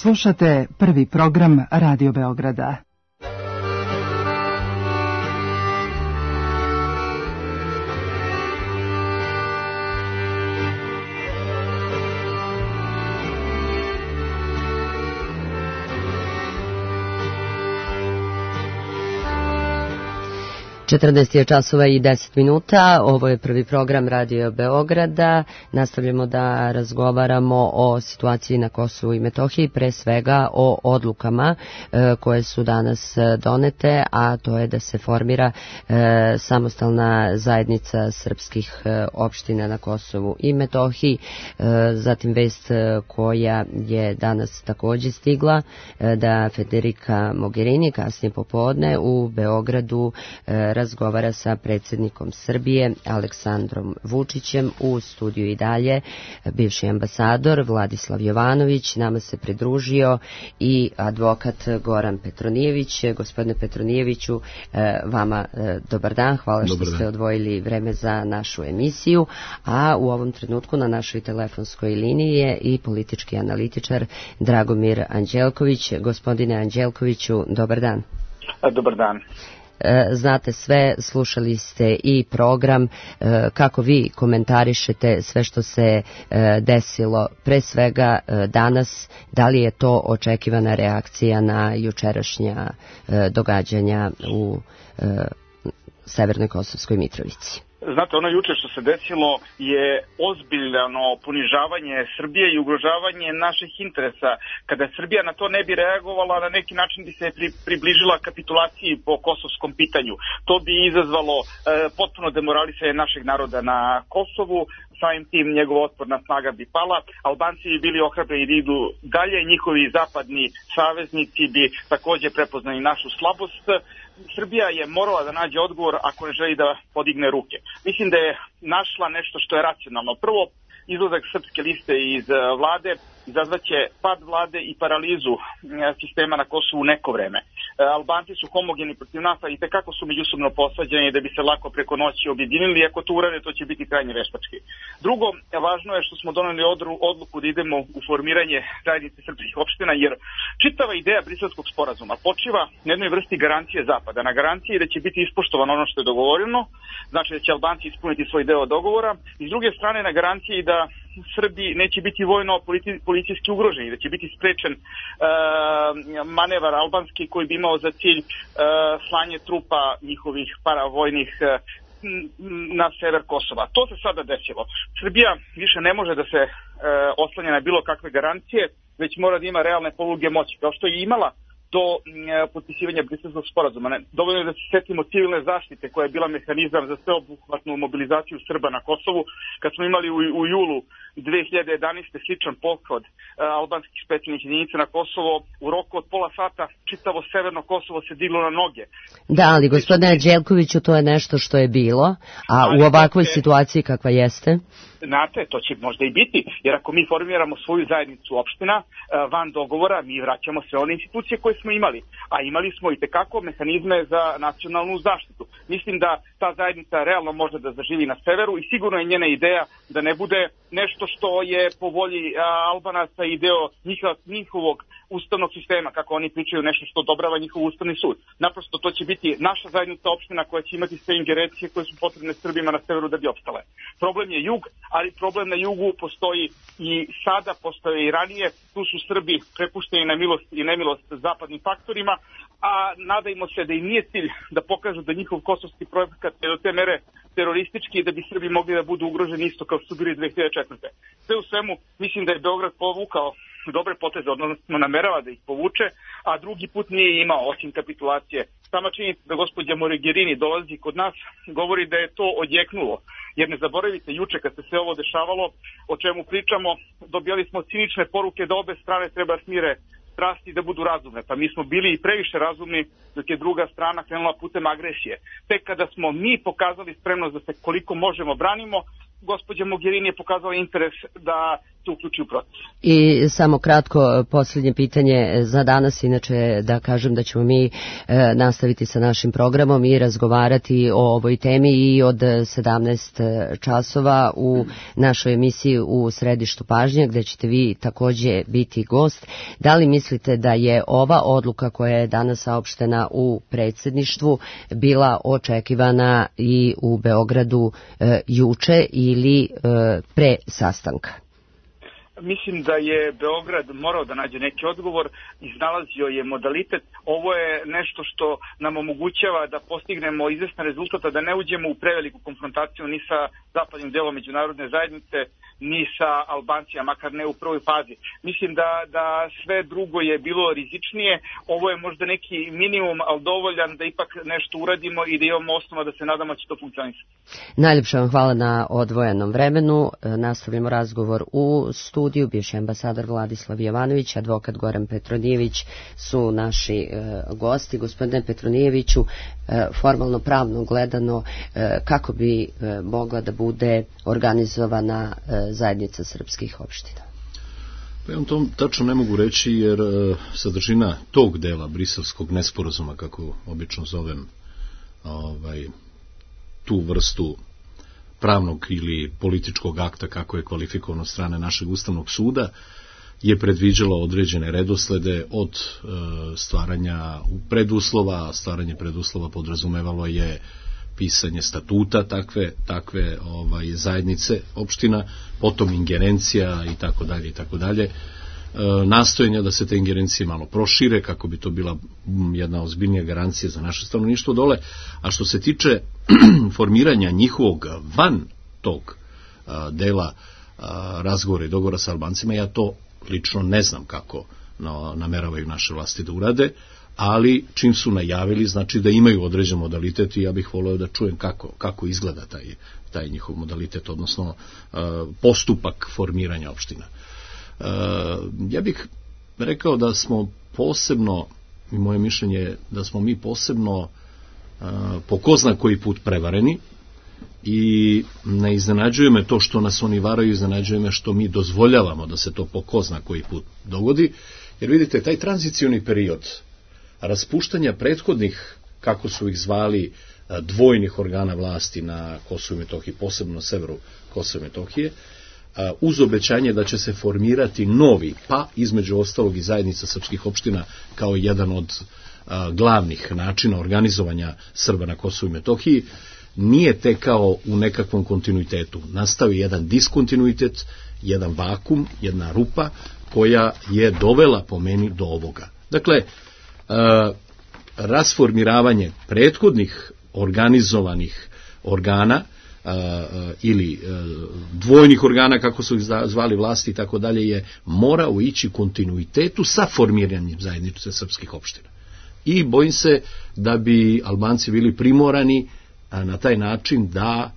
Slušate prvi program Radio Beograda. Je časova i 10 minuta, ovo je prvi program Radio Beograda, nastavljamo da razgovaramo o situaciji na Kosovu i Metohiji, pre svega o odlukama koje su danas donete, a to je da se formira samostalna zajednica srpskih opština na Kosovu i Metohiji, zatim vest koja je danas također stigla, da Federica Mogherini kasnije popodne u Beogradu razgovara sa predsjednikom Srbije Aleksandrom Vučićem. U studiju i dalje bivši ambasador Vladislav Jovanović, nama se pridružio i advokat Goran Petronijević. Gospodine Petronijeviću, vama dobar dan, hvala što ste odvojili vreme za našu emisiju, a u ovom trenutku na našoj telefonskoj liniji je i politički analitičar Dragomir Anđelković. Gospodine Anđelkoviću, dobar dan. Dobar dan. Znate sve, slušali ste i program, kako vi komentarišete sve što se desilo pre svega danas, da li je to očekivana reakcija na jučerašnja događanja u Severnoj Kosovskoj Mitrovici? Znate, ono juče što se desilo je ozbiljno ponižavanje Srbije i ugrožavanje naših interesa. Kada Srbija na to ne bi reagovala, na neki način bi se približila kapitulaciji po kosovskom pitanju. To bi izazvalo potpuno demoralisanje našeg naroda na Kosovu, samim tim njegova otporna snaga bi pala, Albanci bi bili ohrabreni da idu dalje, njihovi zapadni saveznici bi također prepoznali našu slabost. Srbija je morala da nađe odgovor ako ne želi da podigne ruke. Mislim da je našla nešto što je racionalno. Prvo, izlazak Srpske liste iz vlade izazvaće pad vlade i paralizu sistema na Kosovu neko vreme. Albanci su homogeni protiv nas, a i tekako su međusobno posađeni da bi se lako preko noći objedinili. Ako to urade, to će biti krajnje veštački. Drugo, važno je što smo doneli odluku da idemo u formiranje zajednice srpskih opština, jer čitava ideja Briselskog sporazuma počiva na jednoj vrsti garancije Zapada, na garanciji da će biti ispoštovano ono što je dogovoreno, znači da će Albanci ispuniti svoj deo dogovora, i s druge strane na garanciji da Srbi neće biti vojno policijski ugroženi, da će biti sprečen manevar albanski koji bi imao za cilj slanje trupa njihovih paravojnih na sever Kosova. To se sada desilo. Srbija više ne može da se oslanja na bilo kakve garancije, već mora da ima realne poluge moći, kao što je imala do potpisivanja Briselskog sporazuma. Dovoljno je da se setimo civilne zaštite koja je bila mehanizam za sveobuhvatnu mobilizaciju Srba na Kosovu, kad smo imali u julu 2011. sličan pothod albanskih specijalnih jedinica na Kosovo. U roku od pola sata čitavo severno Kosovo se diglo na noge. Da, ali gospodine Anđelkoviću, to je nešto što je bilo, a u ovakvoj situaciji kakva jeste? Znate, to će možda i biti, jer ako mi formiramo svoju zajednicu opština van dogovora, mi vraćamo sve one institucije koje smo imali, a imali smo i tekako mehanizme za nacionalnu zaštitu. Mislim da ta zajednica realno može da zaživi na severu i sigurno je njena ideja da ne bude nešto što je po volji Albanaca i deo njihovog ustavnog sistema, kako oni pričaju, nešto što odobrava njihov ustavni sud. Naprosto to će biti naša zajednica opština koja će imati sve ingerencije koje su potrebne Srbima na severu da bi opstale. Problem je jug, ali problem na jugu postoji i sada, postoje i ranije. Tu su Srbi prepušteni na milost i nemilost zapadnim faktorima, a nadajmo se da im nije cilj da pokažu da njihov kosovski projekat je do te mere teroristički, da bi Srbi mogli da budu ugroženi isto kao su bili 2004. Sve u svemu, mislim da je Beograd povukao dobre poteze, odnosno namerava da ih povuče, a drugi put nije imao osim kapitulacije. Sama činjenica da gospođa Mogherini dolazi kod nas govori da je to odjeknulo, jer ne zaboravite, juče kad se sve ovo dešavalo, o čemu pričamo, dobijali smo cinične poruke da obe strane treba smire strasti da budu razumne. Pa mi smo bili i previše razumni dok je druga strana krenula putem agresije. Tek kada smo mi pokazali spremnost da se koliko možemo branimo, gospođa Mogherini je pokazala interes da se uključi u proces. I samo kratko posljednje pitanje za danas, inače da kažem da ćemo mi nastaviti sa našim programom i razgovarati o ovoj temi i od 17 časova u našoj emisiji u Središtu pažnje, gde ćete vi takođe biti gost. Da li mislite da je ova odluka koja je danas saopštena u predsjedništvu bila očekivana i u Beogradu juče ili pre sastanka? Mislim da je Beograd morao da nađe neki odgovor, iznalazio je modalitet. Ovo je nešto što nam omogućava da postignemo izvestan rezultat, da ne uđemo u preveliku konfrontaciju ni sa zapadnim delom međunarodne zajednice, ni sa Albancijama, makar ne u prvoj fazi. Mislim da sve drugo je bilo rizičnije. Ovo je možda neki minimum, ali dovoljan da ipak nešto uradimo i da imamo osnova da se nadamo da će to funkcionisati. Najljepša vam hvala na odvojenom vremenu. Nastavljamo razgovor u studiju. Bivši ambasador Vladislav Jovanović, advokat Goran Petronijević su naši gosti. Gospodine Petronijeviću, formalno pravno gledano, kako bi mogla da bude organizovana zajednica srpskih opština? Pa ja vam to tačno ne mogu reći, jer sadržina tog dela briselskog nesporazuma, kako obično zovem tu vrstu pravnog ili političkog akta, kako je kvalifikovan od strane našeg Ustavnog suda, je predviđalo određene redoslede od stvaranja preduslova. Stvaranje preduslova podrazumevalo je pisanje statuta takve zajednice opština, potom ingerencija i tako dalje. Nastojenja da se te ingerencije malo prošire kako bi to bila jedna ozbiljnija garancija za naše stanovništvo dole. A što se tiče formiranja njihovog van tog dela razgovora i dogovora sa Albancima, ja to lično ne znam kako nameravaju naše vlasti da urade, ali čim su najavili, znači da imaju određen modalitet i ja bih voleo da čujem kako izgleda taj njihov modalitet, odnosno postupak formiranja opština. Ja bih rekao da smo posebno, i moje mišljenje je da smo mi posebno po ko zna koji put prevareni, i ne iznenađuje me to što nas oni varaju, iznenađuje me što mi dozvoljavamo da se to po ko zna koji put dogodi, jer vidite, taj tranzicioni period raspuštanja prethodnih, kako su ih zvali, dvojnih organa vlasti na Kosovu i Metohiji, posebno na severu Kosova i Metohije, uz obećanje da će se formirati novi, pa između ostalog i zajednica srpskih opština kao jedan od glavnih načina organizovanja Srba na Kosovu i Metohiji, nije tekao u nekakvom kontinuitetu. Nastao je jedan diskontinuitet, jedan vakum, jedna rupa koja je dovela po meni do ovoga. Dakle, rasformiravanje prethodnih organizovanih organa ili dvojnih organa, kako su ih zvali vlasti i tako dalje, je morao ići kontinuitetu sa formiranjem zajednice srpskih opština. I bojim se da bi Albanci bili primorani na taj način da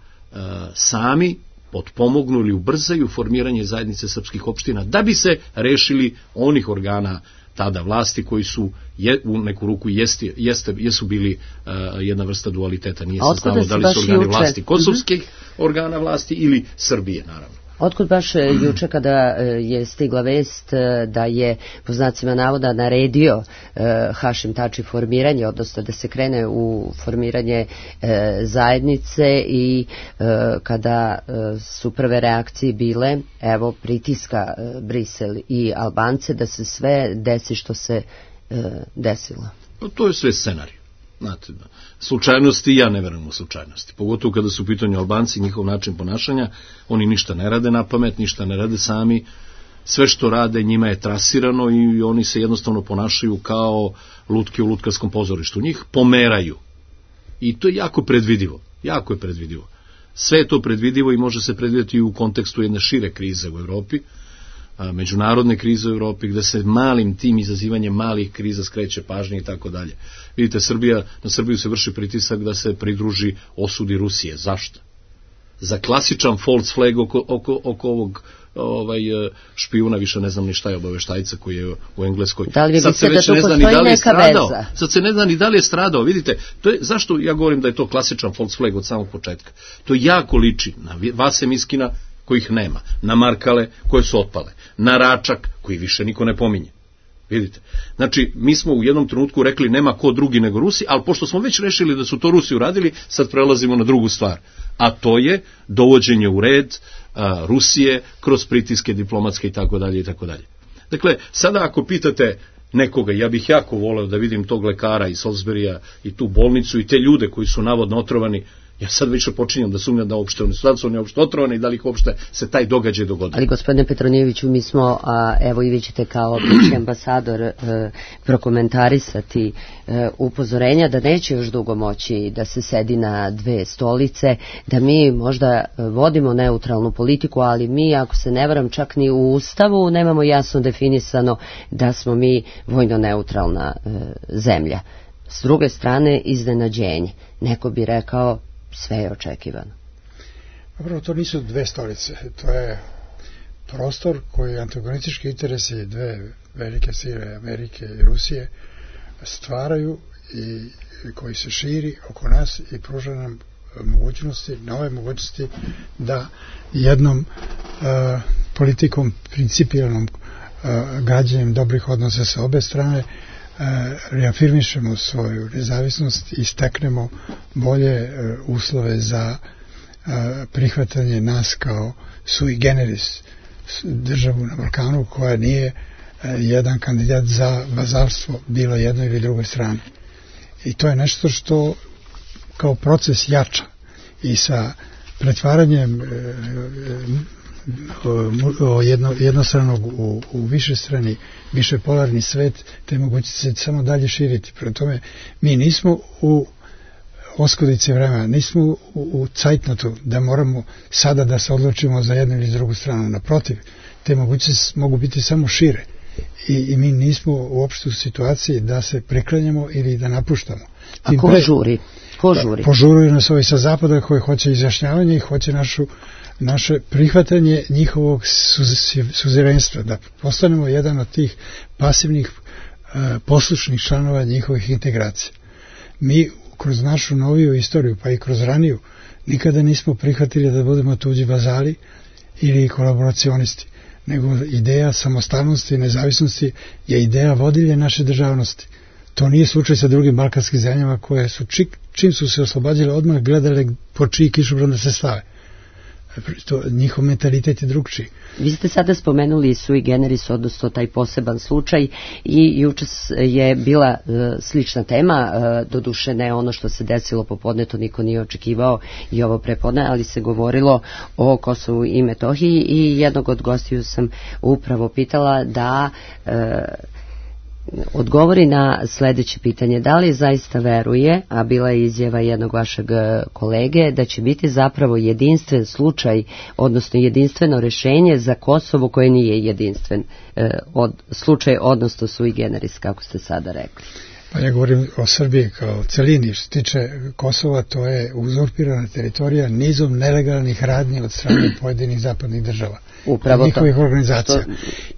sami potpomognu ili ubrzaju formiranje zajednice srpskih opština da bi se rešili onih organa tada vlasti koji su u neku ruku jesu bili jedna vrsta dualiteta. Nije se znalo da li su organi vlasti kosovskih organa vlasti ili Srbije, naravno. Otkud baš juče kada je stigla vest da je, po znacima navoda, naredio Hašim Tači formiranje, odnosno da se krene u formiranje zajednice, i kada su prve reakcije bile, evo, pritiska Brisel i Albance da se sve desi što se desilo? To je sve scenarij. Znate, slučajnosti, ja ne verujem u slučajnosti. Pogotovo kada su u pitanju Albanci, njihov način ponašanja, oni ništa ne rade na pamet, ništa ne rade sami, sve što rade njima je trasirano i oni se jednostavno ponašaju kao lutke u lutkarskom pozorištu. Njih pomeraju. I to je jako predvidivo. Jako je predvidivo. Sve je to predvidivo i može se predvidjeti u kontekstu jedne šire krize u Evropi, međunarodne krize u Evropi, gde se malim tim izazivanjem malih kriza skreće pažnje i tako dalje. Vidite, na Srbiju se vrši pritisak da se pridruži osudi Rusije. Zašto? Za klasičan false flag oko ovog špijuna, više ne znam ni šta je, obaveštajca koji je u Engleskoj. Da li vi mislite da tu postoji neka veza? Sad se ne zna ni da li je stradao. Vidite, zašto ja govorim da je to klasičan false flag od samog početka? To jako liči na Vase Miskina kojih nema, na Markale koje su otpale, na Račak koji više niko ne pominje. Vidite, znači mi smo u jednom trenutku rekli nema ko drugi nego Rusi, ali pošto smo već rešili da su to Rusi uradili, sad prelazimo na drugu stvar, a to je dovođenje u red Rusije kroz pritiske diplomatske i tako dalje i tako dalje. Dakle, sada ako pitate nekoga, ja bih jako voleo da vidim tog lekara iz Salisburya i tu bolnicu i te ljude koji su navodno otrovani, ja sad već počinjam da sumnjam da uopšte oni uopšte otrovani i da li ih uopšte se taj događaj dogodio. Ali gospodine Petronijeviću, mi smo, evo i vi ćete kao bivši ambasador prokomentarisati upozorenja da neće još dugo moći da se sedi na dve stolice, da mi možda vodimo neutralnu politiku, ali mi, ako se ne varam, čak ni u Ustavu nemamo jasno definisano da smo mi vojno neutralna zemlja. S druge strane, iznenađenje. Neko bi rekao, sve je očekivano. Dobro, to nisu dve stolice. To je prostor koji antagonistički interesi dve velike sile, Amerike i Rusije, stvaraju i koji se širi oko nas i pruža nam mogućnosti, nove mogućnosti da jednom politikom, principijalnom gađenjem dobrih odnosa sa obe strane reafirmišemo svoju nezavisnost i steknemo bolje uslove za prihvatanje nas kao sui generis državu na Balkanu koja nije jedan kandidat za vazalstvo bilo jednoj ili drugoj strani. I to je nešto što kao proces jača i sa pretvaranjem jednostranog u višestrani, višepolarni svet, te moguće se samo dalje širiti. Prema tome, mi nismo u oskudici vremena, nismo u cajtnotu da moramo sada da se odlučimo za jednu ili drugu stranu. Naprotiv, te moguće mogu biti samo šire. I mi nismo uopšte u situaciji da se preklanjamo ili da napuštamo. A ko žuri? Požuruju nas ovi sa zapada koji hoće izjašnjavanje i hoće naše prihvatanje njihovog suzerenstva, da postanemo jedan od tih pasivnih poslušnih članova njihovih integracija. Mi kroz našu noviju istoriju, pa i kroz raniju, nikada nismo prihvatili da budemo tuđi vazali ili kolaboracionisti, nego ideja samostalnosti i nezavisnosti je ideja vodilje naše državnosti. To nije slučaj sa drugim balkanskim zemljama koje su čim su se oslobađale odmah gledale po čiji kišobran da se stave. Njihov mentalitet je drugčiji. Vi ste sada spomenuli sui generis, odnosno taj poseban slučaj, i juče je bila slična tema, doduše ne ono što se desilo popodne, to niko nije očekivao i ovo prepodne, ali se govorilo o Kosovu i Metohiji i jednog od gostiju sam upravo pitala da odgovori na sledeće pitanje. Da li zaista veruje, a bila je izjava jednog vašeg kolege, da će biti zapravo jedinstven slučaj, odnosno jedinstveno rešenje za Kosovo koje nije jedinstven slučaj, odnosno sui generis, kako ste sada rekli? Pa ja govorim o Srbiji kao celini. Što se tiče Kosova, to je uzurpirana teritorija nizom nelegalnih radnji od strane pojedinih zapadnih država. Upravo njihovih organizacija.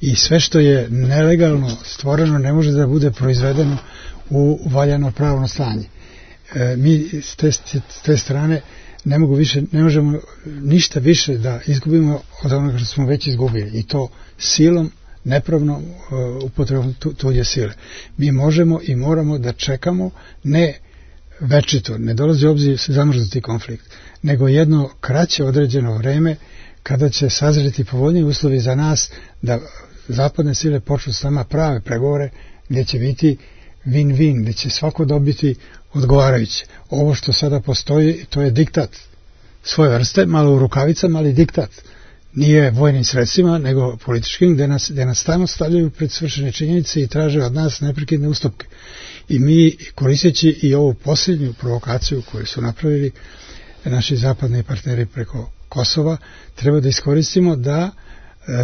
I sve što je nelegalno stvoreno ne može da bude proizvedeno u valjano pravno stanje. Mi s te strane ne možemo ništa više da izgubimo od onoga što smo već izgubili. I to silom, nepravnom upotrebom tuđe sile. Mi možemo i moramo da čekamo ne večito, ne dolazi u obzir zamrznuti konflikt, nego jedno kraće određeno vreme kada će sazreti povoljniji uslovi za nas da zapadne sile počnu s nama prave pregovore gdje će biti win-win, gdje će svako dobiti odgovarajuće. Ovo što sada postoji, to je diktat svoje vrste, malo u rukavicama, ali diktat. Nije vojnim sredstvima, nego političkim, gdje nas stalno stavljaju pred svršene činjenice i traže od nas neprekidne ustupke. I mi, koristeći i ovu posljednju provokaciju koju su napravili naši zapadni partneri preko Kosova, treba da iskoristimo da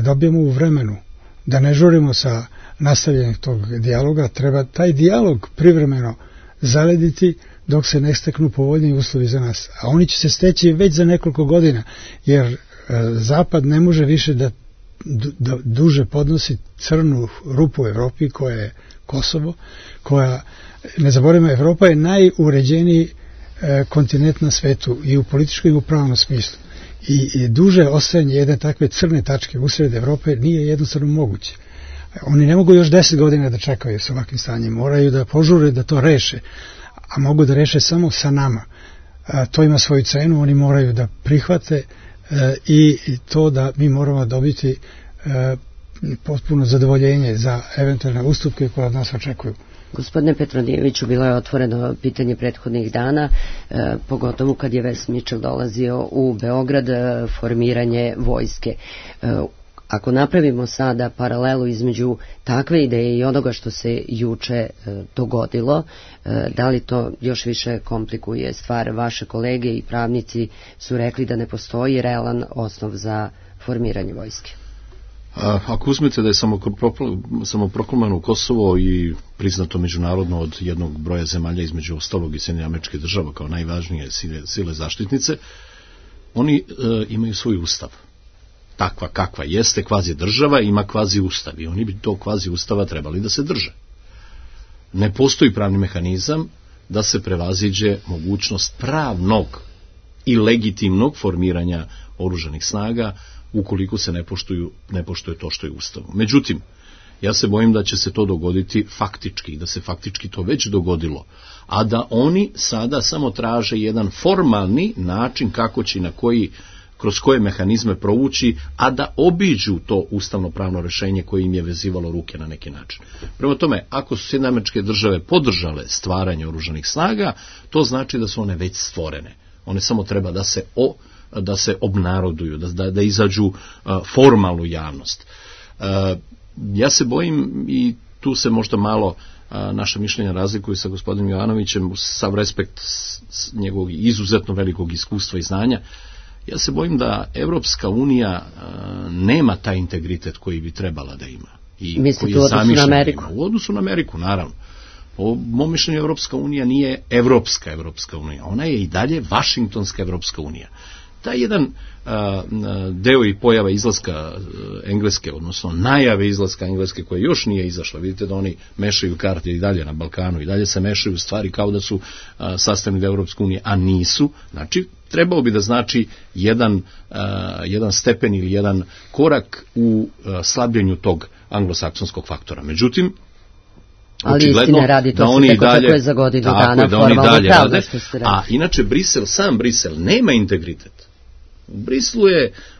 dobijemo u vremenu, da ne žurimo sa nastavljanjem tog dijaloga, treba taj dijalog privremeno zalediti dok se ne steknu povoljniji uslovi za nas. A oni će se steći već za nekoliko godina, jer Zapad ne može više da duže podnosi crnu rupu u Evropi koja je Kosovo, koja, ne zaboravimo, Evropa je najuređeniji kontinent na svetu i u političkom i u pravnom smislu. I duže ostajanje jedne takve crne tačke usred Evrope nije jednostavno moguće. Oni ne mogu još 10 godina da čekaju s ovakvim stanjem, moraju da požure da to reše, a mogu da reše samo sa nama. To ima svoju cenu, oni moraju da prihvate i to da mi moramo dobiti potpuno zadovoljenje za eventualne ustupke koje od nas očekuju. Gospodine Petronijeviću, bilo je otvoreno pitanje prethodnih dana, pogotovo kad je Wes Mitchell dolazio u Beograd, formiranje vojske. Ako napravimo sada paralelu između takve ideje i onoga što se juče dogodilo, da li to još više komplikuje stvar? Vaše kolege i pravnici su rekli da ne postoji realan osnov za formiranje vojske. Ako uzmete da je samoproklamano Kosovo i priznato međunarodno od jednog broja zemalja, između ostalog i Sjedinjenih Američkih Država kao najvažnije sile zaštitnice, oni imaju svoj ustav. Takva kakva jeste kvazi država, ima kvazi ustav i oni bi to kvazi ustava trebali da se drže. Ne postoji pravni mehanizam da se prevaziđe mogućnost pravnog i legitimnog formiranja oružanih snaga ukoliko se ne poštuje to što je u Ustavu. Međutim, ja se bojim da će se to dogoditi faktički, da se faktički to već dogodilo, a da oni sada samo traže jedan formalni način kako će kroz koje mehanizme provući, a da obiđu to ustavno-pravno rešenje koje im je vezivalo ruke na neki način. Prema tome, ako su Sjedinjene Američke Države podržale stvaranje oružanih snaga, to znači da su one već stvorene. One samo treba da se obnaroduju, da izađu formalnu javnost. Ja se bojim, i tu se možda malo naša mišljenja razlikuju sa gospodinom Jovanovićem, sav respekt njegovog izuzetno velikog iskustva i znanja, ja se bojim da Evropska unija nema taj integritet koji bi trebala da ima. Mislite u odnosu na Ameriku? U odnosu na Ameriku, naravno. Po mom mišljenju Evropska unija nije Evropska unija, ona je i dalje Vašingtonska Evropska unija. Taj jedan deo i pojava izlaska Engleske, odnosno najave izlaska Engleske koja još nije izašla, vidite da oni mešaju karte i dalje na Balkanu, i dalje se mešaju stvari kao da su sastavni deo Evropske unije, a nisu. Znači, trebao bi da znači jedan stepen ili jedan korak u slabljenju tog anglosaksonskog faktora. Međutim, ali istine radi, to se tek očekuje za godinu dana formalno pravno što ste rekli. A inače sam Brisel nema integritet. U Briselu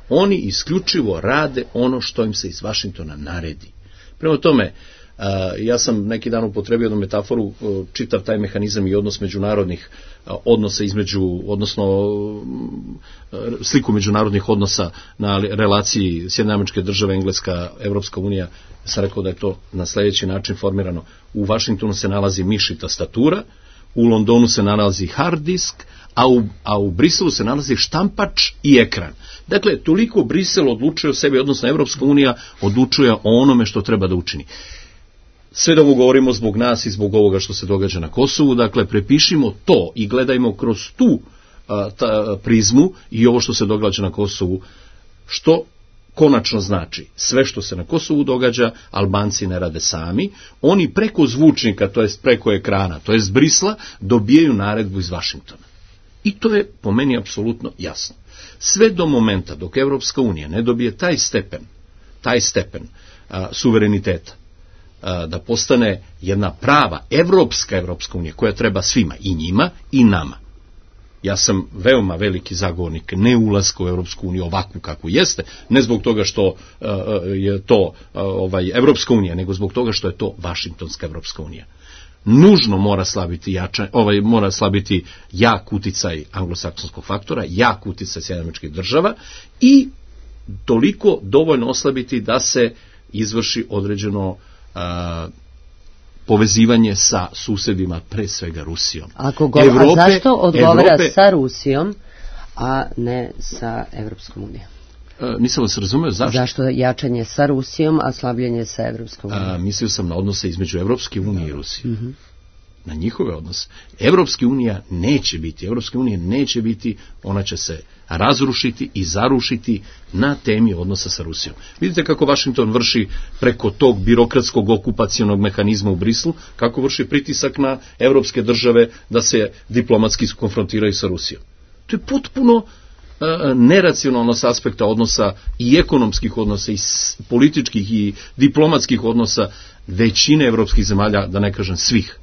oni isključivo rade ono što im se iz Vašingtona naredi. Prema tome, ja sam neki dan upotrebio jednu metaforu, čitav taj mehanizam i odnos međunarodnih odnosa odnosno sliku međunarodnih odnosa na relaciji Sjedinjene Američke Države, Engleska, Evropska unija. Sam rekao da je to na sljedeći način formirano. U Vašingtonu se nalazi miš i tastatura, u Londonu se nalazi hard disk, a u Briselu se nalazi štampač i ekran. Dakle, toliko Brisel odlučuje o sebi, odnosno Evropska unija odlučuje o onome što treba da učini. Sve da ovo govorimo zbog nas i zbog ovoga što se događa na Kosovu, dakle, prepišimo to i gledajmo kroz tu prizmu i ovo što se događa na Kosovu, što konačno znači sve što se na Kosovu događa, Albanci ne rade sami, oni preko zvučnika, to jest preko ekrana, to jest Brisla, dobijaju naredbu iz Vašingtona. I to je po meni apsolutno jasno. Sve do momenta dok Evropska unija ne dobije taj stepen suvereniteta, da postane jedna prava Evropska unija koja treba svima, i njima i nama. Ja sam veoma veliki zagovornik ne ulaska u Evropsku uniju ovakvu kakvu jeste, ne zbog toga što je to Evropska unija, nego zbog toga što je to Vašingtonska Evropska unija. Nužno mora slabiti jak uticaj anglosaksonskog faktora, jak uticaj Sjedinjenih Američkih Država i toliko dovoljno oslabiti da se izvrši određeno povezivanje sa susedima, pre svega Rusijom. A zašto odgovara sa Rusijom, a ne sa Evropskom unijom? Nisam vas razumeo, zašto? Zašto jačanje sa Rusijom, a slabljenje sa Evropskom unijom? Mislio sam na odnose između Evropske unije i Rusije. Na njihove odnose. Evropske unije neće biti, ona će se razrušiti i zarušiti na temi odnosa sa Rusijom. Vidite kako Vašington vrši preko tog birokratskog okupacionog mehanizma u Brislu, kako vrši pritisak na evropske države da se diplomatski konfrontiraju sa Rusijom. To je potpuno neracionalno s aspekta odnosa i ekonomskih odnosa i političkih i diplomatskih odnosa većine evropskih zemalja, da ne kažem svih,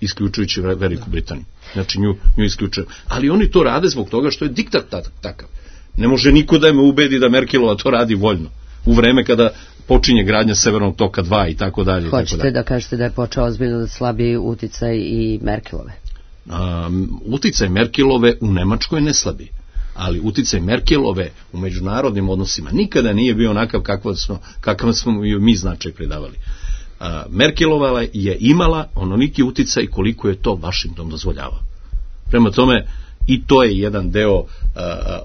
isključujući Veliku Britaniju. Znači nju isključuju. Ali oni to rade zbog toga što je diktat takav. Ne može niko da me ubedi da Merkelova to radi voljno. U vreme kada počinje gradnja Severnog toka 2 i tako dalje. Hoćete da kažete da je počeo ozbiljno da slabi uticaj i Merkelove? Uticaj Merkelove u Nemačkoj ne slabi. Ali uticaj Merkelove u međunarodnim odnosima nikada nije bio onakav kakav smo mi značaj pridavali. Merkelova je imala onoliki uticaj koliko je to Washington dozvoljavao. Prema tome, i to je jedan deo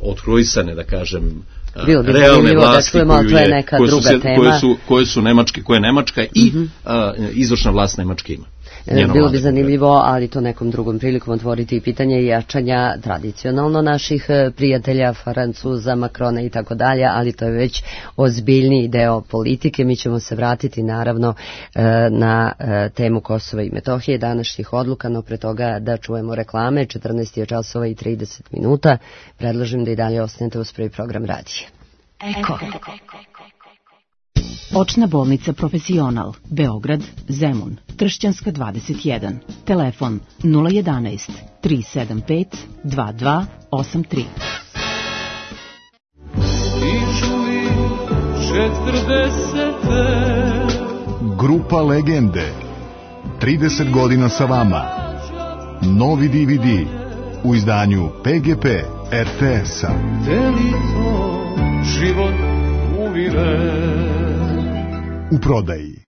otkrojsane, da kažem, realne vlasti koje Nemačka i izvršna vlast Nemačke ima. Bilo bi zanimljivo, ali to nekom drugom prilikom otvoriti pitanje jačanja tradicionalno naših prijatelja, Francuza, Makrona i tako dalje, ali to je već ozbiljniji deo politike. Mi ćemo se vratiti naravno na temu Kosova i Metohije, današnjih odluka, no pre toga da čujemo reklame. 14 je časova i 30 minuta. Predlažem da i dalje ostanete uz prvi program radije. Eko. Očna bolnica Profesional, Beograd, Zemun, Tršćanska 21, telefon 011 375 2283. Grupa Legende, 30 godina sa vama. Novi DVD u izdanju PGP RTS-a. Život u prodaji.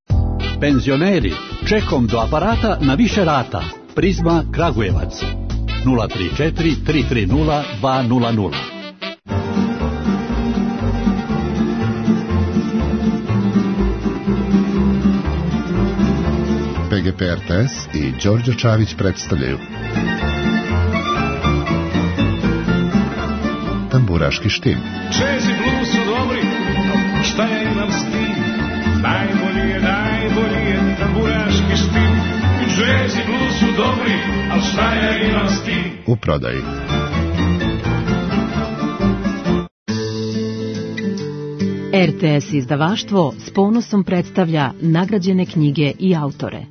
Penzioneri, čekom do aparata na više rata. Prizma Kragujevac 034 330 200. PGP RTS i Đorđe Čavić predstavljaju Tamburaški štim. Jazz i blues su dobri, šta ja imam s tim? Najbolji je tamburaški štim. Jazz i blues su dobri, ali šta ja imam s tim? U prodaji. RTS izdavaštvo s ponosom predstavlja nagrađene knjige i autore.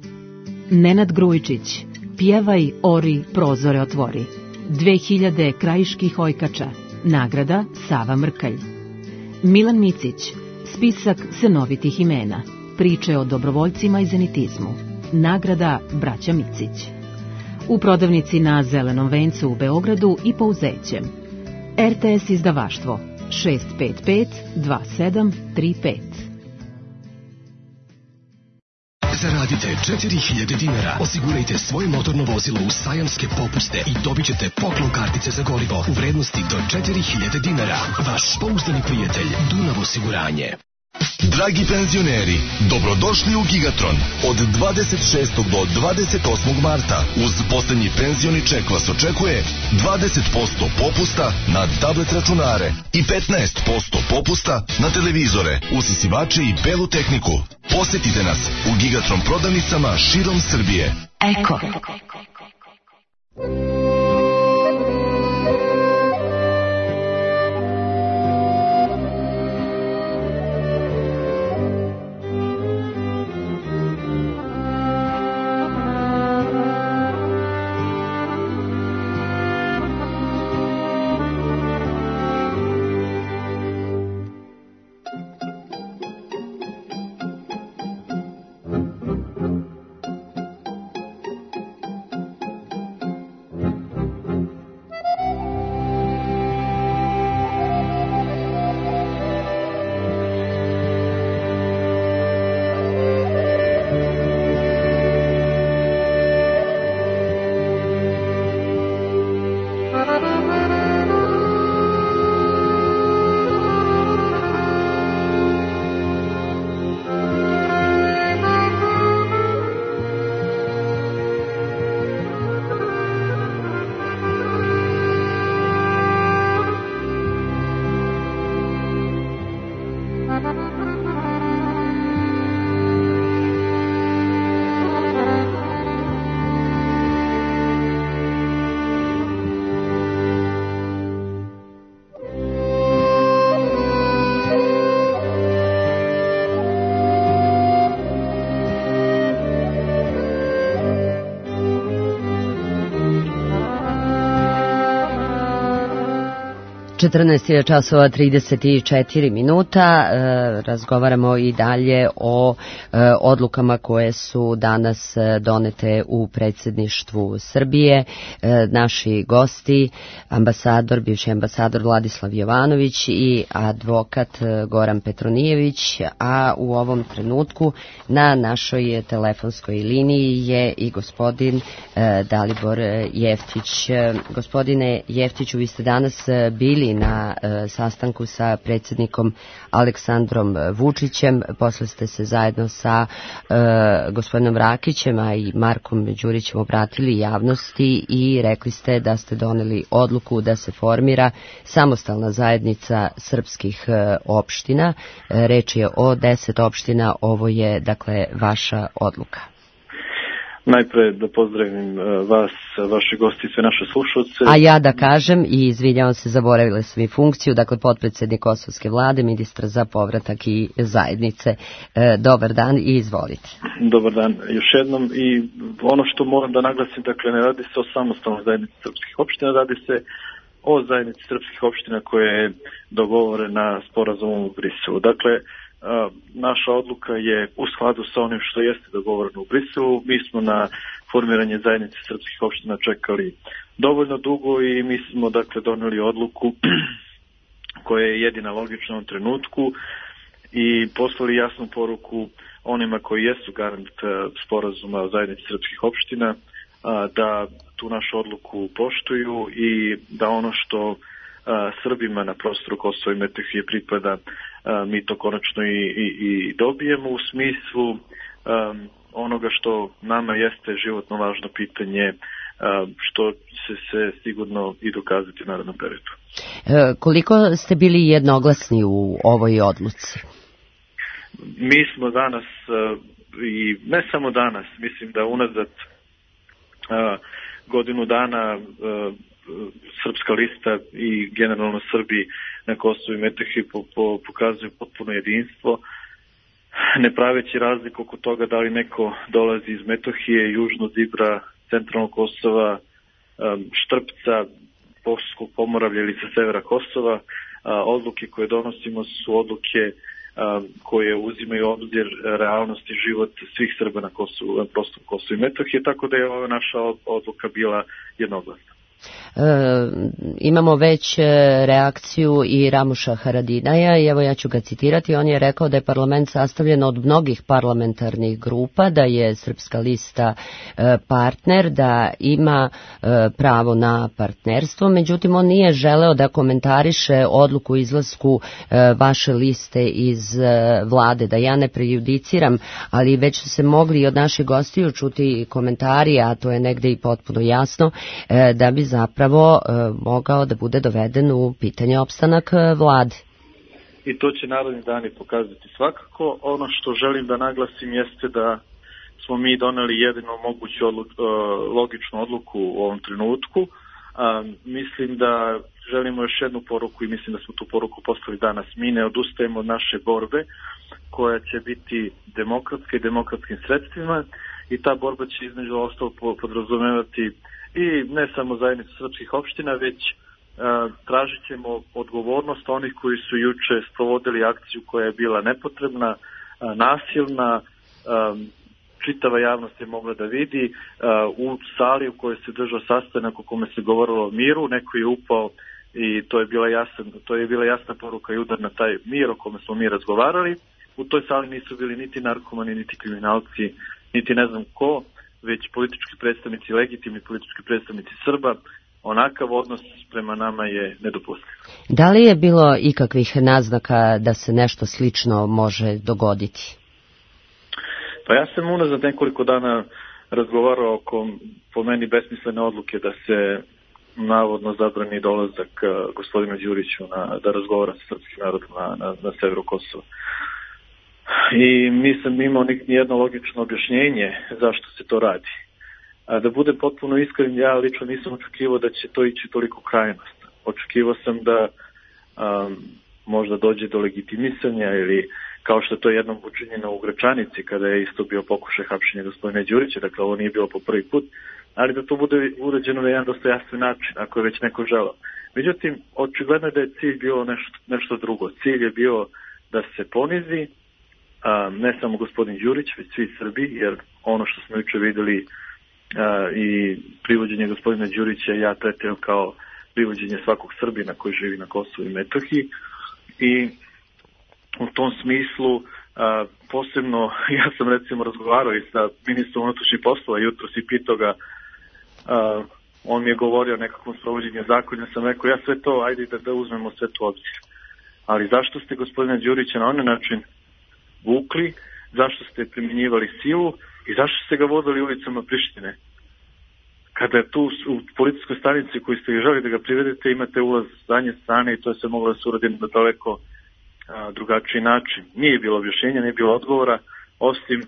Nenad Grujičić, Pjevaj, ori, prozore otvori. 2000 krajiških ojkača. Nagrada Sava Mrkalj. Milan Micić, spisak senovitih imena. Priče o dobrovoljcima i zenitizmu. Nagrada Braća Micić. U prodavnici na Zelenom vencu u Beogradu i Pouzećem. RTS izdavaštvo 655 2735. Zaradite 4000 dinara, osigurajte svoje motorno vozilo u sajamske popuste i dobit ćete poklon kartice za gorivo u vrednosti do 4000 dinara. Vaš pouzdani prijatelj Dunav osiguranje. Dragi penzioneri, dobrodošli u Gigatron. Od 26. do 28. marta uz poslednji penzioni ček vas očekuje 20% popusta na tablet računare i 15% popusta na televizore, usisivače i belu tehniku. Posetite nas u Gigatron prodavnicama širom Srbije. Eko. 14 časova 34 minuta. Razgovaramo i dalje o odlukama koje su danas donete u predsjedništvu Srbije. Naši gosti, bivši ambasador Vladislav Jovanović i advokat Goran Petronijević, a u ovom trenutku na našoj telefonskoj liniji je i gospodin Dalibor Jeftić. Gospodine Jeftiću, vi ste danas bili na sastanku sa predsjednikom Aleksandrom Vučićem, posle ste se zajedno sa gospodinom Rakićem, a i Markom Đurićem obratili javnosti i rekli ste da ste doneli odluku da se formira samostalna zajednica srpskih opština. Reč je o 10 opština, ovo je dakle vaša odluka. Najpre da pozdravim vas, vaše gosti i sve naše slušalce. A ja da kažem, i izvinjavam se, zaboravila sam i funkciju, dakle potpredsjednik Kosovske vlade, ministar za povratak i zajednice. Dobar dan i izvolite. Dobar dan još jednom, i ono što moram da naglasim, dakle ne radi se o samostalnoj zajednici srpskih opština, radi se o zajednici srpskih opština koja je dogovorena sporazumom u Briselu. Dakle, naša odluka je u skladu sa onim što jeste dogovoreno u Briselu. Mi smo na formiranje zajednice srpskih opština čekali dovoljno dugo i mi smo dakle doneli odluku koja je jedina logična u ovom trenutku i poslali jasnu poruku onima koji jesu garant sporazuma o zajednici srpskih opština da tu našu odluku poštuju i da ono što Srbima na prostoru Kosova i Metohije pripada, mi to konačno i dobijemo u smislu onoga što nama jeste životno važno pitanje, što će se sigurno i dokazati u narednom periodu. Koliko ste bili jednoglasni u ovoj odluci? Mi smo danas, i ne samo danas, mislim da unazad godinu dana Srpska lista i generalno Srbi na Kosovu i Metohiji pokazuju potpuno jedinstvo, ne praveći razliku oko toga da li neko dolazi iz Metohije, južno od Ibra, centralnog Kosova, Štrpca, Boškog Pomoravlja ili sa severa Kosova. Odluke koje donosimo su odluke koje uzimaju obzir realnost i život svih Srba na prostoru Kosova i Metohije, tako da je ova naša odluka bila jednoglasna. Imamo već reakciju i Ramuša Haradinaja i evo ja ću ga citirati. On je rekao da je parlament sastavljen od mnogih parlamentarnih grupa, da je Srpska lista partner, da ima pravo na partnerstvo, međutim on nije želeo da komentariše odluku izlasku vaše liste iz vlade, da ja ne prejudiciram, ali već su se mogli od naših gostiju čuti komentari, a to je negde i potpuno jasno, da bi zapravo mogao da bude doveden u pitanje opstanak vlade. I to će naredni dani pokazati svakako. Ono što želim da naglasim jeste da smo mi doneli jedino moguću logičnu odluku u ovom trenutku. Mislim da želimo još jednu poruku i mislim da smo tu poruku poslali danas. Mi ne odustajemo od naše borbe koja će biti demokratska i demokratskim sredstvima i ta borba će između ostalog podrazumevati i ne samo zajednicu srpskih opština, već tražit ćemo odgovornost onih koji su juče sprovodili akciju koja je bila nepotrebna, nasilna, čitava javnost je mogla da vidi. U sali u kojoj se držao sastanak u kome se govorilo o miru, neko je upao i to je bila jasna poruka i udar na taj mir o kome smo mi razgovarali. U toj sali nisu bili niti narkomani, niti kriminalci, niti ne znam ko, već politički predstavnici, legitimni politički predstavnici Srba. Onakav odnos prema nama je nedopustiv. Da li je bilo ikakvih naznaka da se nešto slično može dogoditi? Pa ja sam unazad nekoliko dana razgovarao oko po meni besmislene odluke da se navodno zabrani dolazak gospodinu Đuriću da razgovara sa srpskim narodom na severu Kosova. I nisam imao nijedno logično objašnjenje zašto se to radi. A da budem potpuno iskren, ja lično nisam očekivao da će to ići toliko krajnost. Očekivao sam da možda dođe do legitimisanja ili kao što to jednom učinjeno u Gračanici kada je isto bio pokušaj hapšenja gospodina Đurića, dakle ovo nije bilo po prvi put, ali da to bude urađeno na jedan dostojanstven način, ako je već neko želeo. Međutim, očigledno je da je cilj bio nešto drugo. Cilj je bio da se ponizi ne samo gospodin Đurić, već svi Srbi, jer ono što smo juče vidjeli i privođenje gospodina Đurića ja tretiram kao privođenje svakog Srbina koji živi na Kosovu i Metohiji. I u tom smislu posebno, ja sam recimo razgovarao i sa ministrom unutrašnjih poslova jutros i pitao ga, on mi je govorio o nekakvom sprovođenju zakona, sam rekao ja sve to, ajde da uzmemo sve to obzir. Ali zašto ste gospodina Đurića na onaj način vukli, zašto ste primjenjivali silu i zašto ste ga vodili ulicama Prištine? Kada je tu u policijskoj stanici koji ste želi da ga privedete, imate ulaz s zadnje strane i to je sve moglo da se uradi na daleko drugačiji način. Nije bilo objašnjenja, nije bilo odgovora, osim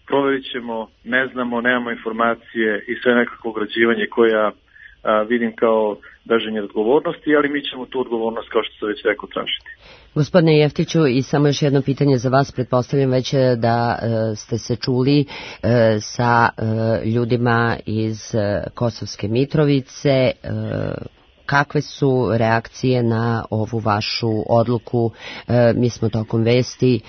proverit ćemo, ne znamo, nemamo informacije i sve nekako ograđivanje koje ja vidim kao bežanje odgovornosti, ali mi ćemo tu odgovornost, kao što se već rekao, tražiti. Gospodine Jeftiću, i samo još jedno pitanje za vas, pretpostavljam već da ste se čuli sa ljudima iz Kosovske Mitrovice. Kakve su reakcije na ovu vašu odluku? Mi smo tokom vesti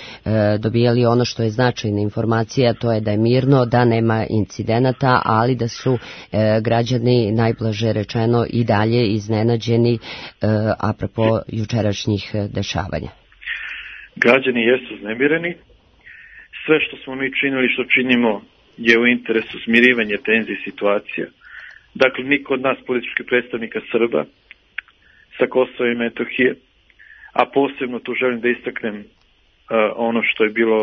dobijali ono što je značajna informacija, to je da je mirno, da nema incidenata, ali da su građani, najblaže rečeno, i dalje iznenađeni apropo jučerašnjih dešavanja. Građani jesu uznemireni. Sve što smo mi činili, što činimo, je u interesu smirivanja tenzije situacija. Dakle, niko od nas političkih predstavnika Srba sa Kosova i Metohije, a posebno tu želim da istaknem ono što je bilo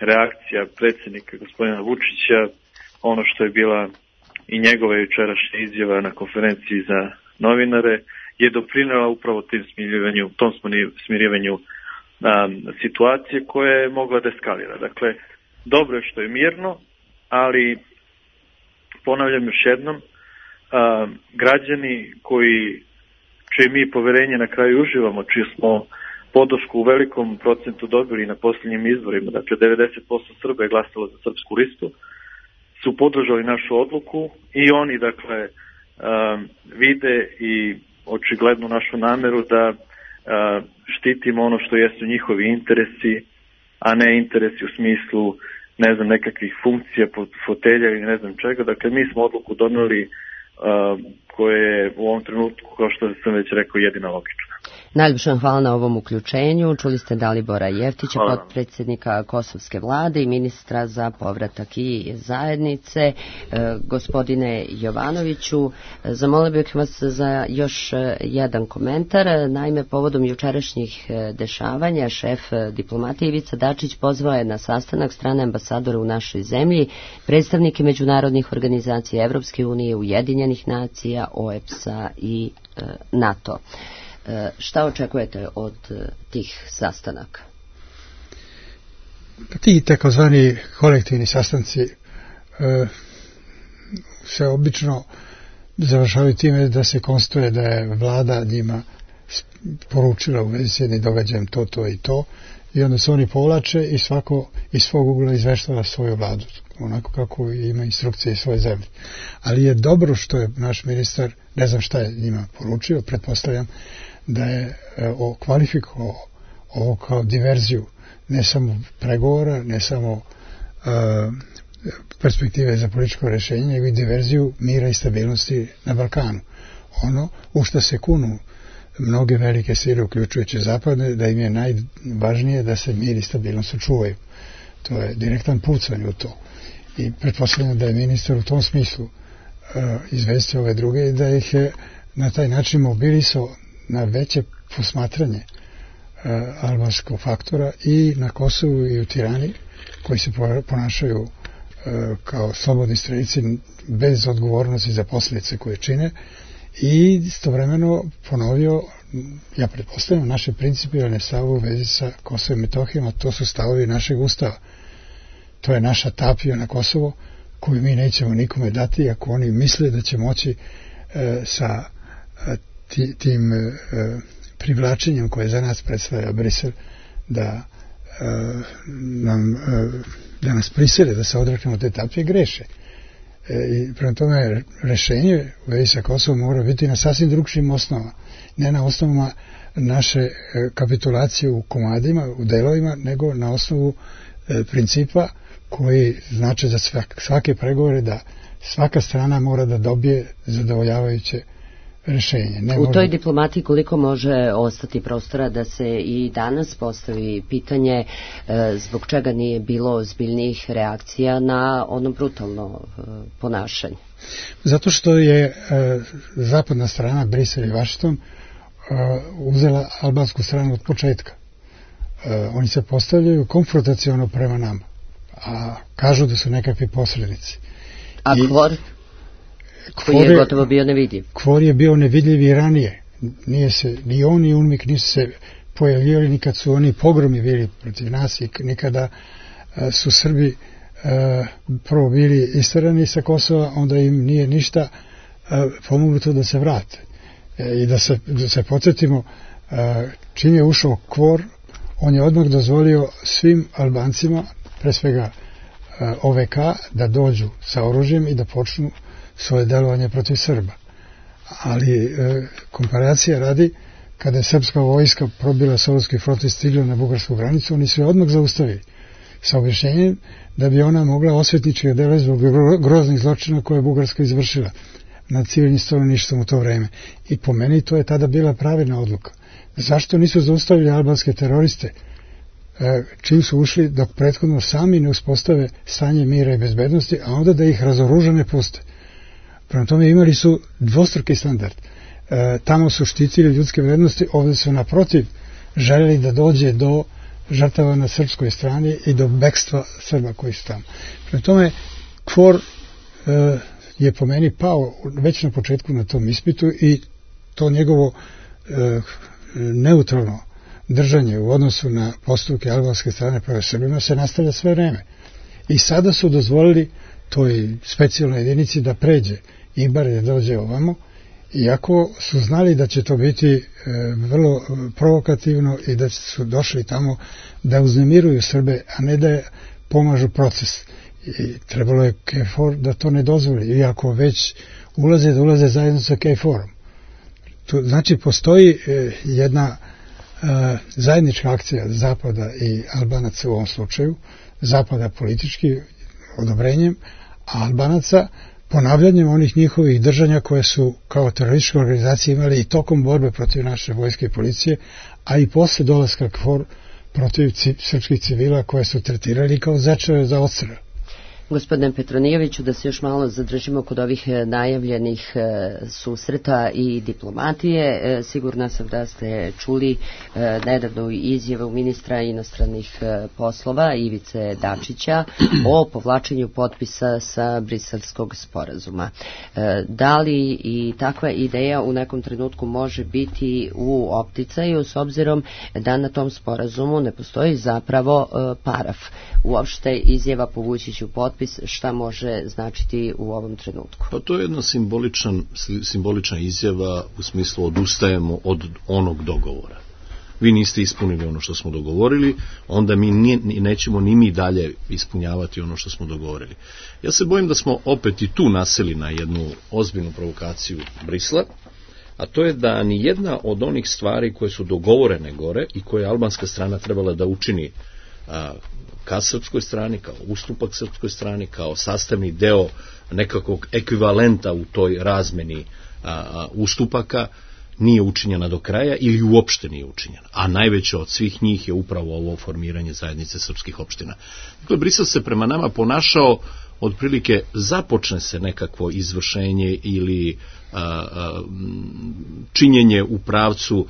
reakcija predsjednika gospodina Vučića, ono što je bila i njegova jučerašnja izjava na konferenciji za novinare, je doprinela upravo tom smirivanju situacije koja je mogla da eskalira. Dakle, dobro je što je mirno, ali ponavljam još jednom, građani čije mi poverenje na kraju uživamo, čiju smo podršku u velikom procentu dobili na posljednjim izborima, dakle 90% Srba je glasalo za srpsku listu, su podržali našu odluku i oni, dakle, vide i očigledno našu nameru da štitimo ono što jesu njihovi interesi, a ne interesi u smislu nekakvih funkcija, fotelja ili ne znam čega. Dakle, mi smo odluku doneli koje je u ovom trenutku, kao što sam već rekao, jedina logična. Najljepša hvala na ovom uključenju. Čuli ste Dalibora Jeftića, potpredsjednika Kosovske vlade i ministra za povratak i zajednice. Gospodine Jovanoviću, zamolio bih vas za još jedan komentar. Naime, povodom jučerašnjih dešavanja, šef diplomatije Ivica Dačić pozvao je na sastanak strane ambasadora u našoj zemlji, predstavnike međunarodnih organizacija Evropske unije, Ujedinjenih nacija, OEBS-a i NATO. Šta očekujete od tih sastanaka? Ti takozvani kolektivni sastanci se obično završavaju time da se konstatuje da je vlada njima poručila u vezi s jednim događajem to i to, i onda se oni povlače i svako iz svog ugla izveštava svoju vladu, onako kako ima instrukcije iz svoje zemlje. Ali je dobro što je naš ministar, ne znam šta je njima poručio, pretpostavljam da je kvalifikovao ovo kao diverziju, ne samo pregovora, ne samo perspektive za političko rješenje, nego i diverziju mira i stabilnosti na Balkanu. Ono u što se kunu mnoge velike sile, uključujući zapadne, da im je najvažnije da se mir i stabilnost očuvaju. To je direktan pucanj u to. I pretpostavljam da je ministar u tom smislu izvestio ove druge i da ih je na taj način mobilisao na veće posmatranje albanskog faktora i na Kosovu i u Tirani, koji se ponašaju kao slobodni strelici bez odgovornosti za posljedice koje čine, i istovremeno ponovio, ja pretpostavljam, naše principijalne stavove u vezi sa Kosovom i Metohijom, a to su stavovi našeg ustava. To je naša tapija na Kosovo koju mi nećemo nikome dati ako oni misle da će moći sa tim privlačenjem koje za nas predstavlja Brisel da nas prisile da se odreknemo te tapije, greše. I prema tome rešenje u vezi sa Kosovom mora biti na sasvim drugčijim osnovama, ne na osnovama naše kapitulacije u komadima, u delovima, nego na osnovu principa koji znači za svake pregovore da svaka strana mora da dobije zadovoljavajuće rešenje. U toj diplomatiji koliko može ostati prostora da se i danas postavi pitanje zbog čega nije bilo ozbiljnijih reakcija na ono brutalno ponašanje? Zato što je zapadna strana, Brisel i Vašington, uzela albansku stranu od početka. Oni se postavljaju konfrontaciono prema nama, a kažu da su nekakvi posrednici. A KFOR? Koji je gotovo bio nevidljiv. KFOR je bio nevidljiv i ranije. Nije se, ni on ni UNMIK nisu se pojavljivali nikad su oni pogromi bili protiv nas i nikada su Srbi prvo bili istarani sa Kosova, onda im nije ništa pomognuto da se vrate. I da se podsjetimo, čim je ušao KFOR, on je odmah dozvolio svim Albancima, pre svega OVK, da dođu sa oružjem i da počnu svoje delovanje protiv Srba. Ali komparacija radi, kada je srpska vojska probila Solunski front i stigla na bugarsku granicu, oni su je odmah zaustavili sa objašnjenjem da bi ona mogla osvetnički dela zbog groznih zločina koje je Bugarska izvršila nad civilnim stanovništvom u to vreme. I po meni to je tada bila pravilna odluka. Zašto nisu zaustavili albanske teroriste čim su ušli dok prethodno sami ne uspostave stanje mira i bezbednosti, a onda da ih razoružane puste? Prema tome imali su dvostruki standard. Tamo su štitili ljudske vrednosti, ovdje su naprotiv željeli da dođe do žrtava na srpskoj strani i do bekstva Srba koji su tamo. Prema tome, KFOR je po meni pao već na početku na tom ispitu i to njegovo neutralno držanje u odnosu na postupke albanske strane prema Srbima se nastavlja sve vreme. I sada su dozvolili toj specijalnoj jedinici da pređe Ibar, da dođe ovamo, iako su znali da će to biti vrlo provokativno i da su došli tamo da uznemiruju Srbe, a ne da pomažu proces. I trebalo je KFOR da to ne dozvoli, iako već da ulaze zajedno sa KFOR-om. Znači, postoji jedna zajednička akcija Zapada i Albanaca u ovom slučaju, Zapada politički odobrenjem, a Albanaca ponavljanjem onih njihovih držanja koje su kao terorističke organizacije imali i tokom borbe protiv naše vojske i policije, a i posle dolaska KFOR protiv srpskih civila koje su tretirali kao zečeve za odstrel. Gospodine Petronijeviću, da se još malo zadržimo kod ovih najavljenih susreta i diplomatije. Sigurna sam da ste čuli nedavnu izjavu ministra inostranih poslova Ivice Dačića o povlačenju potpisa sa Briselskog sporazuma. Da li i takva ideja u nekom trenutku može biti u opticaju s obzirom da na tom sporazumu ne postoji zapravo paraf? Uopšte izjava povući ću potpis, šta može značiti u ovom trenutku? Pa to je jedna simbolična izjava u smislu odustajemo od onog dogovora. Vi niste ispunili ono što smo dogovorili, onda mi nećemo ni mi dalje ispunjavati ono što smo dogovorili. Ja se bojim da smo opet i tu naseli na jednu ozbiljnu provokaciju Brisla, a to je da ni jedna od onih stvari koje su dogovorene gore i koje je albanska strana trebala da učini ka srpskoj strani, kao ustupak srpskoj strani, kao sastavni deo nekakvog ekvivalenta u toj razmeni ustupaka, nije učinjena do kraja ili uopšte nije učinjena. A najveće od svih njih je upravo ovo formiranje zajednice srpskih opština. Dakle, Brisel se prema nama ponašao otprilike započne se nekakvo izvršenje ili činjenje u pravcu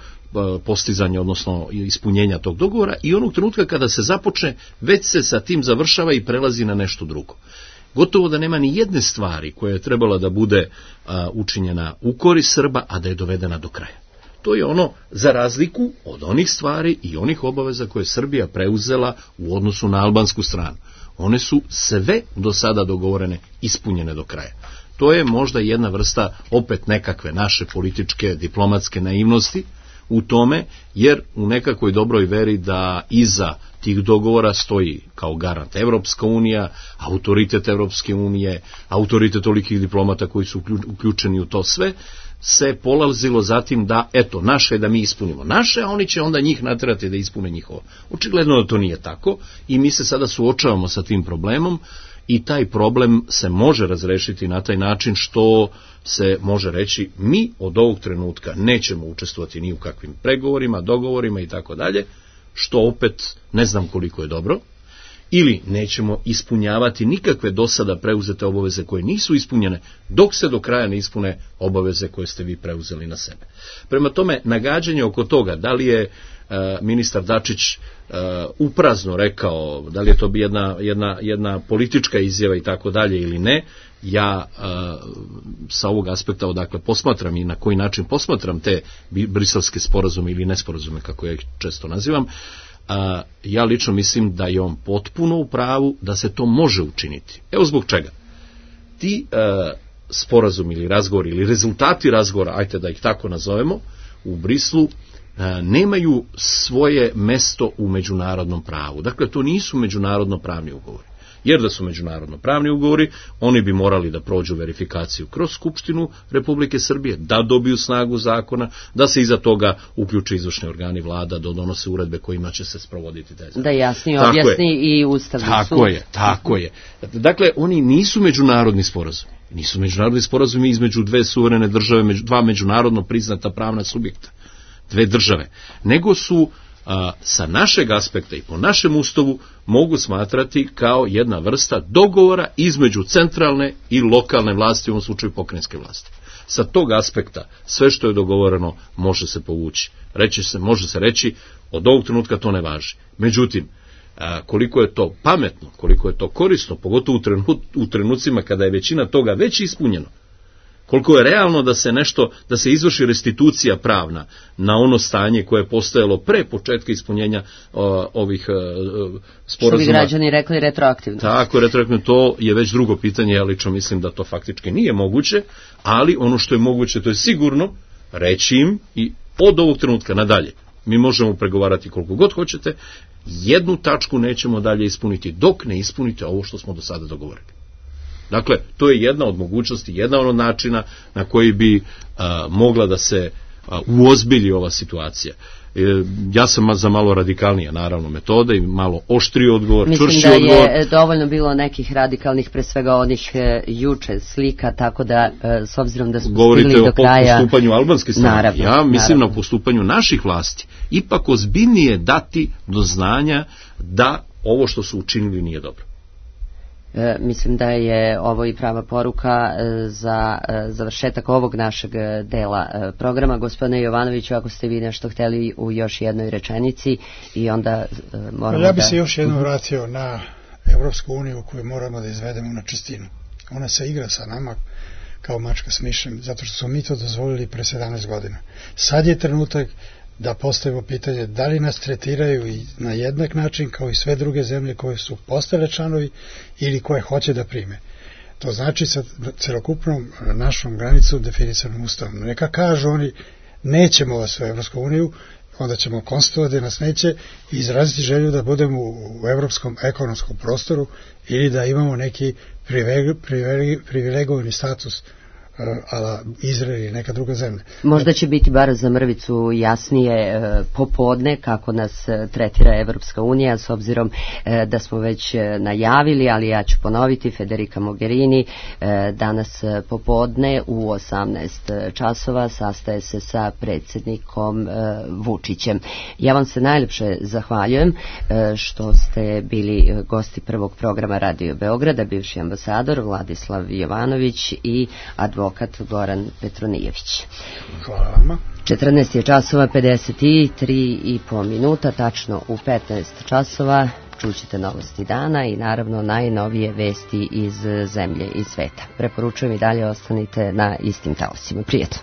postizanja, odnosno ispunjenja tog dogovora, i onog trenutka kada se započne, već se sa tim završava i prelazi na nešto drugo. Gotovo da nema ni jedne stvari koja je trebala da bude učinjena u korist Srba, a da je dovedena do kraja. To je ono za razliku od onih stvari i onih obaveza koje je Srbija preuzela u odnosu na albansku stranu. One su sve do sada dogovorene, ispunjene do kraja. To je možda jedna vrsta opet nekakve naše političke, diplomatske naivnosti, u tome, jer u nekakvoj dobroj veri da iza tih dogovora stoji kao garant Evropska unija, autoritet Evropske unije, autoritet tolikih diplomata koji su uključeni u to sve, se polazilo zatim da, eto, naše je da mi ispunimo naše, a oni će onda njih naterati da ispune njihovo. Očigledno da to nije tako i mi se sada suočavamo sa tim problemom i taj problem se može razrešiti na taj način što se može reći mi od ovog trenutka nećemo učestvovati ni u kakvim pregovorima, dogovorima i tako dalje, što opet ne znam koliko je dobro, ili nećemo ispunjavati nikakve do sada preuzete obaveze koje nisu ispunjene, dok se do kraja ne ispune obaveze koje ste vi preuzeli na sebe. Prema tome, nagađanje oko toga, da li je ministar Dačić uprazno rekao, da li je to jedna politička izjava i tako dalje ili ne, ja sa ovog aspekta odakle posmatram i na koji način posmatram te briselske sporazume ili nesporazume, kako ja ih često nazivam, ja lično mislim da je on potpuno u pravu da se to može učiniti. Evo zbog čega. Ti sporazumi ili razgovori ili rezultati razgovora, ajte da ih tako nazovemo, u Brislu nemaju svoje mesto u međunarodnom pravu. Dakle, to nisu međunarodno pravni ugovori. Jer da su međunarodno pravni ugovori, oni bi morali da prođu verifikaciju kroz Skupštinu Republike Srbije, da dobiju snagu zakona, da se iza toga uključe izvršni organi vlada, da donose uredbe kojima će se sprovoditi taj zakon. Da jasnije objasni i Ustavni sud. Tako je. Dakle, oni nisu međunarodni sporazumi. Nisu međunarodni sporazumi između dve suverene države, dva međunarodno priznata pravna subjekta, dve države, nego su sa našeg aspekta i po našem ustavu mogu smatrati kao jedna vrsta dogovora između centralne i lokalne vlasti, u ovom slučaju pokrajinske vlasti. Sa tog aspekta sve što je dogovoreno može se povući. Može se reći od ovog trenutka to ne važi. Međutim, koliko je to pametno, koliko je to korisno, pogotovo u trenucima kada je većina toga već ispunjeno, koliko je realno da se izvrši restitucija pravna na ono stanje koje je postojalo pre početka ispunjenja ovih sporazuma. Što bi građani rekli retroaktivno. Tako, retroaktivno, to je već drugo pitanje, ja lično mislim da to faktički nije moguće, ali ono što je moguće, to je sigurno reći im i od ovog trenutka nadalje. Mi možemo pregovarati koliko god hoćete, jednu tačku nećemo dalje ispuniti dok ne ispunite ovo što smo do sada dogovorili. Dakle, to je jedna od mogućnosti, jedan od načina na koji bi mogla da se uozbilji ova situacija. Ja sam za malo radikalnije, naravno, metode i malo oštriji odgovor, čvršći odgovor. Mislim da je dovoljno bilo nekih radikalnih, pre svega onih juče slika, tako da s obzirom da smo govorite stigli do kraja... Govorite o postupanju albanske strane. Naravno, ja mislim na postupanju naših vlasti. Ipak ozbiljnije dati do znanja da ovo što su učinili nije dobro. Mislim da je ovo i prava poruka za završetak ovog našeg dela programa. Gospodine Jovanoviću, ako ste vi nešto hteli u još jednoj rečenici i onda moramo ja bi se još jednom vratio na Evropsku uniju koju moramo da izvedemo na čistinu. Ona se igra sa nama kao mačka s mišem, zato što smo mi to dozvolili pre 17 godina. Sad je trenutak da postavimo pitanje da li nas tretiraju i na jednak način kao i sve druge zemlje koje su postale članovi ili koje hoće da prime. To znači sa celokupnom našom granicom definisanom ustavom. Neka kažu oni nećemo vas u Evropsku uniju, onda ćemo konstatovati da nas neće i izraziti želju da budemo u evropskom ekonomskom prostoru ili da imamo neki privilegovani status ala Izrael ili neka druga zemlja. Možda će biti bar za mrvicu jasnije popodne kako nas tretira Evropska unija, s obzirom da smo već najavili, ali ja ću ponoviti, Federica Mogherini danas popodne u 18 časova sastaje se sa predsjednikom Vučićem. Ja vam se najljepše zahvaljujem što ste bili gosti prvog programa Radio Beograda, bivši ambasador Vladislav Jovanović i advokat Goran Petronijević. Hvala vama. 14 je časova 53,5 minuta, tačno u 15 časova čućete novosti dana i naravno najnovije vesti iz zemlje i sveta. Preporučujem i dalje ostanite na istim taosima. Prijetno.